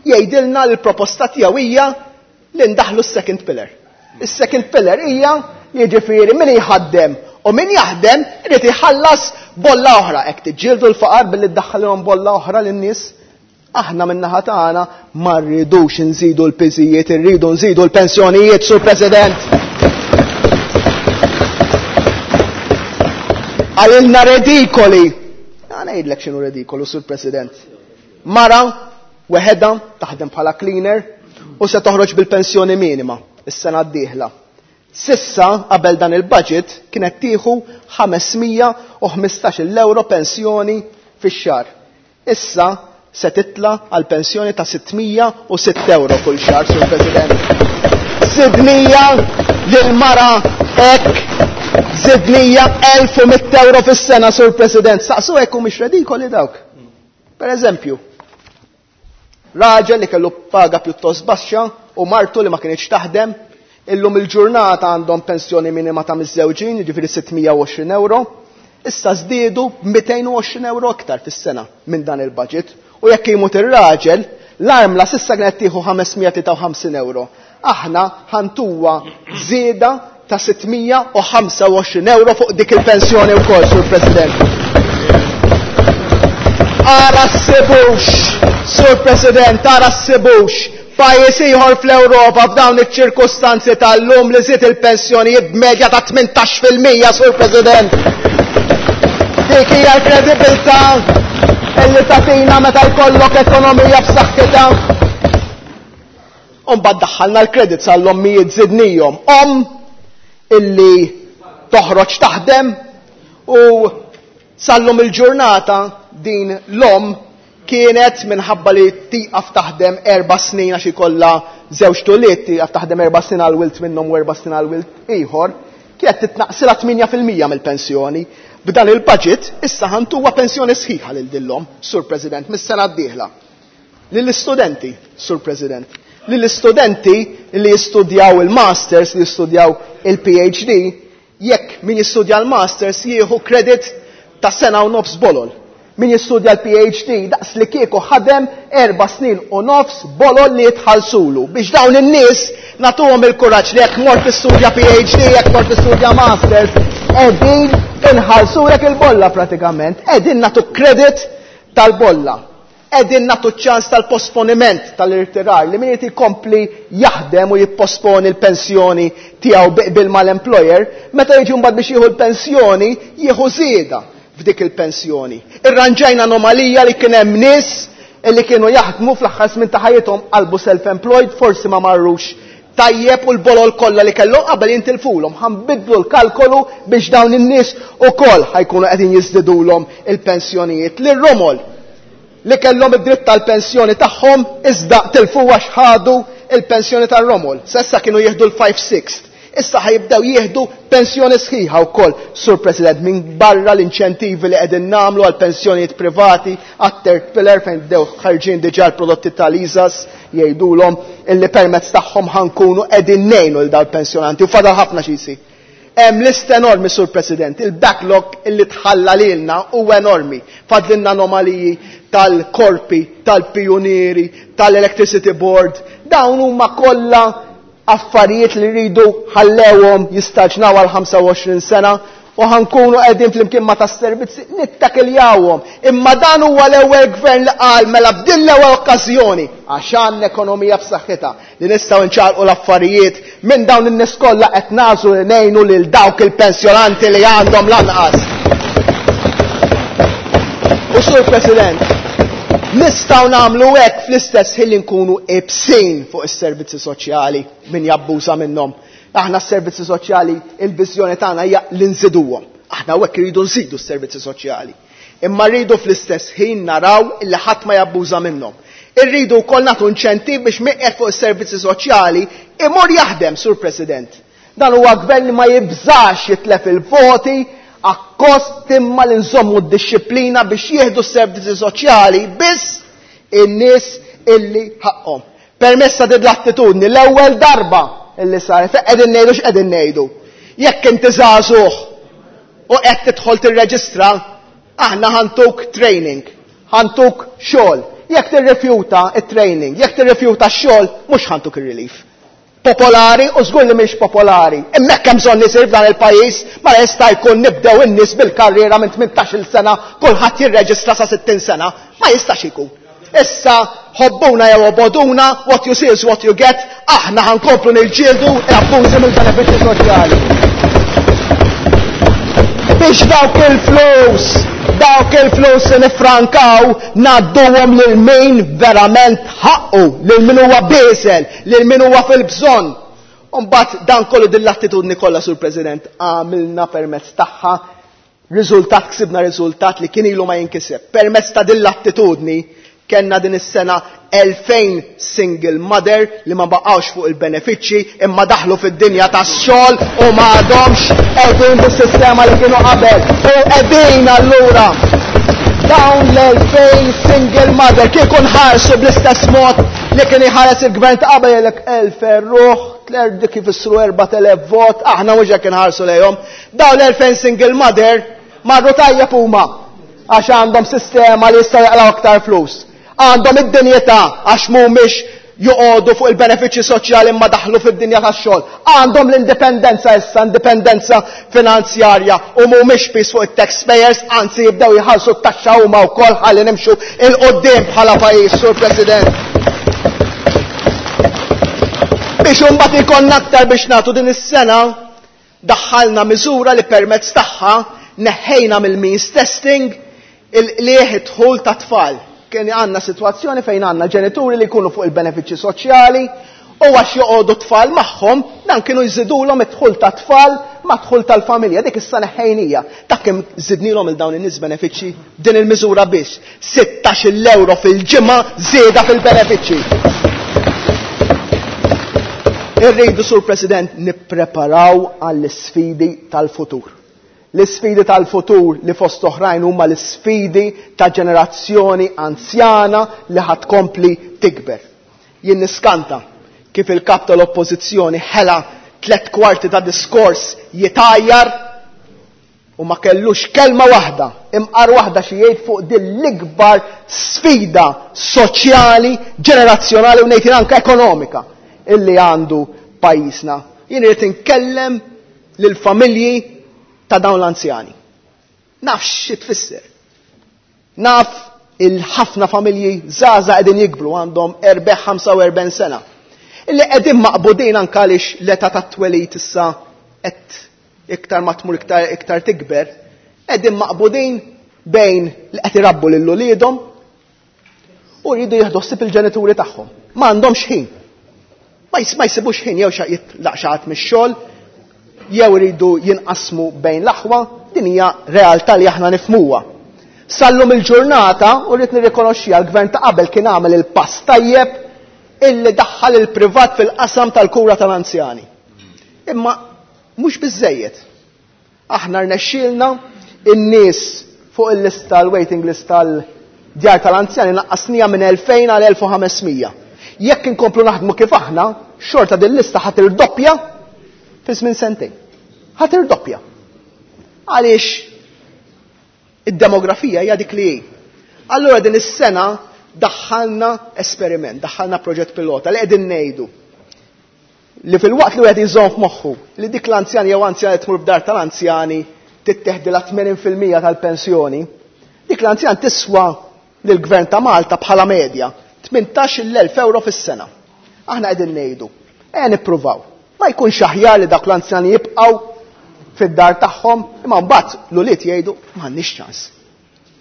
jgħidilna li l-proposta tiegħu hija li ndaħlu s-second pillar. Is-second pillar hija jiġifieri min jħaddem u min jaħdem irid iħallas bolla oħra. Hekk tiġġieldu l-faqar billi ddaħħalhom bolla oħra lin-nies. Aħna min-naħa tagħna ma rridux nżidu l-piżijiet, irridu nżidu l-pensjonijiet, Sur President. Għalilna redikoli. Għana ngħidlek x'inhu redikolu, Sur President. Mara weħedha taħdem bħala cleaner u se toħroġ bil-pensjoni minima is-sena d-dieħla. Sissa qabel dan il-budget kienet tieħu 515 euro pensjoni fix-xahar. Issa se titla għal pensjoni ta' 606 euro kull xahar, Sur President. Zidnija lil mara hekk, zidnija 1100 euro fis-sena, Sur President. Saqsu hekk u mhix redikoli dawk. Per eżempju, raġel li kellu paga pjuttost baxxa u martu li ma kienx taħdem, illum il-ġurnata għandhom pensjoni minima ta' miżżewġin, jiġifieri 620 euro, issa żdiedu 220 euro aktar fis-sena minn dan il-budget. U jekk imut ir-raġel, l-armla sissa kienet tieħu 553 euro. Aħna ħantuwa żieda ta' 625 euro fuq dik il-pensjoni wkoll, Sur President. Ara s-sibux, Sur President, ara s-sibux. Pajjiż ieħor fl-Ewropa f'dawn iċ-ċirkustanzi tal-lum li żied il-pensjonijiet b'medja ta' tmintax fil-mija, Sur President. Dik hija l-kredibilità illi tagħtina meta jkollok ekonomija b'saħħitha. U mbagħad daħħalna l-credits għall-ommijiet żidnihom. Om illi toħroġ taħdem u sallum il-ġurnata din l-om kienet minħabba li tieqaf taħdem 4 snin għax ikollha żewġ tuliet, tieqaf taħdem 4 snin għal wilt minnhom u 4 snin għal wilt ieħor, kienet titnaqsilha tmienja fil-mija mill-pensjoni. B'dan il-budget issa ħantuwa pensjoni sħiħa lil dillhom, Sur President, mis-sena d-dieħla. Lill-istudenti, Sur President, lill-istudenti li jistudjaw il-masters, li jistudjaw il-PhD, jekk min jistudja l-masters jieħu credit ta' sena u nofs bolol. Min jistudja l-PhD daqs li kieku ħadem 4 snin u nofs bolol li jitħallsulu. Biex dawn in-nies nagħtuhom il-kuraġġ li jekk mort tistudja PhD, jekk mort tistudja masters, Qegħdin inħallsulek il-bolla pratikament, qegħdin nagħtu credit tal-bolla. Qegħdin nagħtu ċans tal-posponiment tal-irtirar li min irid jkompli jaħdem u jipposponi l-pensjoni tiegħu bi qbil mal-employer, meta jiġi mbagħad biex jieħu l-pensjoni, jieħu żieda f'dik il-pensjoni. Irranġajna anomalija li kien hemm nies li kienu jaħdmu fl-aħħar żmien ta' ħajjithom qalbu self-employed, forsi ma marrux tajjeb u l-bolol kollha li kellhom qabel jintilfulhom. Ħa nbiddlu l-kalkolu biex dawn in-nies ukoll ħa jkunu qegħdin jiżdidulhom il-pensjonijiet. Lir-romol li kellhom id-dritt tal-pensjoni tagħhom iżda tilfu għax ħadu il-pensjoni tar-romol. S'issa kienu jieħdu l-5/6. Issa ħa jibdew jieħdu pensjoni sħiħa wkoll, Sur President, minn barra l-inċentivi li qegħdin nagħmlu għal pensjonijiet privati, għat-third pillar fejn bdew ħarġin diġà l-prodotti tal-ISAs jgħidulhom illi permezz tagħhom ħa nkunu qegħdin ngħinu lil dawn il-pensjonanti u fadal ħafna xi jsir. Hemm lista enormi, Sur President, il-backlog illi tħalla lilna huwa enormi. Fadlilna anomaliji tal-korpi, tal-pijunieri, tal-Electricity Board, dawn huma kollha affarijiet li rridu ħallewhom jistaġnaw għal 25 sena u ħa nkunu qegħdin flimkien ma' tas-servizzi nittakiljawhom. Imma dan huwa l-ewwel gvern li qal mela f'din l-ewwel okkażjoni għax għandna ekonomija b'saħħitha li nistgħu nċaqalqu l-affarijiet minn dawn in-nies kollha qed nagħżlu li ngħinu lil dawk il-pensjonanti li għandhom l-anqas. U Sur President, nistgħu nagħmlu hekk fl-istess ħin li nkunu iebsin fuq is-servizzi soċjali min jabbuża minnhom. Aħna s-servizzi soċjali il-viżjoni tagħna hija li nżiduhom. Aħna hekk irridu nżidu s-servizzi soċjali. Imma rridu fl-istess ħin naraw illi ħadd ma jabbuża minnhom. Irridu wkoll nagħtu inċentiv biex min qiegħed fuq is-servizzi soċjali imur jaħdem, Sur President. Dan huwa gvern li ma jibżax jitlef il-voti akkost imma li nżommu d-dixxiplina biex jieħdu s-servizzi soċjali biss in-nies illi ħaqqhom. Permezz ta' din l-attitudni l-ewwel darba illi saret, fejn qegħdin ngħidu x'qegħdin ngħidu. Jekk inti żagħżugħ u qed tidħol tirreġistra, aħna ħantuk training, ħantuk xogħol. Jekk tirrifjuta t-training, jekk tirrifjuta x-xogħol, mhux ħantuk ir-relief. Popolari u żgur li mhix popolari. Imma hekk hemm bżonn isir f'dan il-pajjiż, ma jista' jkun nibdew in-nies bil-karriera minn 18-il sena, kulħadd jirreġistra sa 60 sena. Ma jistax ikun. Issa ħobbuna jew oboduna, what you see is what you get, aħna ħa nkomplu niġġieldu l-abbużi mill-benefiċċji soċjali. Biex dawk il-flus, dawk il-flus li nifrankaw, ngħadduhom lil min verament ħaqqu, lil min huwa bieżel, lil min huwa fil-bżonn. U mbagħad dan kollu din l-attitudni kollha, Sur President, għamilna permezz tagħha riżultat, ksibna riżultat li kien ilu ma jinkiseb. Permezz ta' din l-attitudni kellna din is-sena 2000 single mother li ma baqgħux fuq il-benefiċċji imma daħlu fid-dinja tax-xogħol u ma għadhomx qegħdin bis-sistema li kienu qabel. U qegħdin allura dawn l-2000 single mother kieku nħarsu bl-istess mod li kien iħares il-gvern ta' qabel jgħidlek 1000 ruħ, dik ifissru 4000 vot, aħna mhux hekk inħarsu lejhom. Dawn l-2000 single mother marru tajjeb huma għax għandhom sistema li jistgħu jaqlaw aktar flus. Għandhom id-dinjità għax mhumiex joqogħdu fuq il-benefiċċji soċjali imma daħlu fid-dinja tax-xogħol. Għandhom l-indipendenza issa, indipendenza finanzjarja u mhumiex piż fuq it-taxpayers, anzi jibdew jħallsu t-taxxa huma wkoll ħalli nimxu 'il quddiem bħala pajjiż, Sur President. Biex imbagħad ikollna aktar biex nagħtu din is-sena Daħħalna miżura li permezz tagħha neħħejna mill-means testing il-qligħ id-dħul tat-tfal. Kien għandna sitwazzjoni fejn għandna ġenituri li jkunu fuq il-benefiċċji soċjali u għax joqogħdu t-tfal magħhom, dan kienu jżidulhom id-dħul tat-tfal mad-dħul tal-familja. Dik issa neħħejnija. Taf kemm żidnilhom lil dawn in-nies benefiċċji b'din il-miżura biss? 16-il ewro fil-ġimgħa żieda fil-benefiċċji. Irridu, Sur President, nippreparaw għall-isfidi tal-futur. L-isfidi tal-futur li fost oħrajn huma l-isfidi ta' ġenerazzjoni anzjana li ħa tkompli tikber. Jien niskanta kif il-kap tal-Oppożizzjoni ħela tlett kwarti ta' diskors jitgħajjar U ma kellux kelma waħda, imqar waħda xi jgħid fuq din l-ikbar sfida soċjali, ġenerazzjonali u ngħid jien anke ekonomika illi għandu pajjiżna. Jien irid inkellem lill-familji ta' dawn l-anzjani. Naf xi tfisser. Naf il-ħafna familji żgħażagħ qegħdin jikbru għandhom 45 sena. Illi qegħdin maqbudin anke għaliex l-età tat-twelid issa qed iktar ma tmur iktar iktar tikber, qegħdin maqbudin bejn li qed irabbu lil uliedhom u jridu jieħdu ħsieb il-ġenituri tagħhom. Ma għandhomx ħin. Ma jsibux ħin jew jitlaq xi ħadd mix-xogħol, jew iridu jinqasmu bejn l-aħwa, din hija realtà li aħna nifhmuha. Sal-lum il-ġurnata, u rrid nirrikonoxxiha, l-gvern ta' qabel kien għamel il-pass tajjeb illi daħħal il-privat fil-qasam tal-kura tal-anzjani. Imma mhux biżżejjed. Aħna rnexxielna in-nies fuq il-lista, l-waiting list tal-djar tal-anzjani naqqasnija minn 2000 għal 1500. Jekk inkomplu naħdmu kif aħna, xorta din lista ħa tirdoppja fi żmien sentejn. Ħa tirdoppja. Għaliex id-demografija hija dik li hi. Allura din is-sena daħħalna esperiment, daħħalna proġett pilota li qegħdin ngħidu li filwaqt li wieħed jżomm f'moħħu li dik l-anzjan jew anzjan li tmur f'dar tal-anzjani titteħdilha 80% tal-pensjoni, dik l-anzjan tiswa lill-Gvern ta' Malta bħala medja 18,000 euro fis-sena. Aħna qegħdin ngħidu, ejja nippruvaw. Ma jkunx aħjar li dawk l-anzjani jibqgħu fid-dar tagħhom, imma mbagħad l-ulied jgħidu m'għandniex ċans.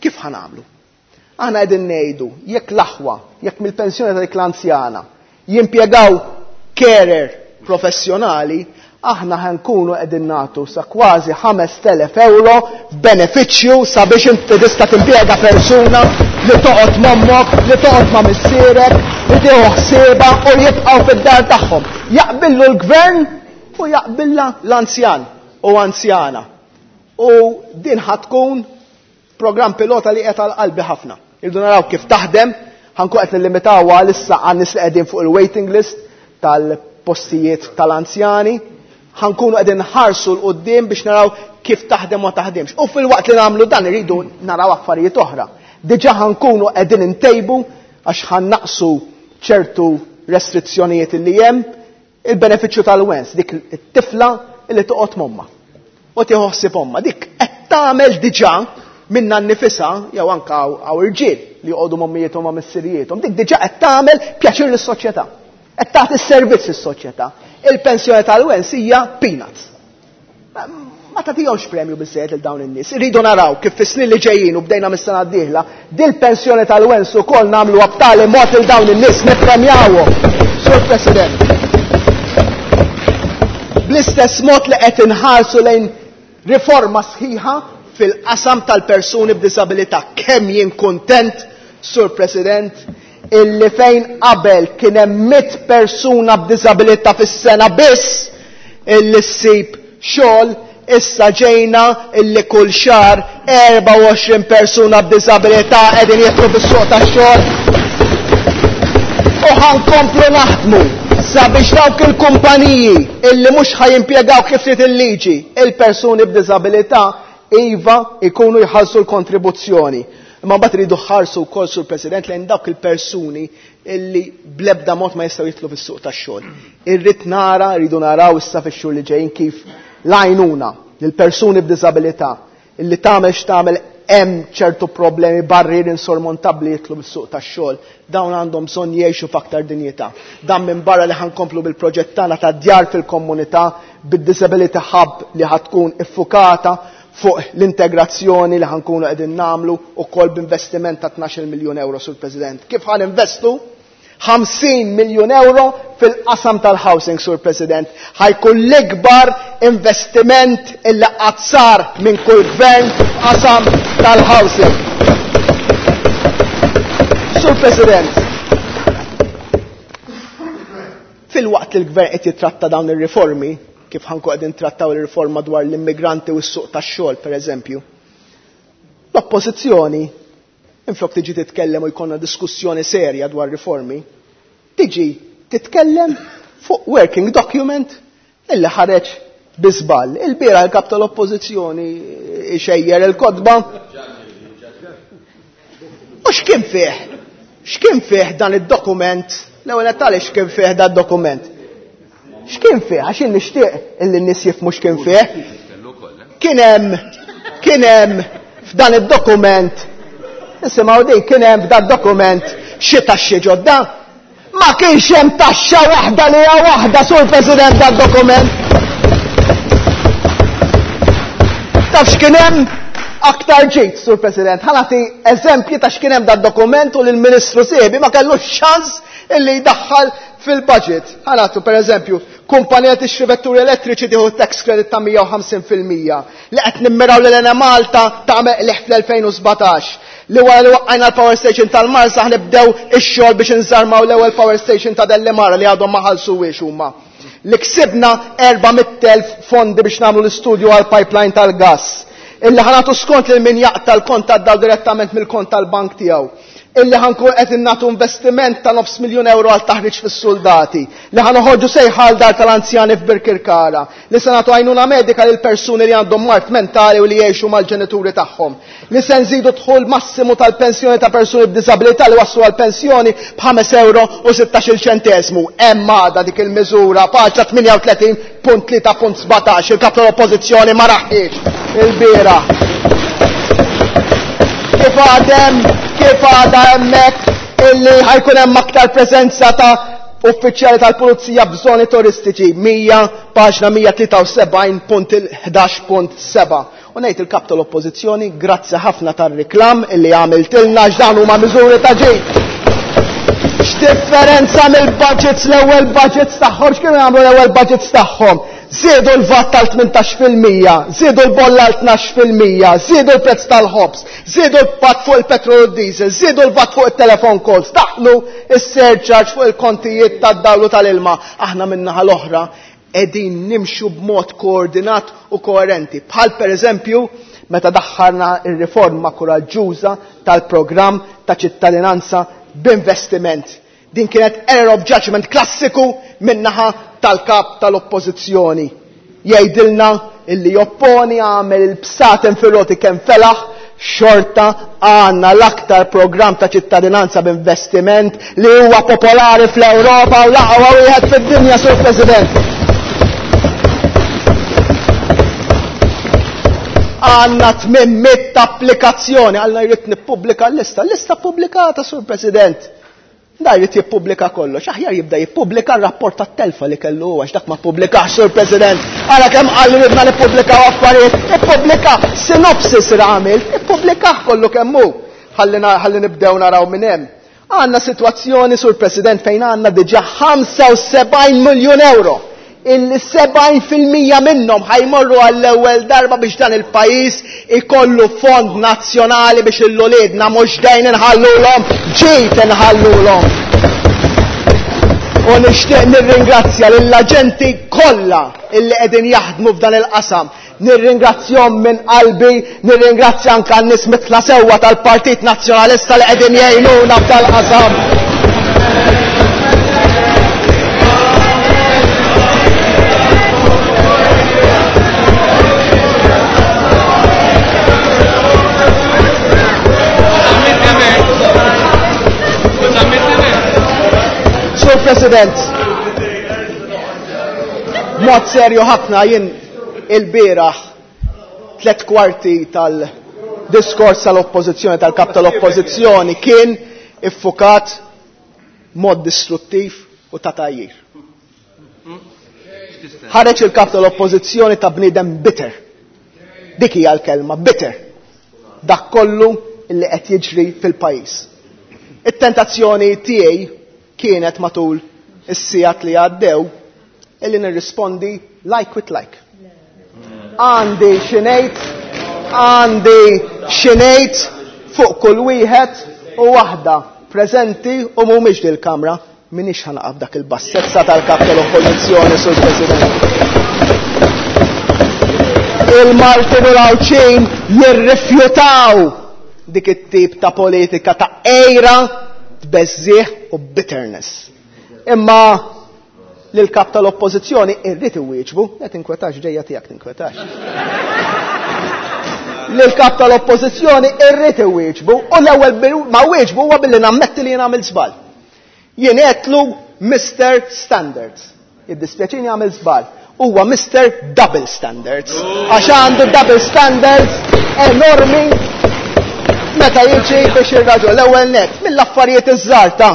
Kif ħa nagħmlu? Aħna qegħdin ngħidu jekk l-aħwa, jekk mill-pensjoni ta' dik l-anzjana jimpjegaw carer professjonali, aħna ħa nkunu qegħdin nagħtu sa kważi 5,000 euro f'benefiċċju sabiex inti tista' timpjega persuna li toqgħod m'ommok, li toqgħod ma' missierek, li tieħu ħsiebha u jibqgħu fid-dar tagħhom. Jaqbillu l-gvern u jaqbilla l-anzjan u anzjana. U din ħa tkun Programm pilota li qiegħed għal qalbi ħafna. Irridu naraw kif taħdem, ħa nkun qed nillimitawha għalissa għan-nies li qegħdin fuq il-waiting list tal-postijiet tal-anzjani. Ħa nkunu qegħdin nħarsu 'l quddiem biex naraw kif taħdem u ma taħdimx. U filwaqt li nagħmlu dan irridu naraw affarijiet oħra. Diġà ħa nkunu qegħdin intejbu għax ħa nnaqqsu ċertu restrizzjonijiet li hemm. Il-benefiċċju tal-wens, dik it-tifla li toqgħod m'ommha u tieħu ħsieb ommha, dik qed tagħmel diġà minnha nnifisha jew anke hawn irġiel li joqogħdu m'ommijiethom ma' missirijiethom, dik diġà qed tagħmel pjaċir lis-soċjetà. Qed tagħti s-servizz lis-soċjetà. Il-pensjoni tal-wens hija peanuts. Ma tagħtihomx premju biżżejjed lil dawn in-nies. Irridu naraw kif fis-snin li ġejjin u bdejna mis-sena d-dieħla, dil-pensjoni tal-wens ukoll nagħmluha b'tali mod lil dawn in-nies nippremjawhom. Sur President, bl-istess mod li qed inħarsu lejn riforma sħiħa fil-qasam tal-persuni b'diżabilità. Kemm jien kuntent, Sur President, illi fejn qabel kien hemm 100 persuna b'diżabilità fis-sena biss illi ssib xogħol, issa ġejna illi kull xahar 24 persuna b'diżabilità qegħdin jidħlu fis-suq tax-xogħol. U ħa nkomplu naħdmu sabiex dawk il-kumpaniji illi mhux ħa jimpjegaw kif trid il-liġi il-persuni b'diżabilità iva jkunu jħallsu l-kontribuzzjoni. Imma mbagħad iridu ħarsu wkoll sur President lejn dawk il-persuni illi bl-ebda mod ma jistgħu jidħlu fis-suq tax-xogħol. Irrid nara, rridu naraw issa fix-xhur li ġejjin kif l-għajnuna lil persuni b'diżabilità illi tagħmel x'tagħmel hemm ċertu problemi barrieri insormontabbli jidħlu fis-suq tax-xogħol. Dawn għandhom bżonn jgħixu f'aktar dinjità. Dan minbarra li ħa nkomplu bil-proġett tagħna ta' djar fil-komunità bid-Disability Hub li ħa tkun iffukata fuq l-integrazzjoni li ħa nkunu qegħdin nagħmlu ukoll b'investiment ta' 12 miljun euro, Sur President. Kif ħa ninvestu 50 miljun euro fil-qasam tal-housing, Sur President. Ħa jkun l-ikbar investiment illi qatt sar minn kull gvern f'qasam tal-housing. Sur President, filwaqt li l-gvern qed jitratta dawn ir-riformi, kif ħa nkunu qegħdin trattaw ir-riforma dwar l-immigranti u s-suq tax-xogħol, pereżempju, l-oppożizzjoni, minflok tiġi titkellem u jkollna diskussjoni serja dwar riformi, tiġi titkellem fuq working document illi ħareġ bi żball. Il-bieraħ il-kap tal-oppożizzjoni xejjer il-kotba. U x'kien fih? X'kien fih dan id-dokument? L-ewwel qed tgħaliex x'kien fih dan id-dokument? X'kien fih? Għax jien nixtieq illi n-nies jifhmu x'kien fih. Kien hemm kien hemm f'dan id-dokument nisimgħu din kien hemm f'dan dokument xi taxxi ġodda? Ma kienx hemm taxxa waħda li hija waħda sur President dan-dokument. Taf x'kien hemm? Aktar ġid, Sur President. Ħa nagħti eżempji ta' x'kien hemm dan-dokument u li l-Ministru sieħbi ma kellux ċans illi jdaħħal fil-budget. Ħa nagħtu pereżempju, kumpanija tixtri vetturi elettriċi tieħu tax credit ta' 150%, li qed nimmiraw lil Enemalta tagħmel qligħ fl-2017, li wara li waqqajna l-power station tal-Marsa ħnibdew ix-xogħol biex inżarmaw l-ewwel power station ta' Dellimara li għadhom ma ħallsuhiex huma. Li ksibna 400,000 fondi biex nagħmlu l-istudju għall-pipeline tal-gass. Illi ħa nagħtu skont lil min jaqta' l-kont tad-dawl direttament mill-kont tal-bank tiegħu. Illi ħa nkun qed nagħtu investiment ta' nofs miljun ewro għal taħriġ fis-suldati. Li ħa noħorġu sejħa għal dar tal-anzjani f'Birkirkara. Li se nagħtu għajnuna medika lil persuni li għandhom mard mentali u li jgħixu mal-ġenituri tagħhom. Li se nżidu d-dħul massimu tal-pensjoni ta' persuni b'diżabilità li waslu għall-pensjoni b'ħames ewro u sittax-il ċenteżmu. Hemm għadha dik il-miżura, paġna 38.3.17, il-Kap tal-Oppożizzjoni ma raħħiex ilbieraħ. Kif għad hemm, kif għadha hemmhekk illi ħajkun hemm aktar preżenza ta' uffiċjali tal-pulizija f'żoni turistiċi, 100, paġna 173.11.7. U ngħid il-Kap tal-Oppożizzjoni grazzi ħafna tar-riklam illi għamiltilna għax dawn huma miżuri ta' ġid. X'differenza mill-budgets l-ewwel budgets tagħhom, x'kienu jagħmlu l-ewwel budgets tagħhom? Żiedu l-VAT tal-18%, żiedu l-bolla għal 12%, żiedu l-prezz tal-ħobż, żiedu l-VAT fuq il-petrol u d-diesel, żiedu l-VAT fuq it-telephone calls, daħlu s-surcharge fuq il-kontijiet tad-dawl u tal-ilma. Aħna min-naħa l-oħra qegħdin nimxu b'mod koordinat u koerenti, bħal pereżempju meta daħħalna r-riforma kuraġġuża tal-programm ta' ċittadinanza b'investiment. Din kienet error of judgment klassiku min-naħa tal-Kap tal-Oppożizzjoni. Jgħidilna illi jopponi għamel il-bsaten fir-roti kemm felaħ, xorta għandna l-aktar programm ta' ċittadinanza b'investiment li huwa popolari fl-Ewropa u l-aqwa wieħed fid-dinja, Sur President. Għandna 800 applikazzjoni, għalna jrid nippubblika l-lista. L-lista pubblikata, Sur President. Da jrid jippubblika kollox, aħjar jibda jippubblika r-rapport tat-telfa li kellu hu għax dak ma ppubblikax, Sur President. Ara kemm qal li ridna nippubblikaw affarijiet, ippubblika synopsis li għamilt, ippubblikah kollu kemm hu. Ħalli ħalli nibdew naraw minn hemm. Għandna sitwazzjoni, Sur President, fejn għandna diġà 75 miljun euro illi 70% minnhom ħajmorru għall-ewwel darba biex dan il-pajjiż ikollu fond nazzjonali biex il-uliedna mhux dejn inħallulhom, ġid inħallulhom. U nixtieq nirringrazzja lill-aġenti kollha illi qegħdin jaħdmu f'dan il-qasam. Nirringrazzjahom minn qalbi, nirringrazzja anke n-nies mitla sewwa tal-Partit Nazzjonalista li qegħdin jgħinuna f'dal-qasam. Sur President, mod serju ħafna jien il-bieraħ tlet kwarti tal-diskors tal-oppożizzjoni tal-kap tal-oppożizzjoni kien iffukat mod distruttiv u ta' tgħajjir. Ħareġ il-kap tal-oppożizzjoni ta' bniedem bitter. Dik hija l-kelma, bitter. Dak kollu li qed jiġri fil-pajjiż. It-tentazzjoni tiegħi kienet matul is-sigħat li għaddew illi nirrispondi like with like. Għandi xi ngħid, għandi xi ngħid fuq kull wieħed u waħda preżenti u mhumiex dil-kamra. M'iniex ħa naqa' f'dak il-bassezza tal-kap tal-Oppożizzjoni, Sur President. Il-Maltin u l-Għawdxin jirrifjutaw dik it-tip ta' politika ta' għejra, tbeżżigħ u bitterness. Imma lill-kap tal-Oppożizzjoni irrid iwieġbu, le tinkwetax ġejja tiegħek tinkwetax. Lill-kap tal-Oppożizzjoni irrid iwieġbu u l-ewwel ma wieġbu huwa billi nammetti li jien għamilt żball. Jien għedtlu Mister Standards. Jiddispjaċini għamilt żball. huwa Mr. Double Standards. Għax għandu double standards enormi meta jiġi biex ir-raġel l-ewwel net mill-affarijiet iż-żgħar ta'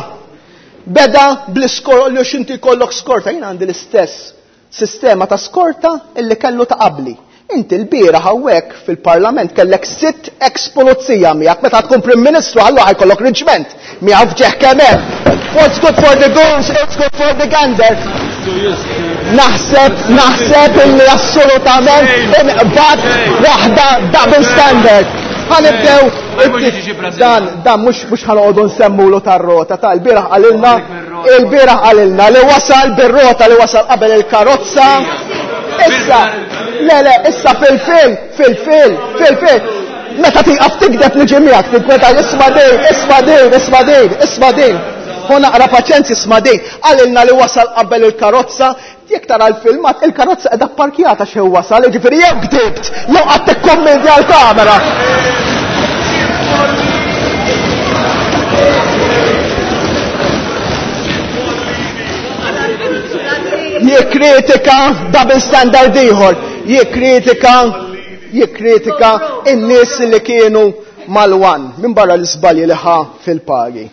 beda bl-iskor li x'inti jkollok skorta jien għandi l-istess sistema ta' skorta illi kellu ta' qabli. Inti l-bieraħ hawnhekk fil-Parlament kellek sitt ex-pulizija miegħek meta tkun Prim Ministru allura ħajkollok riġment miegħu f'ġeħ kemm hemm. What's good for the goose, it's good for the gander. Naħseb, naħseb illi assolutament inqbad waħda double standard. Ħanibdew dan dan mhux mhux ħanoqogħdu nsemmulu tar-rota ta' l-bieraħ qalilna il-bieraħ qalilna li wasal bir-rota li wasal qabel il-karozza. Issa, le le, issa fil-fil, fil-fil, fil-fil. Meta tieqaf tikdeb niġi miegħek, tinkweta isma' din, isma' din, isma' din, isma' din. Hu naqra paċenzja isma' din. Qalilna li wasal qabel il-karozza, jekk tara l-filmat, il-karozza qiegħda pparkjata x'ħin wasal, jiġifieri jew kdibt, jew qatt tikkummedja l-kamera. Jikkritika double standard ieħor, jikkritika jikkritika in-nies li kienu mal-wan minn barra l-iżbalji li ħa fil-pagi.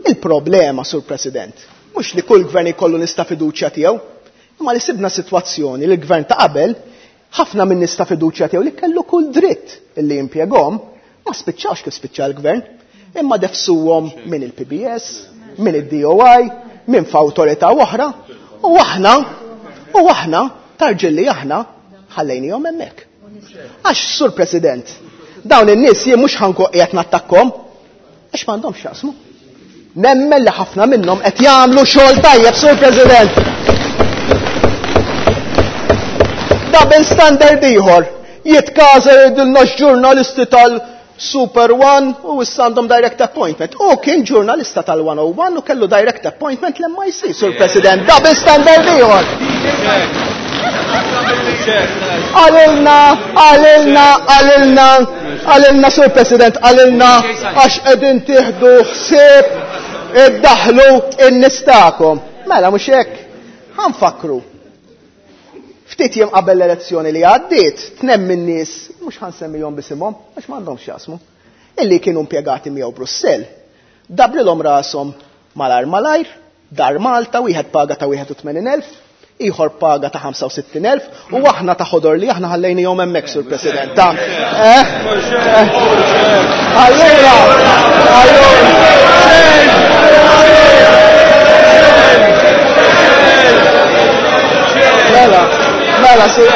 Il-problema, Sur President, mhux li kull gvern jkollu nies ta' fiduċja tiegħu, imma li sibna sitwazzjoni li l-gvern ta' qabel ħafna minn nies ta' fiduċja tiegħu li kellu kull dritt illi jimpjegahom ma spiċċawx kif spiċċa l-gvern, imma defsuhom minn il-PBS, minn id-DOI, minn f'awtorità oħra, u aħna, u aħna, tarġilli aħna, ħallejnihom hemmhekk. Għax, Sur President, dawn in-nies jien mhux ħanku qiegħed nattakkom, għax m'għandhomx x'jaqsmu. Nemmen li ħafna minnhom qed jagħmlu xogħol tajjeb, Sur President. Double standard ieħor, jitkaża jgħidilna x-ġurnalisti tal-Super One u issa għandhom direct appointment. U kien ġurnalista tal-101 u kellu direct appointment l-MIC, Sur President. Double standard ieħor. Għalilna, għalilna, għalilna, għalilna, Sur President, għalilna għax qegħdin tieħdu ħsieb iddaħlu in-nies tagħkom. Mela mhux hekk. Ħanfakru. Ftit jiem qabel l-elezzjoni li għaddiet, tnem minn nies, mhux ħansemmihom bisimhom, għax m'għandhomx x'jaqsmu, illi kienu impjegati miegħu Brussell. Dabrilhom rashom malar malajr, dar Malta, wieħed paga ta' 81,000, ieħor paga ta' 65,000, u aħna ta' ħodor li aħna ħallejnihom hemmhekk, Sur President. Ta' Allura, allura. Mela, mela, Sur,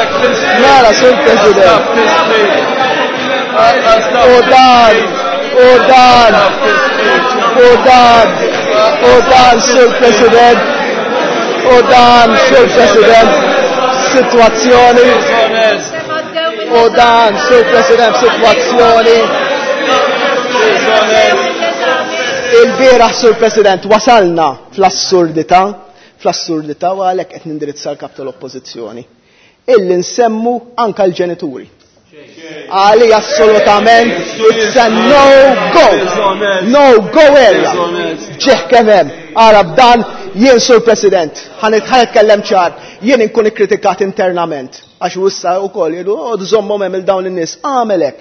mela, Sur President. U dan, u dan, u dan, u dan, Sur President, u dan, Sur President, situazzjoni, u dan, Sur President, situazzjoni. Il-bieraħ, Sur President, wasalna fl-assurdità, fl-assurdità u għalhekk qed nindirizza l-kap tal-Oppożizzjoni. Illi nsemmu anka l-ġenituri. Għali assolutament it's a no go. No go area. Ġeħ kemm hemm. Ara b'dan jien Sur President, ħanitkellem ċar, jien inkun ikkritikat internament. Għax issa wkoll jgħidu, oh, żommhom hemm il dawn in-nies, għamel hekk.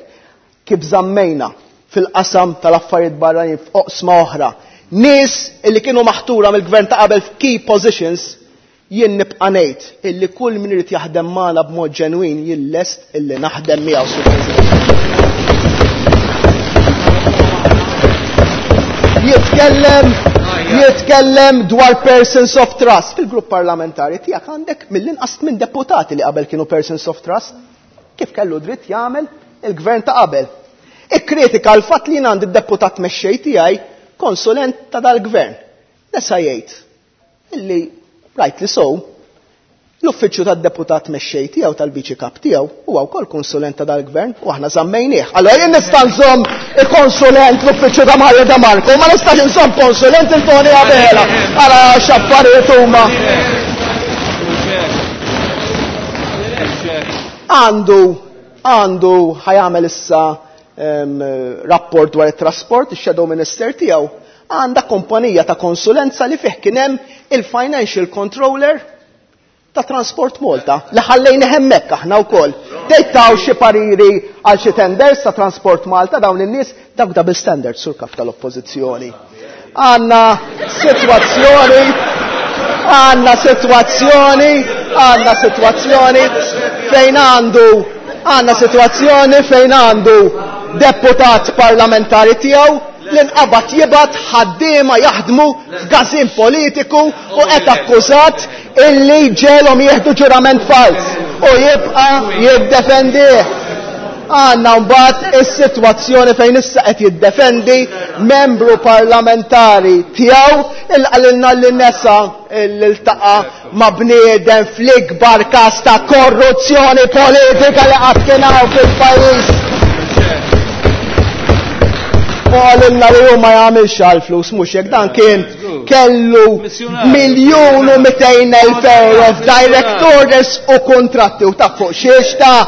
Kif żammejna fil-qasam tal-affarijiet barranin f'oqsma oħra. Nies illi kienu maħtura mill-gvern ta' qabel f'key positions, jien nibqa' ngħid illi kull min irid jaħdem magħna b'mod ġenwin jien lest illi naħdem miegħu, Sur President. Jitkellem, jitkellem dwar persons of trust. Fil-grupp parlamentari tiegħek għandek mill-inqas minn deputati li qabel kienu persons of trust. Kif kellu dritt jagħmel il-gvern ta' qabel. Ikkritika l-fatt li jien għandi d-deputat mexxej tiegħi konsulent ta' dal-gvern. Nesa jgħid illi rightly so, l-uffiċċju tad-deputat mexxej tiegħu tal-viċi kap tiegħu huwa wkoll konsulent ta' dal-gvern u aħna żammejnieh. Allora jien nista' nżomm il-konsulent l-uffiċċju ta' Mario De Marco, ma nistax nżomm konsulent il-Tony Abela. Ara x'affarijiet huma. Għandu, għandu ħajamel issa rapport dwar it-trasport, ix-shadow minister tiegħu għandha kompanija ta' konsulenza li fih kien hemm il-financial controller ta' Transport Malta li ħallejna hemmhekk aħna wkoll. Tgħid taw xi pariri għal xi tenders ta' Transport Malta dawn in-nies dawk double standards sur kap tal-Oppożizzjoni. Għandna sitwazzjoni għandna sitwazzjoni għandna sitwazzjoni fejn għandu għandna sitwazzjoni fejn għandu deputat parlamentari tiegħu li nqabad jibgħat ħaddiema jaħdmu f'gażin politiku u qed akkużat illi ġelhom jieħdu ġurament fals u jibqa' jiddefendih. Għandna mbagħad is-sitwazzjoni fejn issa qed jiddefendi membru parlamentari tiegħu il qalilna li nesa li ltaqa' ma' bniedem fl-ikbar każ ta' korruzzjoni politika li qatt kien hawn fil-pajjiż. U qalilna li hu ma jagħmilx għall-flus mhux hekk dan kien kellu 1,200,000 euro f'direct orders u kontratti u taf fuq xiex ta'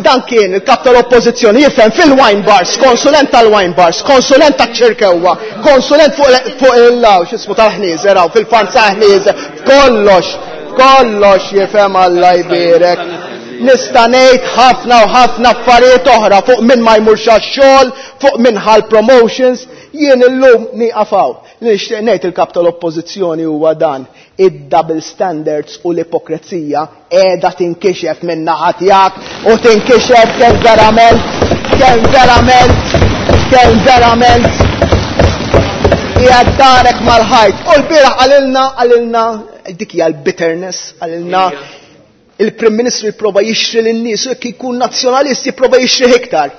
dan kien il-kap tal-oppożizzjoni jifhem fil-wine bars, konsulent tal-wine bars, konsulent taċ-ċirkewwa, konsulent fuq il-law, x'ismu tal-ħnieżer hawn fil-farm ta' ħnieżer, kollox, kollox jifhem Alla jbierek. Nista' ngħid ħafna u ħafna affarijiet oħra fuq min ma jmurx għax-xogħol, fuq min ħa l-promotions, jien illum nieqaf hawn. Li nixtieq ngħid il-kap tal-Oppożizzjoni huwa dan, id-double standards u l-ipokrezija qiegħda tinkixef min-naħa tiegħek u tinkixef kemm verament, kemm verament, kemm verament qiegħed darek mal-ħajt. U l-bieraħ qalilna, qalilna, dik hija l-bitterness, qalilna il-Prim Ministru jipprova jixtri lin-nies u jekk jkun nazzjonalist jipprova jixtrih iktar.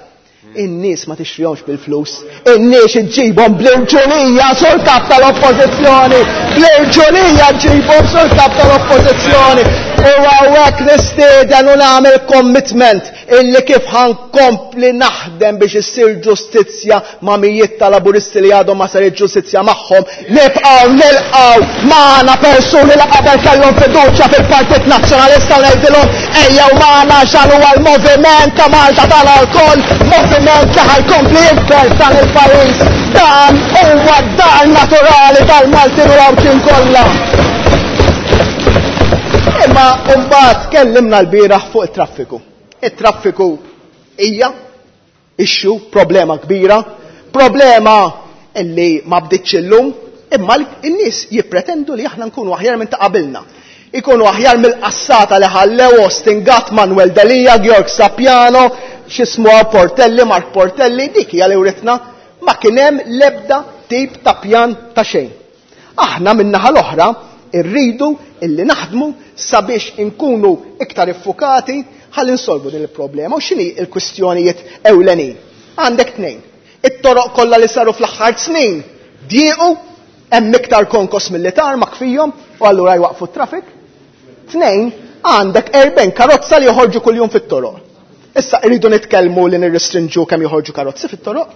In-nies ma tixtrihomx bil-flus, in-nies iġġibhom bl-irġulija sur kap tal-Oppożizzjoni, bl-irġulija ġġibhom sur kap tal-Oppożizzjoni. U hawnhekk nistieden u nagħmel commitment illi kif ħankompli naħdem biex issir ġustizzja ma' mijiet ta' Laburisti li għadhom ma saritx ġustizzja magħhom, nibqgħu nilqgħu magħna persuni li qabel kellhom fiduċja fil-Partit Nazzjonalista u ngħidilhom ejjew magħna għax dan huwa l-moviment ta' Malta tagħna lkoll, moviment li ħa jkompli jikber f'dan il-pajjiż. Dan huwa d-dar naturali tal-Maltin u l-Għawdxin kollha. Imma mbagħad tkellimna lbieraħ fuq it-traffiku. It-traffiku hija issue, problema kbira, problema illi ma bdietx illum, imma n-nies jippretendu li aħna nkunu aħjar minn ta' qabilna. Ikunu aħjar mill-qassata li ħallew Austin Gatt, Manuel Delia, Georg Sapiano, x'ismu Portelli, Mark Portelli, dik hija li writna ma kien hemm l-ebda tip ta' pjan ta' xejn. Aħna min-naħa l-oħra rridu illi naħdmu sabiex inkunu iktar iffukati ħalli nsolvu din il-problema. U x'inhi l-kwistjonijiet ewlenin? Għandek tnejn. It-toroq kollha li saru fl-aħħar snin diequ, hemm iktar konkos milli tarmak fihom u allura jwaqqfu t-traffic. Tnejn, għandek 40 karozza li joħorġu kuljum fit-toroq. Issa irridu nitkellmu li nirrestrinġu kemm joħorġu karozzi fit-toroq.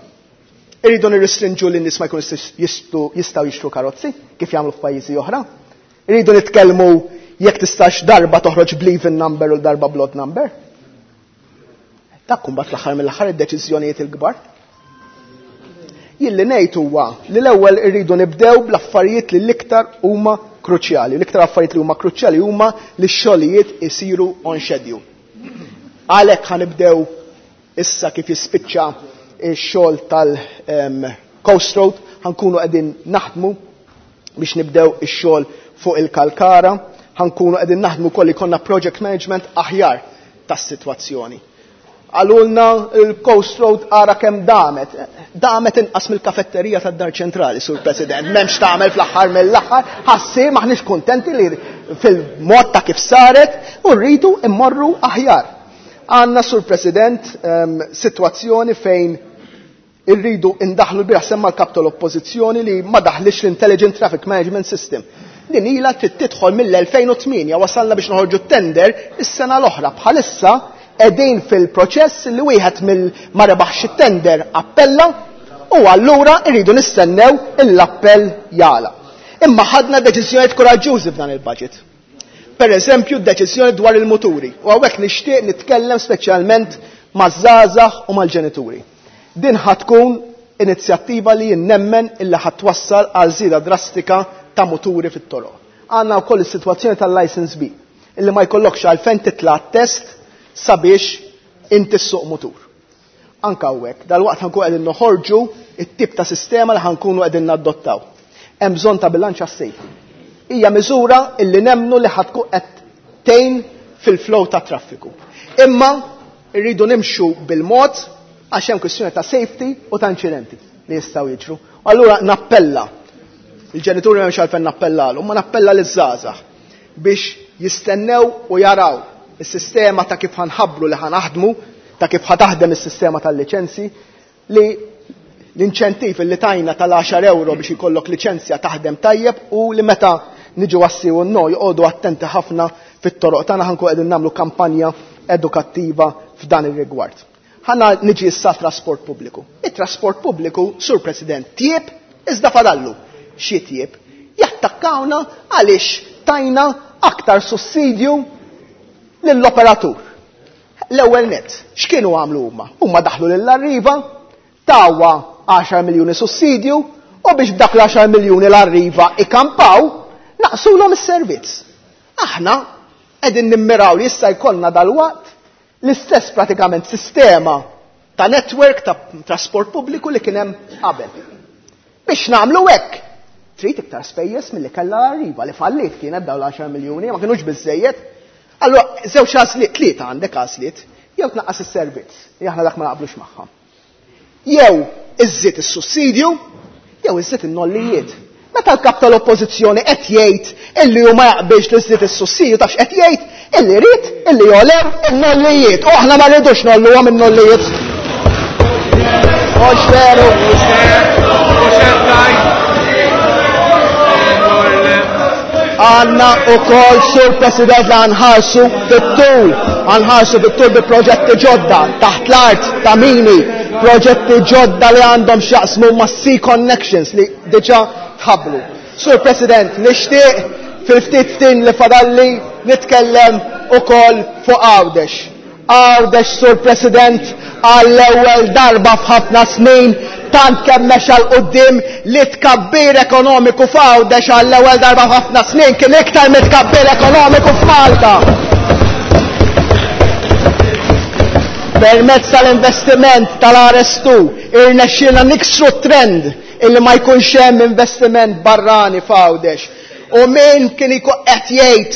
Irridu nirrestrinġu li n-nies ma jkunux jistgħu jixtru karozzi kif jagħmlu f'pajjiżi oħra. Irridu nitkellmu jekk tistax darba toħroġ bl-even number u darba bl-odd number. Dak kumbat l-aħħar mill-aħħar id-deċiżjonijiet il-kbar. Jien li ngħid huwa li l-ewwel irridu nibdew bl-affarijiet li l-iktar huma kruċjali. L-iktar affarijiet li huma kruċjali huma li x-xogħlijiet isiru on schedule. Għalhekk ħanibdew Issa kif jispiċċa x-xogħol tal-Coast Road ħankunu qegħdin naħdmu biex nibdew ix-xogħol fuq il-Kalkara, ħankunu qegħdin naħdmu wkoll ikollna project management aħjar tas-sitwazzjoni. Qalulna l-Coast Road ara kemm damet. Damet inqas mill-kafetterija tad-Dar Ċentrali, Sur President. M'hemmx tagħmel fl-aħħar mill-aħħar, ħassi m'aħniex kuntenti li fil-mod ta' kif saret u rridu immorru aħjar. Għandna, Sur President, sitwazzjoni fejn irridu indaħlu l-bieraħ semma l-kap tal-Oppożizzjoni li ma daħlitx l-Intelligent Traffic Management System. Din ilha trid tidħol mill-2008 wasalna biex noħorġu t-tender is-sena l-oħra. Bħalissa qegħdin fil-proċess li wieħed mill ma rebaħx it-tender appella u allura rridu nistennew l-appell jagħlaq. Imma ħadna deċiżjonijiet kuraġġużi f'dan il-budget. Per eżempju, d-deċiżjoni dwar il-muturi. U hawnhekk nixtieq nitkellem speċjalment maż-żgħażagħ u mal-ġenituri. Din ħa tkun inizjattiva li jien nemmen illi ħa twassal għal żieda drastika ta' muturi fit-toroq. Għandna wkoll is-sitwazzjoni tal-license B, illi ma jkollokx għalfejn titla' test sabiex inti ssuq mutur. Anka hawnhekk, dalwaqt ħankun qegħdin noħorġu it-tip ta' sistema li ħankunu qegħdin nadottaw. Hemm bżonn ta' bilanċ għas-safety. Hija miżura illi nemmnu li ħa tkun qed tgħin fil-flow ta' traffiku. Imma rridu nimxu bil-mod għax hemm kwistjoni ta' safety u ta' inċidenti li jistgħu jiġru. Allura nappella il-ġenituri m'hemmx għalfejn nappellalhom, ma nappella liż-żgħażagħ biex jistennew u jaraw is-sistema ta' kif ħanħabbru li ħanaħdmu, ta' kif ħataħdem is-sistema tal-liċenzji li l-inċentiv li tajna tal-10 euro biex ikollok liċenzja taħdem tajjeb u li meta niġu għassi u no joqogħdu attenti ħafna fit-toroq tagħna ħankun qegħdin nagħmlu kampanja edukattiva f'dan ir-rigward. Ħanna niġi issa trasport pubbliku. It-trasport pubbliku, Sur President, tjieb iżda fadallu. Xi tjieb? Jattakkawna għaliex tajna aktar sussidju lill-operatur. L-ewwel nett, x'kienu għamlu huma? Huma daħlu lill-Arriva, tawha 10 miljuni sussidju u biex b'dak l-10 miljuni l-Arriva ikampaw, naqsulhom is-servizz. Aħna qegħdin nimmiraw li issa jkollna dalwaqt l-istess pratikament sistema ta' network ta' trasport pubbliku li kien hemm qabel. Biex nagħmlu hekk, trid iktar spejjeż milli kellha l-Arriva li falliet kienet dawn l-10 miljuni, ma kinux biżejjed. Allura żewġ għażliet, tlieta għandek għażliet, jew tnaqqas is-servizz, li aħna dak ma naqblux magħha. Jew iżżid is-sussidju, jew iżżid in-nollijiet. Meta l-kap tal-oppożizzjoni qed jgħid illi hu ma jaqbilx li żżid is-sussidju, taf x'qed jgħid? Illi jrid illi jogħlew in-nollijiet. U aħna ma rridux nolluhom in-nollijiet. Mhux veru. Għanna u kol, Sur President, li għanħarsu fit-tul, għanħarsu fit-tul bi proġetti ġodda, taħt l-art, ta' mini, proġetti ġodda li għandhom x'jaqsmu ma' Sea Connections li diġa tħabbru. Sur President, nixtieq fil-ftit ftin li fadalli nitkellem ukoll fuq Għawdex. Għawdex, Sur President, għall-ewwel darba f'ħafna snin tant kemm mexa 'l quddiem li tkabbir ekonomiku f'Għawdex għall-ewwel darba f'ħafna snin kien iktar mit-tkabbir ekonomiku f'Malta. Permezz tal-investiment tal-RS2 irnexxielna niksru t-trend illi ma jkunx hemm investiment barrani f'Għawdex. U min kien ikun qed jgħid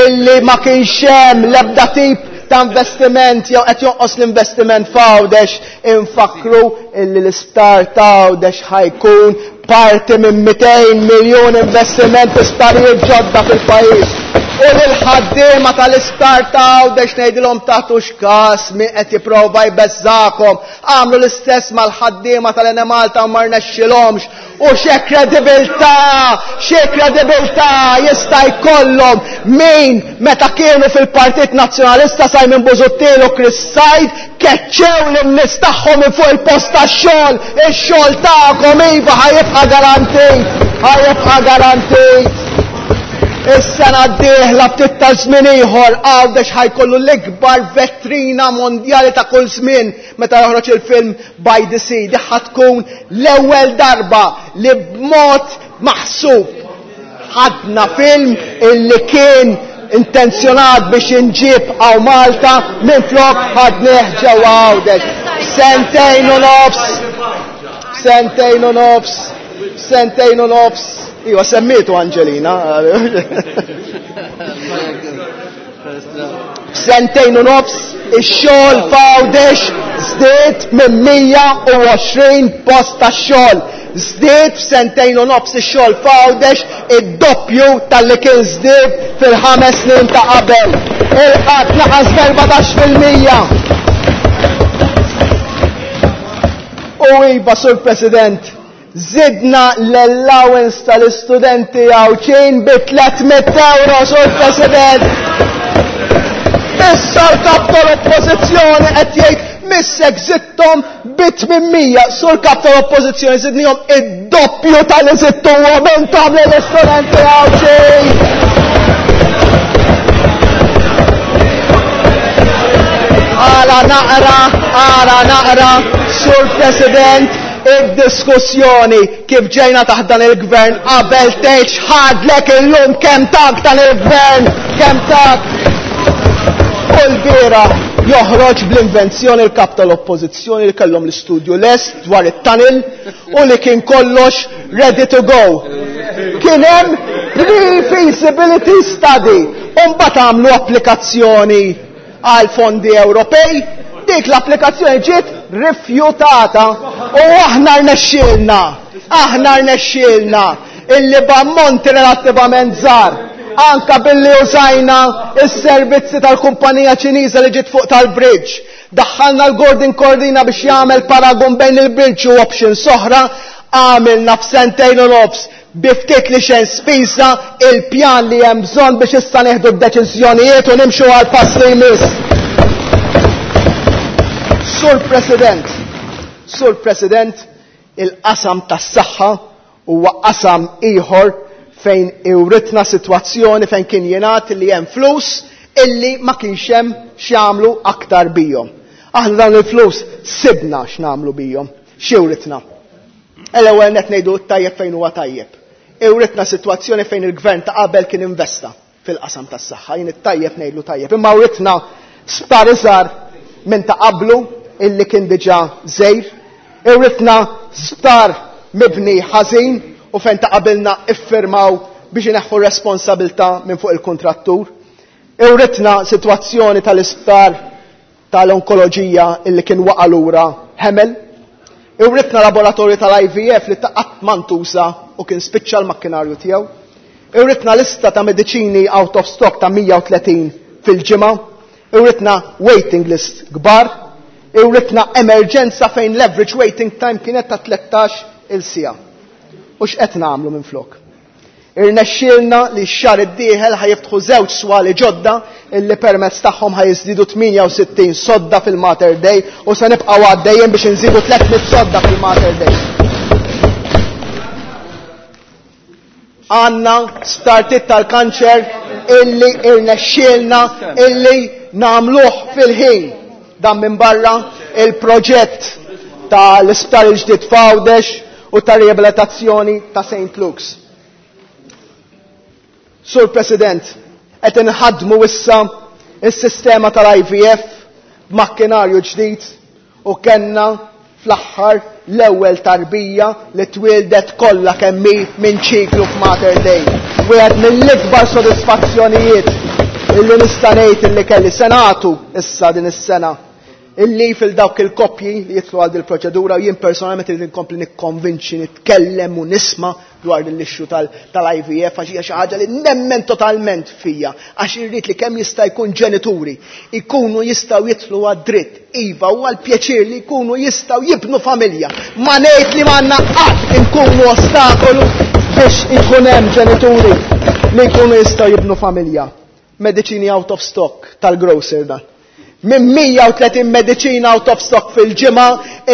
illi ma kienx hemm l-ebda tip ta' investiment jew qed jonqos l-investiment f'Għawdex, infakkru illi l-isptar ta' Għawdex ħajkun parti minn 200 miljun investiment fi sptarijiet ġodda fil-pajjiż. U lill-ħaddiema tal-isptar ta' Għawdex ngħidilhom tagħtux każ min qed jipprova jbeżżagħkom. Għamlu l-istess mal-ħaddiema tal-Enemalta u ma rnexxilhomx. U xi kredibilità, xi kredibilità jista' jkollhom min meta kienu fil-Partit Nazzjonalista Simon Busuttil u Chris Said keċċew lin-nies tagħhom minn fuq il-post tax-xogħol. Ix-xogħol tagħkom iva ħa jibqa' garantit, ħa jibqa' garantit. Is-sena d-dieħla ftit ta' żmien ieħor Għawdex ħa jkollu l-ikbar vetrina mondjali ta' kull żmien meta joħroġ il-film By the Sea. Di ħa tkun l-ewwel darba li b'mod maħsub ħadna film illi kien intenzjonat biex inġib għaw Malta minflok ħadnieh ġewwa Għawdex. Sentejn u nofs, sentejn u nofs, sentejn u nofs. Iwa, semmietu Angelina. F'sentejn u nofs, ix-xogħol f'Għawdex żdied minn 120 post ta' xogħol. Żdied f'sentejn u nofs ix-xogħol f'Għawdex id-doppju talli kien żdied fil-ħames snin ta' qabel. Il-qgħad naqas b'14%. U iva, Sur President, Żidna l-allowance tal-istudenti Għawdxin bi 300 ewro, Sur President! Issa l-Kap tal-Oppożizzjoni qed jgħid missek żidthom bi 800. Sur Kap tal-Oppożizzjoni żidnihom id-doppju tal-li żidtuhom intom lill-istudenti Għawdxin! Ara naqra, ara naqra, Sur President. Id-diskussjoni kif ġejna taħt dan il-gvern qabel tgħid x'ħadlek illum kemm tak dan il-gvern, kemm tak. U l-bieraħ joħroġ bl-invenzjoni l-kap tal-oppożizzjoni li kellhom l-istudju lest dwar it-tunnel u li kien kollox ready to go. Kien hemm pre-feasibility study u mbagħad għamlu applikazzjoni għal fondi Ewropej, dik l-applikazzjoni ġiet rifjutata u aħna rnexxielna, aħna rnexxielna illi b'ammonti relattivament żgħar, anka billi użajna s-servizzi tal-kumpanija Ċiniża li ġiet fuq tal-bridge, daħħalna l-Gordon Cordina biex jagħmel paragun bejn il-bridge u options oħra, għamilna f'sentejn u nofs bi ftit li xejn spiża il-pjan li hemm bżonn biex issa nieħdu d-deċiżjonijiet u nimxu għal pass li jmiss. Sur President, Sur President, il-qasam tas-saħħa huwa qasam ieħor fejn iwritna sitwazzjoni fejn kien jingħad li hemm flus illi ma kienx hemm x'jagħmlu aktar bihom. Aħna dawn il-flus sibna x'nagħmlu bihom, x'iwritna. L-ewwel nett ngħidu t-tajjeb fejn huwa tajjeb. Iwritna sitwazzjoni fejn il-gvern ta' qabel kien investa fil-qasam tas-saħħa, jien it-tajjeb ngħidlu tajjeb. Imma writna sptar iżgħar minn ta' qablu illi kien diġà żgħir. Iwritna sptar mibni ħażin u fejn ta' qabilna iffirmaw biex ineħħu r-responsabilità minn fuq il-kuntrattur. Iwritna sitwazzjoni tal-isptar tal-onkoloġija illi kien waqa' lura ħemel. Iwritna laboratorju tal-IVF li ta' qatt ma ntuża u kien spiċċa l-makkinarju tiegħu. Iwritna lista ta' mediċini out of stock ta' 130 fil-ġimgħa. Iwritna waiting list kbar. Iwritna emerġenza fejn l-average waiting time kienet ta' 13 il siegħa. U x'qed nagħmlu minflok? Irnexxielna li x-xahar id-dieħel ħa jiftħu żewġ swali ġodda illi permezz tagħhom ħa jiżdiedu 68 sodda fil-Mater Dei u se nibqgħu għaddejjin biex inżidu 300 sodda fil-Mater Dei. Għandna sptartiet tal-kanċer illi irnexxielna illi nagħmluh fil-ħin. Dan minn barra il-proġett tal-isptar il-ġdid f'Għawdex u tar-riabilitazzjoni ta' Saint Luke's. Sur President, qed inħaddmu issa s-sistema tal-IVF b'makkinarju ġdid u kellna fl-aħħar l-ewwel tarbija li twieldet kollha kemm hi minn ċiklu f'Mater Dei. Wieħed mill-ikbar sodisfazzjonijiet illi nista' ngħid illi kelli se nagħtu issa din is-sena il-leave il dawk il-koppji li jidħlu għal dil-proċedura u jien personalment irid inkompli nikkonvinċi, nitkellem u nisma' dwar din l-issue tal-IVF għax hija xi ħaġa li nemmen totalment fija għax irrid li kemm jista' jkun ġenituri jkunu jistgħu jidħlu għad-dritt iva u għall-pjaċir li jkunu jistgħu jibnu familja. Ma ngħid li m'għandna qatt inkunu ostakolu biex ikun hemm ġenituri li jkunu jistgħu jibnu familja. Mediċini out of stock tal-grocer dan. Minn 130 mediċina out of stock fil-ġimgħa,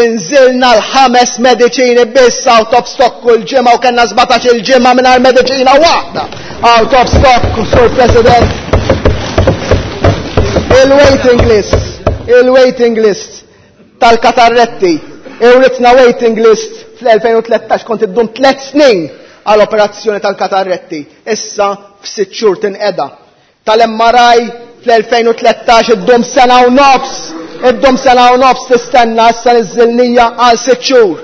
inżilna l-5 mediċini biss out of stock kull ġimgħa u kellna 17-il ġimgħa mingħajr mediċina waħda out of stock, Sur President. Il-waiting list, il-waiting list tal-katarretti, iwritna waiting list fl-2013 kont iddum 3 snin għal operazzjoni tal-katarretti, issa f'sitt xhur tinqeda. Tal-MRI fl-2013 iddum sena u nofs, iddum sena u nofs tistenna issa niżżilnija għal 6 xhur.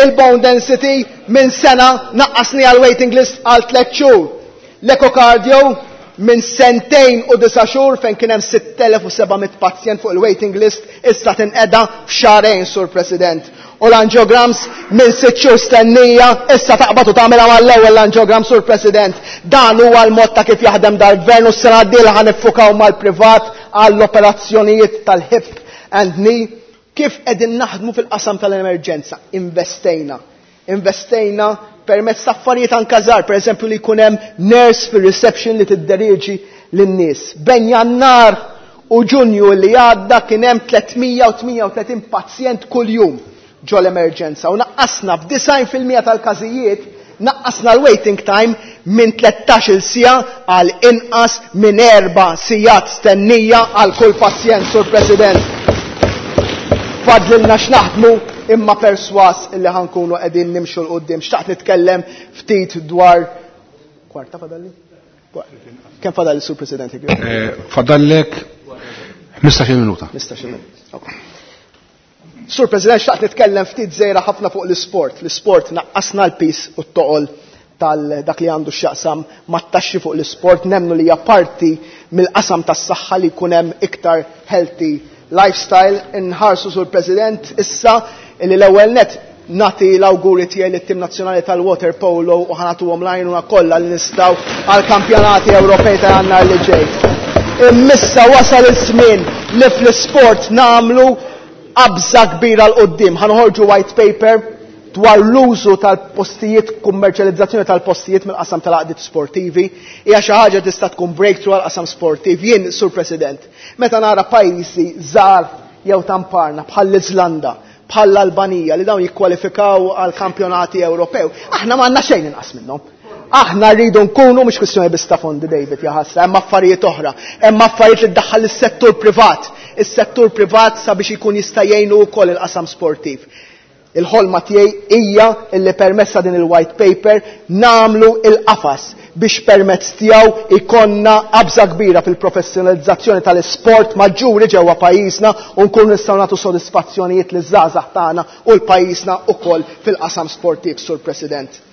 Il-bone density minn sena naqqasni għal waiting list għal 3 xhur. L-echocardio minn sentejn u 9 xhur fejn kien hemm 6700 pazjent fuq il-waiting list issa tinqeda f'xahrejn, Sur President. U l-angiograms minn 6 xhur stennija issa taqbad u tagħmilha mal-ewwel l-angiogram, Sur President. Dan huwa l-mod ta' kif jaħdem dal-gvern u s-sena d-dieħla ħa niffukaw mal-privat għall-operazzjonijiet tal-hip and knee. Kif qegħdin naħdmu fil-qasam tal-emerġenza? Investejna. Investejna permezz ta' affarijiet anke żgħar, pereżempju li jkun hemm nurse fir-reception li tidderieġi lin-nies. Bejn Jannar u Ġunju li għadda kien hemm 338 pazjent kuljum ġol emerġenza u naqqasna f'disgħin fil-mija tal-każijiet naqqasna l-waiting time minn tlettax-il siegħa għal inqas minn 4 sigħat stennija għal kull pazjent, Sur President. Fadlilna x'naħdmu imma perswas illi ħa nkunu qegħdin nimxu 'l quddiem. Xtaqt nitkellem ftit dwar kwarta fadalli? Kemm fadalli, Sur President? Fadallek 15-il minuta. 15-il minuta. Sur President, xtaqt nitkellem ftit żgħira ħafna fuq l-isport. L-isport naqqasna l-piż u t-toqol tal dak li għandu x'jaqsam mat-taxxi fuq l-isport, nemmnu li hija parti mill-qasam tas-saħħa li jkun hemm iktar healthy lifestyle. Inħarsu, Sur President, issa li l-ewwel nett nagħti l-awguri tiegħi lit-tim nazzjonali tal-water polo u ħa nagħtuhom l-għajnuna kollha li nistgħu għall-kampjonati Ewropej ta' Jannar li ġej. Immissa wasal iż-żmien li fl-isport nagħmlu qabża kbira 'l quddiem. Ħa noħorġu white paper dwar l-użu tal-postijiet, kummerċjalizzazzjoni tal-postijiet mill-qasam tal-għaqdiet sportivi. Hija xi ħaġa tista' tkun breakthrough għall-qasam sportiv. Jien, Sur President, meta nara pajjiżi żgħar jew tamparna bħall-Iżlanda, bħall-Albanija li dawn jikkwalifikaw għal kampjonati Ewropew, aħna m'għandna xejn inqas minnhom. Aħna rridu nkunu, mhux kwistjoni biss ta' fondi, David, jaħasra, hemm affarijiet oħra, hemm affarijiet li ddaħħal is-settur privat, is-settur privat sabiex ikun jista' jgħinu wkoll il-qasam sportiv. Il-ħolma tiegħi hija illi permezz ta' din il-white paper nagħmlu il-qafas biex permezz tiegħu ikonna qabża kbira fil-professjonalizzazzjoni tal-isport maġġuri ġewwa pajjiżna u nkunu nistgħu nagħtu sodisfazzjonijiet liż-żgħażagħ tagħna u l-pajjiżna wkoll fil-qasam sportiv, Sur President.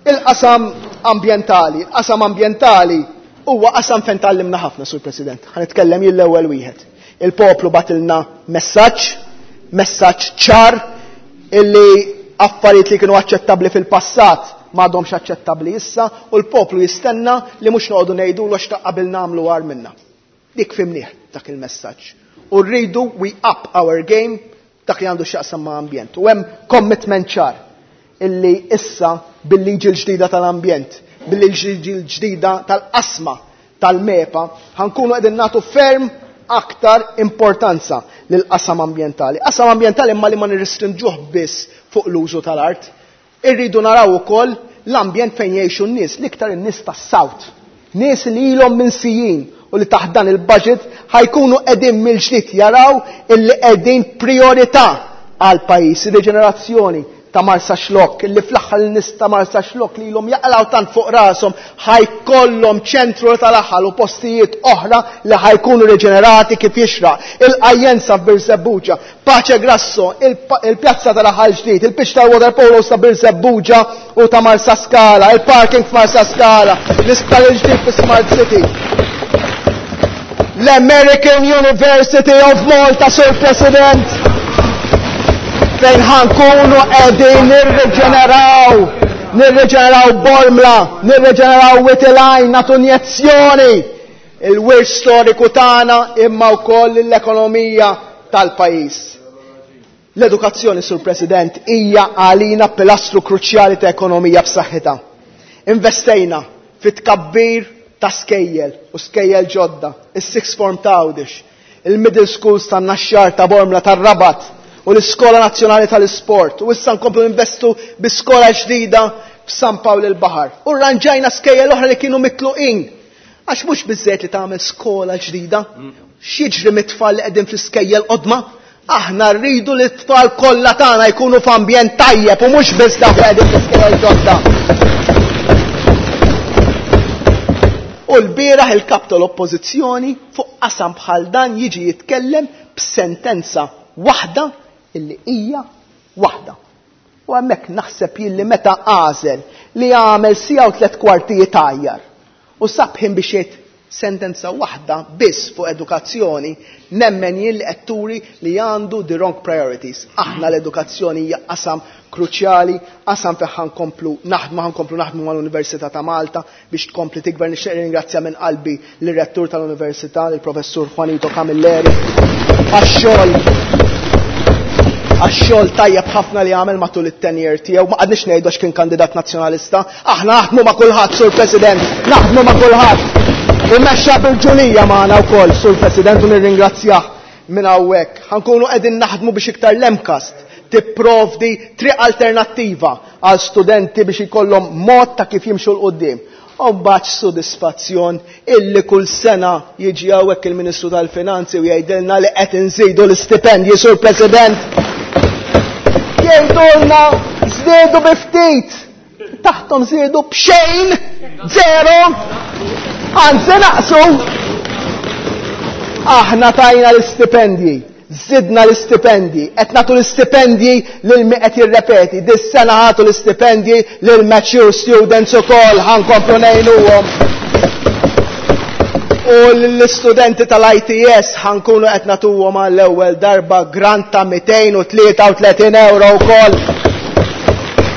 Il-qasam ambjentali, il-qasam ambjentali huwa qasam fejn tgħallimna ħafna, Sur President. Ħa nitkellem jien l-ewwel wieħed. Il-poplu bagħtilna messaġġ, messaġġ ċar illi affarijiet li kienu aċċettabbli fil-passat m'għadhomx aċċettabbli issa u l-poplu jistenna li mhux noqogħdu ngħidulu għax ta' qabel nagħmlu agħar minna. Dik fhimnieh dak il-messaġġ. U rridu we up our game dak li għandu x'jaqsam ma' ambjent. U hemm commitment ċar illi issa bil-liġi l-ġdida tal-ambjent, bil-liġi l-ġdida tal-qasma tal-MEPA, ħa nkunu qegħdin nagħtu ferm aktar importanza lil qasam ambjentali. Qasam ambjentali imma li ma nirrestrinġuh biss fuq l-użu tal-art. Irridu naraw ukoll l-ambjent fejn jgħixu n-nies, l-iktar in-nies tas-South. Nies li ilhom minsijin u li taħt dan il-budget ħa jkunu qegħdin mill-ġdid jaraw illi qegħdin priorità għal pajjiż, ir-riġenerazzjoni ta' Marsaxlokk, illi fl-aħħar in-nies ta' Marsaxlokk li ilhom jaqlaw tant fuq rashom ħa jkollhom ċentru tal-aħħar u postijiet oħra li ħa jkunu riġenerati kif jixraq. Il-Qajjenza f'Birżebbuġa, Pace Grasso, il-pjazza tal-aħħar ġdid, il-pitch tal-water polo ta' Birżebbuġa u ta' Marsaskala, il-parking f'Marsaskala, l-isptar il-ġdid fi Smart City. L-American University of Malta, Sur President, fejn ħa nkunu qegħdin nirriġeneraw Bormla, nirriġeneraw Wied il-Għajn, nagħtu injezzjoni il-wirt storiku tagħna imma wkoll l-ekonomija tal-pajjiż. L-edukazzjoni, Sur President, hija għalina pilastru kruċjali ta' ekonomija b'saħħitha. Investejna fit-tkabbir ta' skejjel u skejjel ġodda, is-sixth form ta' Għawdex, il-middle schools ta' Naxxar, ta' Bormla, ta' Rabat u l-Iskola Nazzjonali tal-Isport. U issa nkomplu investu bi skola ġdida f'San Pawl il-Baħar. U rranġajna skejjel oħra li kienu mitluqin. Għax mhux biżżejjed li tagħmel skola ġdida. X'jiġri mit-tfal li qegħdin fl-iskejjel qodma? Aħna rridu li t-tfal kollha tagħna jkunu f'ambjent tajjeb u mhux biss dawk li qegħdin fl-iskejjel ġodda. U l-bieraħ il-kap tal-Oppożizzjoni fuq qasam bħal dan jiġi jitkellem b'sentenza waħda illi hija waħda. U hemmhekk naħseb jilli meta għażel li għamel siegħa u tliet kwartijiet għajjar u sabħin biex jgħid sentenza waħda biss fuq edukazzjoni, nemmen jien li qed turi li għandu the wrong priorities. Aħna l-edukazzjoni hija qasam kruċjali, qasam fejn ħa nkomplu naħdmu, ħa nkomplu naħdmu mal-Università ta' Malta biex tkompli tikber. Nixtieq ringrazzja minn qalbi lir-rettur tal-Università, il-Professur Juanito Camilleri, għax-xogħol tajjeb ħafna li għamel matul it-tenure tiegħu. Ma qgħadniex ngħidu għax kien kandidat nazzjonalista. Aħna naħdmu ma' kulħadd, Sur President, naħdmu ma' kulħadd. Imexxa bil-ġulija magħna wkoll, Sur President, u nirringrazzjah minn hawnhekk. Ħa nkunu qegħdin naħdmu biex iktar l-MCAST tipprovdi triq alternattiva għal studenti biex ikollhom mod ta' kif jimxu 'l quddiem. U mbagħad sodisfazzjon illi kull sena jiġi hawnhekk il-Ministru tal-Finanzi u jgħidilna li qed inżidu l-istipendji, Sur President. Jgħidulna żdiedu bi ftit. Taħthom żiedu b'xejn, zero, anzi naqsu. Aħna tajna l-istipendji, żidna l-istipendji, qed nagħtu l-istipendji lil min qed jirrepeti. Dis-sena ħatu l-istipendji lil mature students ukoll ħa nkomplu ngħinuhom. U l-istudenti tal-ITS ħa nkunu qed nagħtuhom għall-ewwel darba grant ta' 233 euro wkoll.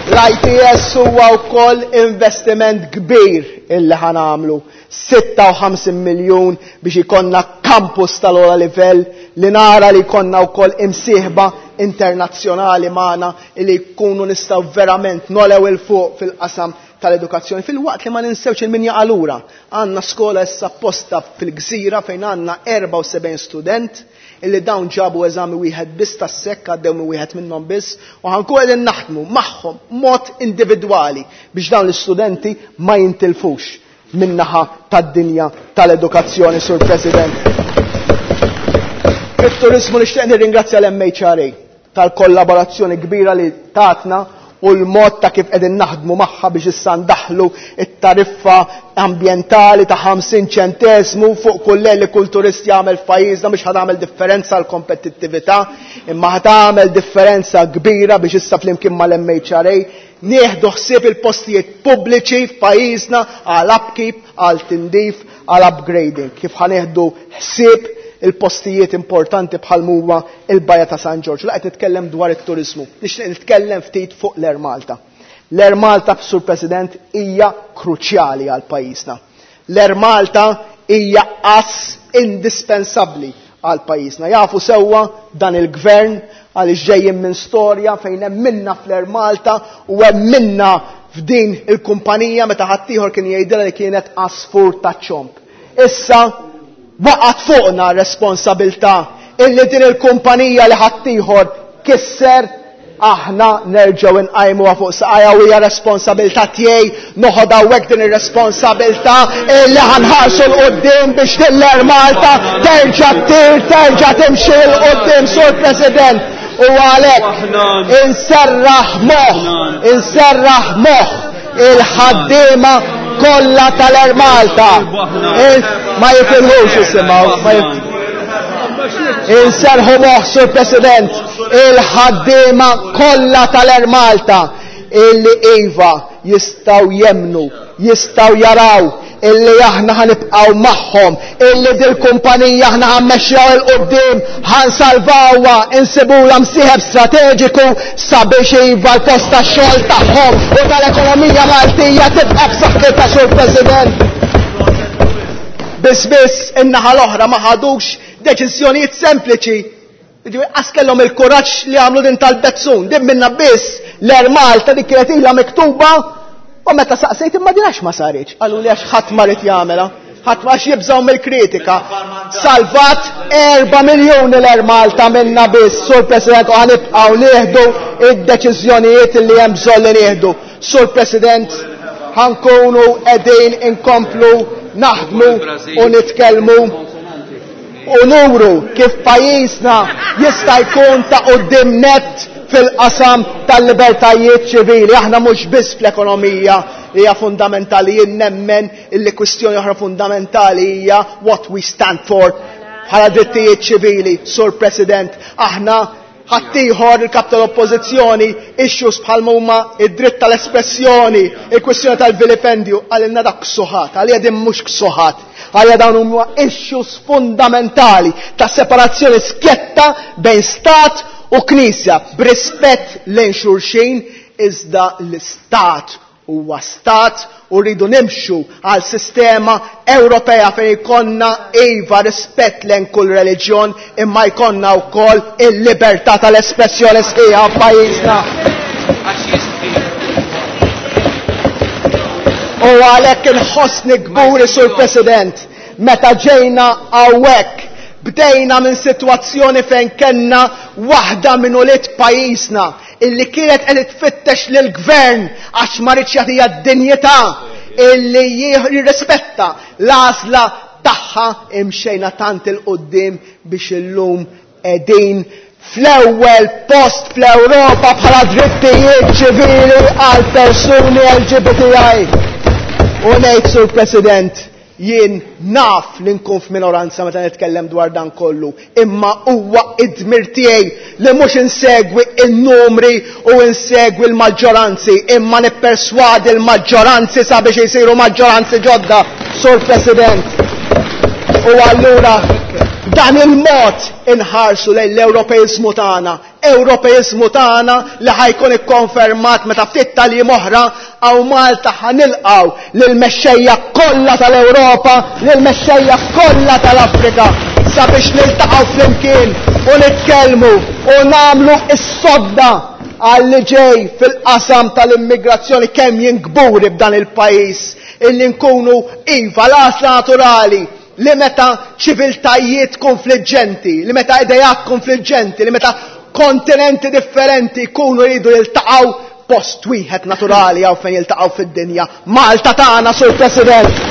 L-ITS huwa wkoll investiment kbir illi ħa nagħmlu. 56 miljun biex ikollna campus tal-ogħla livell li nara li jkollna wkoll imsieħba internazzjonali magħna li jkunu nistgħu verament nolew 'il fuq fil-qasam tal-edukazzjoni. Filwaqt li ma ninsewx il-min jaqa' lura. Għandna skola issa apposta fil-Gżira fejn għandna 74 student illi dawn ġabu eżami wieħed biss tas-SEC, għaddew minn wieħed minnhom biss, u ħankun qegħdin naħdmu magħhom mod individwali biex dawn l-istudenti ma jintilfux min-naħa tad-dinja tal-edukazzjoni, Sur President. Fit-turizmu nixtieq nirringrazzja l-MHRA tal-kollaborazzjoni kbira li tatna u l-mod ta' kif qegħdin naħdmu magħha biex issa ndaħlu it-tariffa ambjentali ta' 50 ċentesmu fuq kull li kull turist jagħmel f'pajjiżna biex ħa tagħmel differenza għal kompetittività, imma ħa tagħmel differenza kbira biex issa flimkien mal-MHRA nieħdu ħsieb il-postijiet pubbliċi f'pajjiżna għal upkeep, għal tindif, għal upgrading. Kif ħa nieħdu ħsieb il-postijiet importanti bħal huwa il-Bajja ta' San Ġorġ. La qed nitkellem dwar it-turizmu. Nixtieq nitkellem ftit fuq l-Air Malta. L-Air Malta, Sur President, hija kruċjali għal pajjiżna. L-Air Malta hija ass indispensabbli għal pajjiżna. Jafu sewwa dan il-gvern għaliex ġejjin minn storja fejn hemm minna fl-Air Malta u hemm minna f'din il-kumpanija meta ħaddieħor kien jgħidilha li kienet għasfur ta' ċomb. Issa waqgħet fuqna responsabilità illi din il-kumpanija li ħaddieħor kisser aħna nerġgħu nqajmuha fuq saqajja u hija responsabilità tiegħi noħod hawnhekk din ir-responsabilità illi ħa nħarsu 'l quddiem biex l-Air Malta terġa' ttir, terġa' timxi 'l quddiem, Sur President. U għalhekk inserraħ moħħ, inserraħ moħħ il-ħaddiema kollha tal-Air Malta. Ma jifilħux jisimgħu, ma jifilħux. Inserħu moħħ, Sur President, il-ħaddiema kollha tal-Air Malta illi iva jistgħu jemmnu, jistgħu jaraw illi aħna ħa nibqgħu magħhom, illi dil-kumpanija aħna ħa mmexxuha 'l quddiem, ħa nsalvawha, insibula msieħeb strateġiku sabiex iva l-post tax-xogħol tagħhom u tal-ekonomija Maltija tibqa' b'saħħitha, Sur President. Biss biss in-naħa l-oħra ma ħadux deċiżjonijiet sempliċi. Jiġifieri qas kellhom il-kuraġġ li għamlu din tal-Bezzun, din minna biss l-Air Malta dik kienet ilha miktuba u meta saqsejt imma din għax ma saritx, qalu li għax ħadd ma rid jagħmilha, ħadd ma għax jibżgħu mill-kritika. Salvat 4 miljuni l-Air Malta minna biss, Sur President, u ħa nibqgħu nieħdu id-deċiżjonijiet li hemm bżonn li nieħdu. Sur President, ħa nkunu qegħdin inkomplu naħdmu u nitkellmu u nuru kif pajjiżna jista' jkun ta' quddiem nett fil-qasam tal-libertajiet ċivili. Aħna mhux biss fl-ekonomija li hija fundamentali, jien nemmen illi kwistjoni oħra fundamentali hija what we stand for bħala drittijiet ċivili. Sur President, aħna ħaddieħor il-kap tal-oppożizzjoni issues bħal huma id-dritt tal-espressjoni, il-kwistjoni tal-vilipendju, għalilna dak ksuħat, għalija din mhux ksuħat, għalija dawn huma issues fundamentali ta' separazzjoni skjetta bejn stat u knisja, b'rispett lejn xulxin, iżda l-istat huwa stat u rridu nimxu għal sistema Ewropea fejn jkollna iva rispett lejn kull reliġjon imma jkollna wkoll il-libertà tal-espressjoni sħiħa f'pajjiżna. U għalhekk inħossni kburi, Sur President, meta ġejna hawnhekk bdejna minn sitwazzjoni fejn kellna waħda minn ulied pajjiżna illi kienet qed tfittex lill-gvern għax ma ridx jagħtiha d-dinjità illi jirrispetta l-għażla tagħha, imxejna tant 'il quddiem biex illum qegħdin fl-ewwel post fl-Ewropa bħala drittijiet ċivili għal persuni LGBTI. U ngħid Sur President, jien naf li nkun f'minoranza meta nitkellem dwar dan kollu, imma huwa id-dmir tiegħi li mhux insegwi n-numri u insegwi l-maġġoranzi, imma nipperswadi l-maġġoranzi sabiex isiru maġġoranzi ġodda, Sur President. U allura dan il-mod inħarsu lejn l-Ewropeizmu tagħna, Ewropeizmu tagħna li ħajkun ikkonfermat meta ftit tal-jiem oħra hawn Malta ħanilqgħu lill-mexxejja kollha tal-Ewropa, lill-mexxejja kollha tal-Afrika sabiex niltaqgħu flimkien u nitkellmu u nagħmlu s-sodda għal li ġej fil-qasam tal-immigrazzjoni kemm jien kburi b'dan il-pajjiż illi nkunu iva l-għażla naturali li meta ċiviltajiet konfliġġenti, li meta idejat konfliġġenti, li meta kontinenti differenti jkunu jridu jiltaqgħu post wieħed naturali hawn fejn jiltaqgħu fid-dinja. Malta tagħna, Sur President.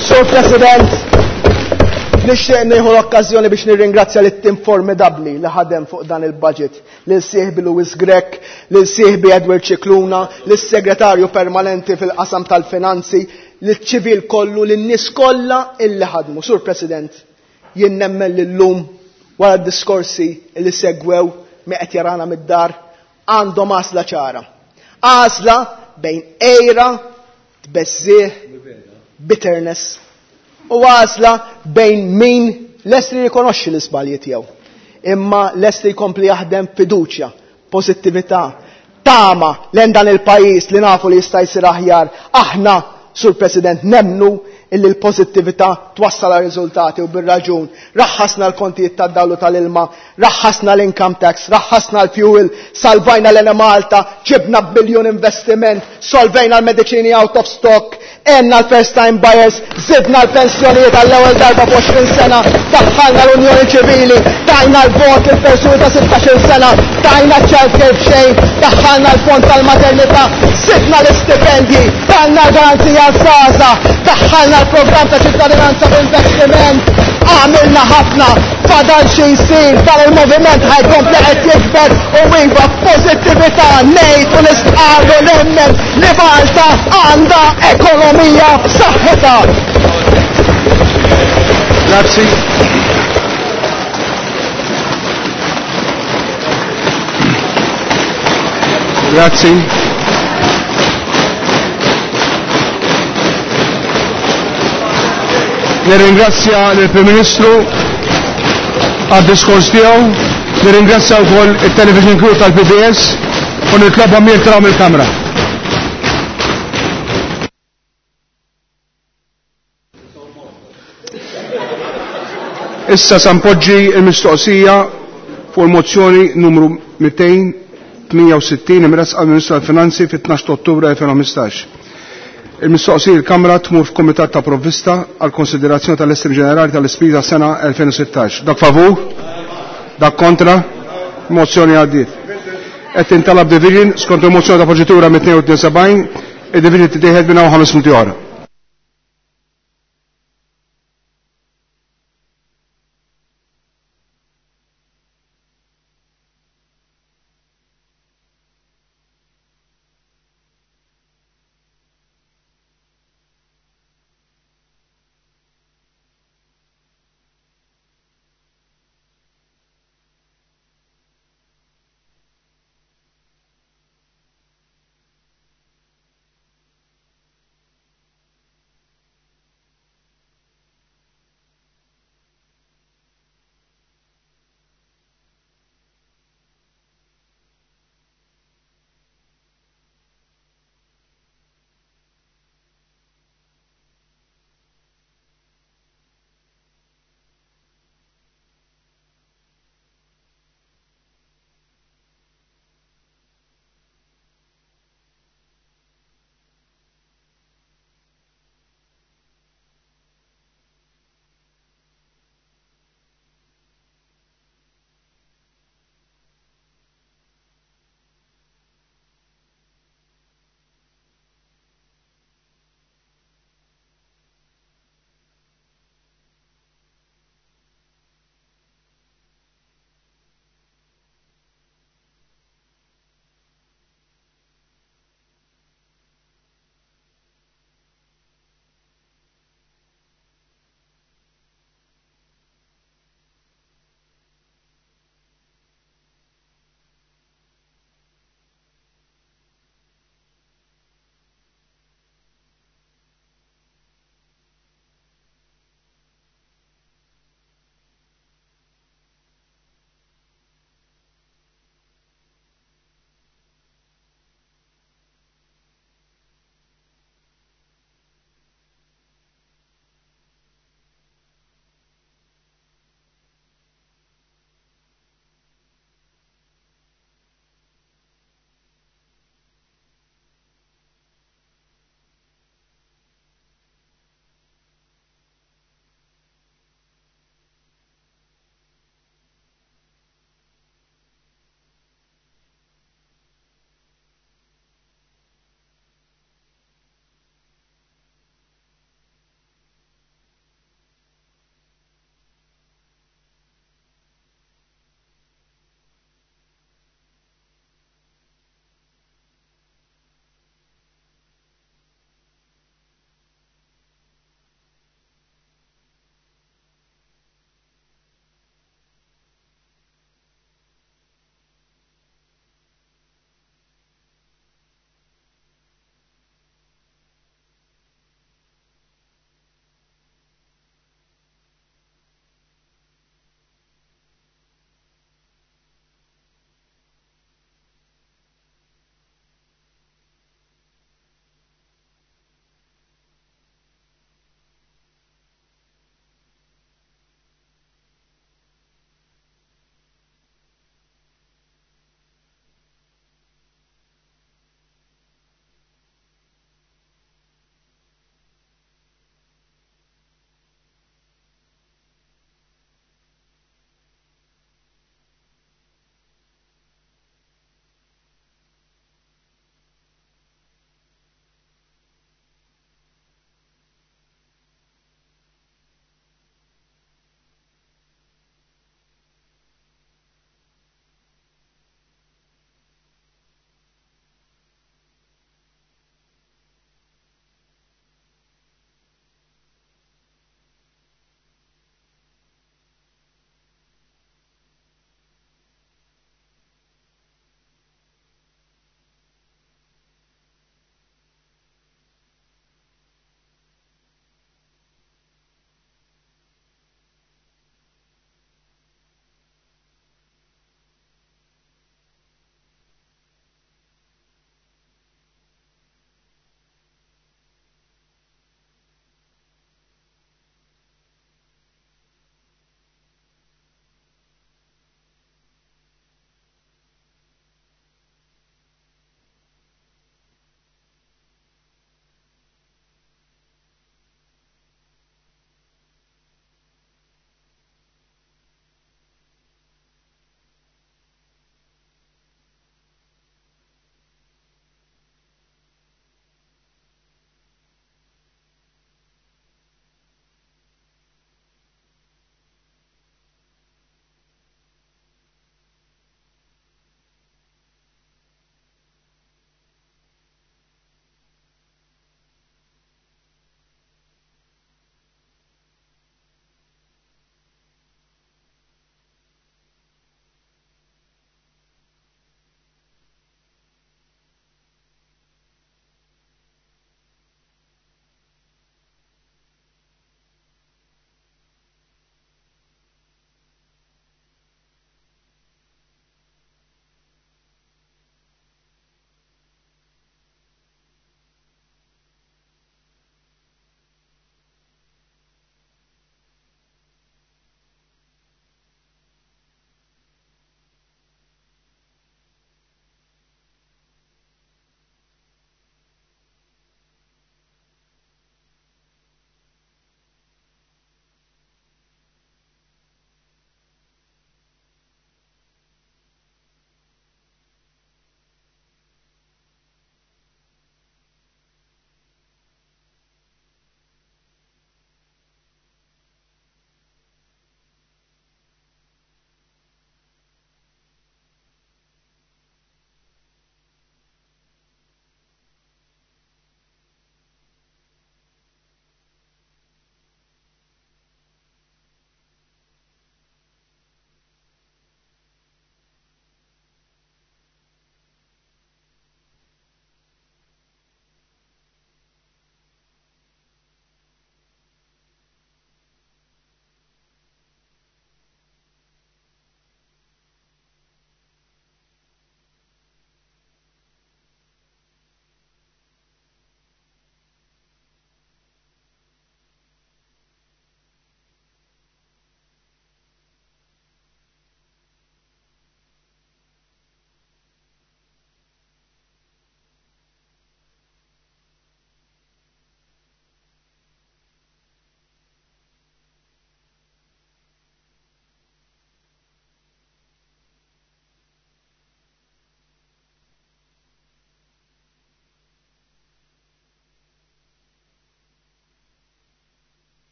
Sur President, nixtieq nieħu l-okkażjoni biex nirringrazzja lit-tim formidabbli li ħadem fuq dan il-budget, lil sieħbi Louis Grech, lil sieħbi Edward Scicluna, lis-segretarju permanenti fil-qasam tal-finanzi, liċ-ċivil kollu, lin-nies kollha illi ħadmu. Sur President, jien nemmen li llum wara d-diskorsi li segwew mi qed jarana mid-dar għandhom għażla ċara. Għażla bejn għira, tbeżżigħ, bitterness u għażla bejn min lest li jirrikonoxxi l-iżbalji tiegħu, imma lest li jkompli jaħdem fiduċja, pożittività, tama lejn dan il-pajjiż li nafu li jista' jsir aħjar. Aħna, Sur President, nemmnu illi l-pożittività twassal għal riżultati u bir-raġun. Raħħasna l-kontijiet tad-dawl u tal-ilma, raħħasna l-income tax, raħħasna l-fuel, salvajna l-Enemalta, ġibna biljun investiment, solvejna l-mediċini out of stock, għenna l-first time buyers, zidna l-pensjonijiet għall-ewwel darba f'20 sena, daħħalna l-Unjoni Ċivili, tajna l-vot lill-persuni ta' 16-il sena, tajna ċ-child care b'xejn, daħħalna l-fond tal-maternità, zidna l-istipendji, tajna l-garanzija għaż-żgħażagħ, daħħalna l-programm ta' ċittadinanza b'investiment, għamilna ħafna, fadal xi jsir, dan il-moviment ħa jkompli qed jikber u iva b'pożittività ngħid u nistqarr u nemmen li Malta għandha ekonomija b'saħħitha. Grazzi. Grazzi. Nirringrazzja lill-Prim Ministru għad-diskors tiegħu, nirringrazzja wkoll it-television crew tal-PBS u nitlobhom jirtiraw mill-kamra. Issa sa npoġġi l-mistoqsija fuq il-mozzjoni numru 268 imressqa mill-Ministru tal-Finanzi fit-12 ta' Ottubru 2015. Il-mistoqsija il-Kamra tmur f'Kumitat ta' Provvista għal konsiderazzjoni tal-Estim Ġenerali tal-Ispiża sena 2016. Dak favur? Dak kontra? Mozzjoni għaddiet. Qed tintalab division skont il-mozzjoni ta' proċedura 272, id-division titieħed minn hawn 5 minuti oħra.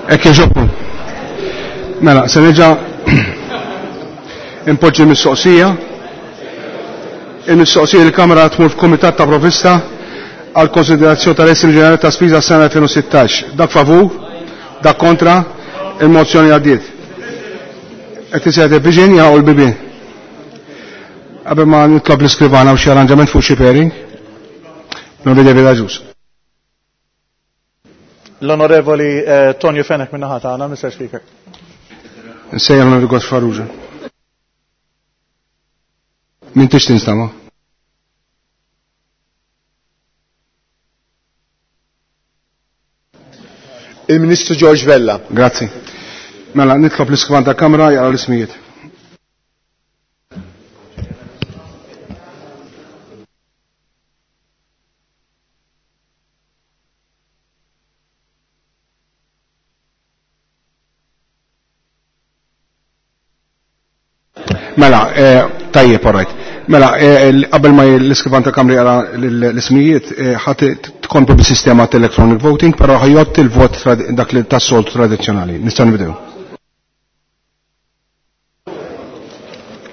Hekk jogħġobkom. Mela, se nerġa' impoġġi mistoqsija. Il-mistoqsija l-Kamra tmur f'Kumitat ta' Provista għal konsiderazzjoni tal-Estimi Ġenerali ta' Spiża sena 2016. Dak favur, dak kontra, il-mozzjoni għaddiet. Qed isejħed il-viġin jaqgħu l-bibien. Qabel ma nitlob l-iskrivana u xi arranġament fuq xi pairing, non vede ġus. L-Onorevoli eh, Tonio Fenech minna ħata għana, Mr. Speaker. Nsejja l-Onorevoli Gos Farrugia. Min tix tinstama? Il-Ministru George Vella. Grazzi. Mela, nitlob l-iskrivan ta' kamra jara l-ismijiet. Mela, eh, tajjeb, all right. Mela, eh, qabel ma l-iskrivan ta' kamri jara l-ismijiet, eh, ħat tkomplu bis-sistema ta' electronic voting, però ħajjott il-vot dak li tas-soltu tradizzjonali. Nistgħu nibdew.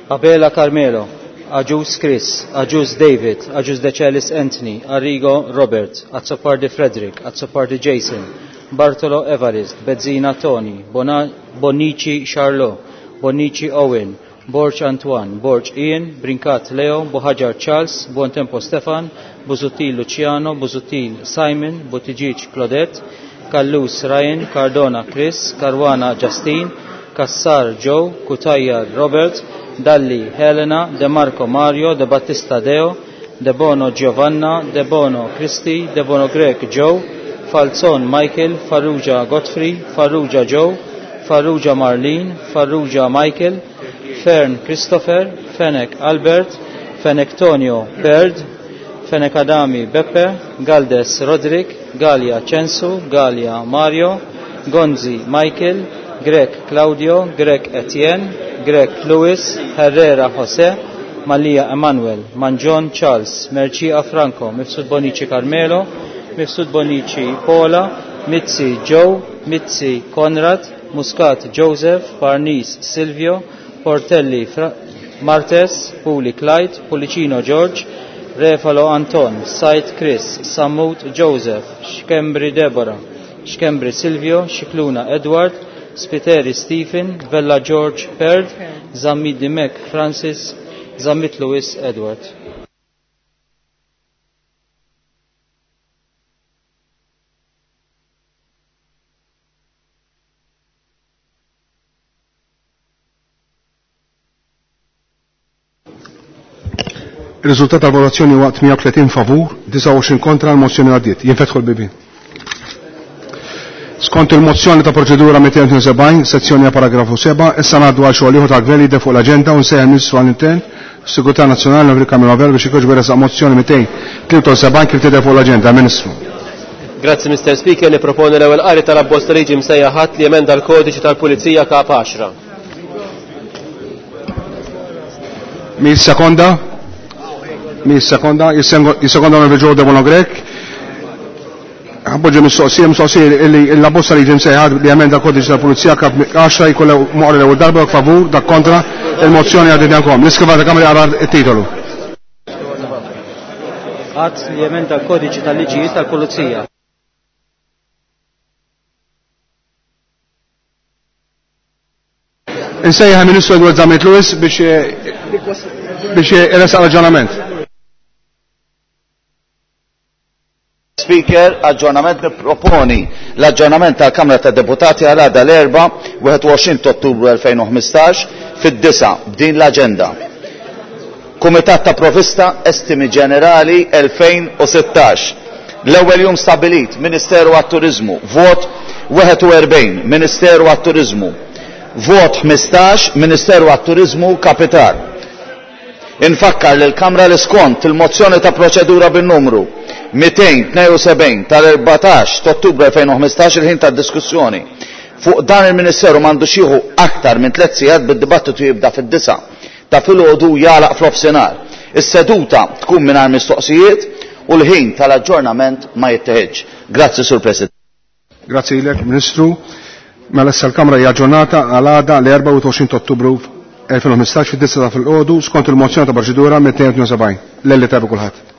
Abela Carmelo, Agius Chris, Agius David, Agius Decelis Anthony, Arrigo Robert, Azzopardi Frederick, Azzopardi Jason, Bartolo Evarist, Bezzina Tony, Bona Bonici Charlot, Bonici Owen, Borg Antoine, Borg Ian, Brincat Leo, Buhaġar Charles, Buontempo Stefan, Busuttil Luciano, Busuttil Simon, Buttigieg Claudette, Callus Ryan, Cardona Chris, Caruana Justine, Cassar Joe, Cutajar Robert, Dalli Helena, De Marco Mario, De Battista Deo, De Bono Giovanna, De Bono Christi, De Bono Grek Joe, Falzon Michael, Farrugia Godfrey, Farrugia Joe, Farrugia Marlene, Farrugia Michael, Fern Christopher, Fenech Albert, Fenech Tonio Bird, Fenech Adami Beppe, Galdes Roderick, Galia Censu, Galia Mario, Gonzi Michael, Grek Claudio, Grek Etienne, Grek Louis, Herrera Jose, Malia Emanuel, Mangion Charles, Mercia Franco, Mifsud Bonici Carmelo, Mifsud Bonici Paola, Mizzi Joe, Mizzi Conrad, Muscat Joseph, Parnis Silvio, Portelli Fra Martes, Puli Clyde, Pulicino George, Refalo Anton, Said Chris, Samut Joseph, Schembri Deborah, Schembri Silvio, Scicluna Edward, Spiteri Stephen, Vella George Perд, Zammit Dimek Francis, Zammit Lewis Edward. Il-riżultat tal-votazzjoni huwa 38 favur, 29 kontra l-mozzjoni għaddiet. Jinfetħu l-bibien. Skont il-mozzjoni ta' proċedura 272, sezzjoni a paragrafu 7, issa ngħaddu għal xogħol ieħor tal-gvern jidher fuq l-aġenda u nsejjaħ il-Ministru għall-Intern, Sigurtà Nazzjonali Enrico Camillo Vella biex ikoġġ resaq mozzjoni 273 kif tidher fuq l-aġenda. Ministru. Grazzi Mr. Speaker, niproponi l-ewwel qari tal-abbozz ta' liġi msejjaħ ħadd li emenda l-kodiċi tal-Pulizija Kap 10. Min sekonda? Min sekonda? Jissekonda onorevoli Joe Debono Grech. Ħabboġi mistoqsija, mistoqsija li l-abbozza li ġim sejħad li emenda l-kodiċi tal-Pulizija kap 10 jkollha moqri l-ewwel darba dak favur, dak kontra, il-mozzjoni għaddiet għalkom. L-iskriva ta' Kamra jaqra t-titolu. Att li jemenda l-kodiċi tal-liġijiet tal-Pulizija. Insejjaħ il-Ministru Edward Zammit Lewis biex biex iressaq raġunament. Speaker, aġġornament nipproponi l-aġġornament tal-Kamra tad Deputati għal għada l-Erbgħa 21 ta' Ottubru 2015 fid-9 b'din l-aġenda. Kumitat ta' Provista Estimi Ġenerali 2016. L-ewwel jum stabilit Ministeru għat-Turiżmu, vot 41 Ministeru għat-Turiżmu, vot 15 Ministeru għat-Turiżmu Kapital. Infakkar lil Kamra li skont il-mozzjoni ta' proċedura bin-numru 272 tal-14 ta' Ottubru 2015 il-ħin tad-diskussjoni fuq dan il-Ministeru m'għandux jieħu aktar minn tliet sigħat bid-dibattitu jibda fid-9 ta' filgħodu jagħlaq fl-ofsinhar. Is-seduta tkun mingħajr mistoqsijiet u l-ħin tal-aġġornament ma jitteħidx. Grazzi, Sur President. Grazzi lilek, Ministru. Mela issa l-Kamra hija ġurnata għal għada l-24 Ottubru 2015 fid-9 ta' filgħodu skont il-mozzjoni ta' proċedura 272. Lelli tajba kulħadd.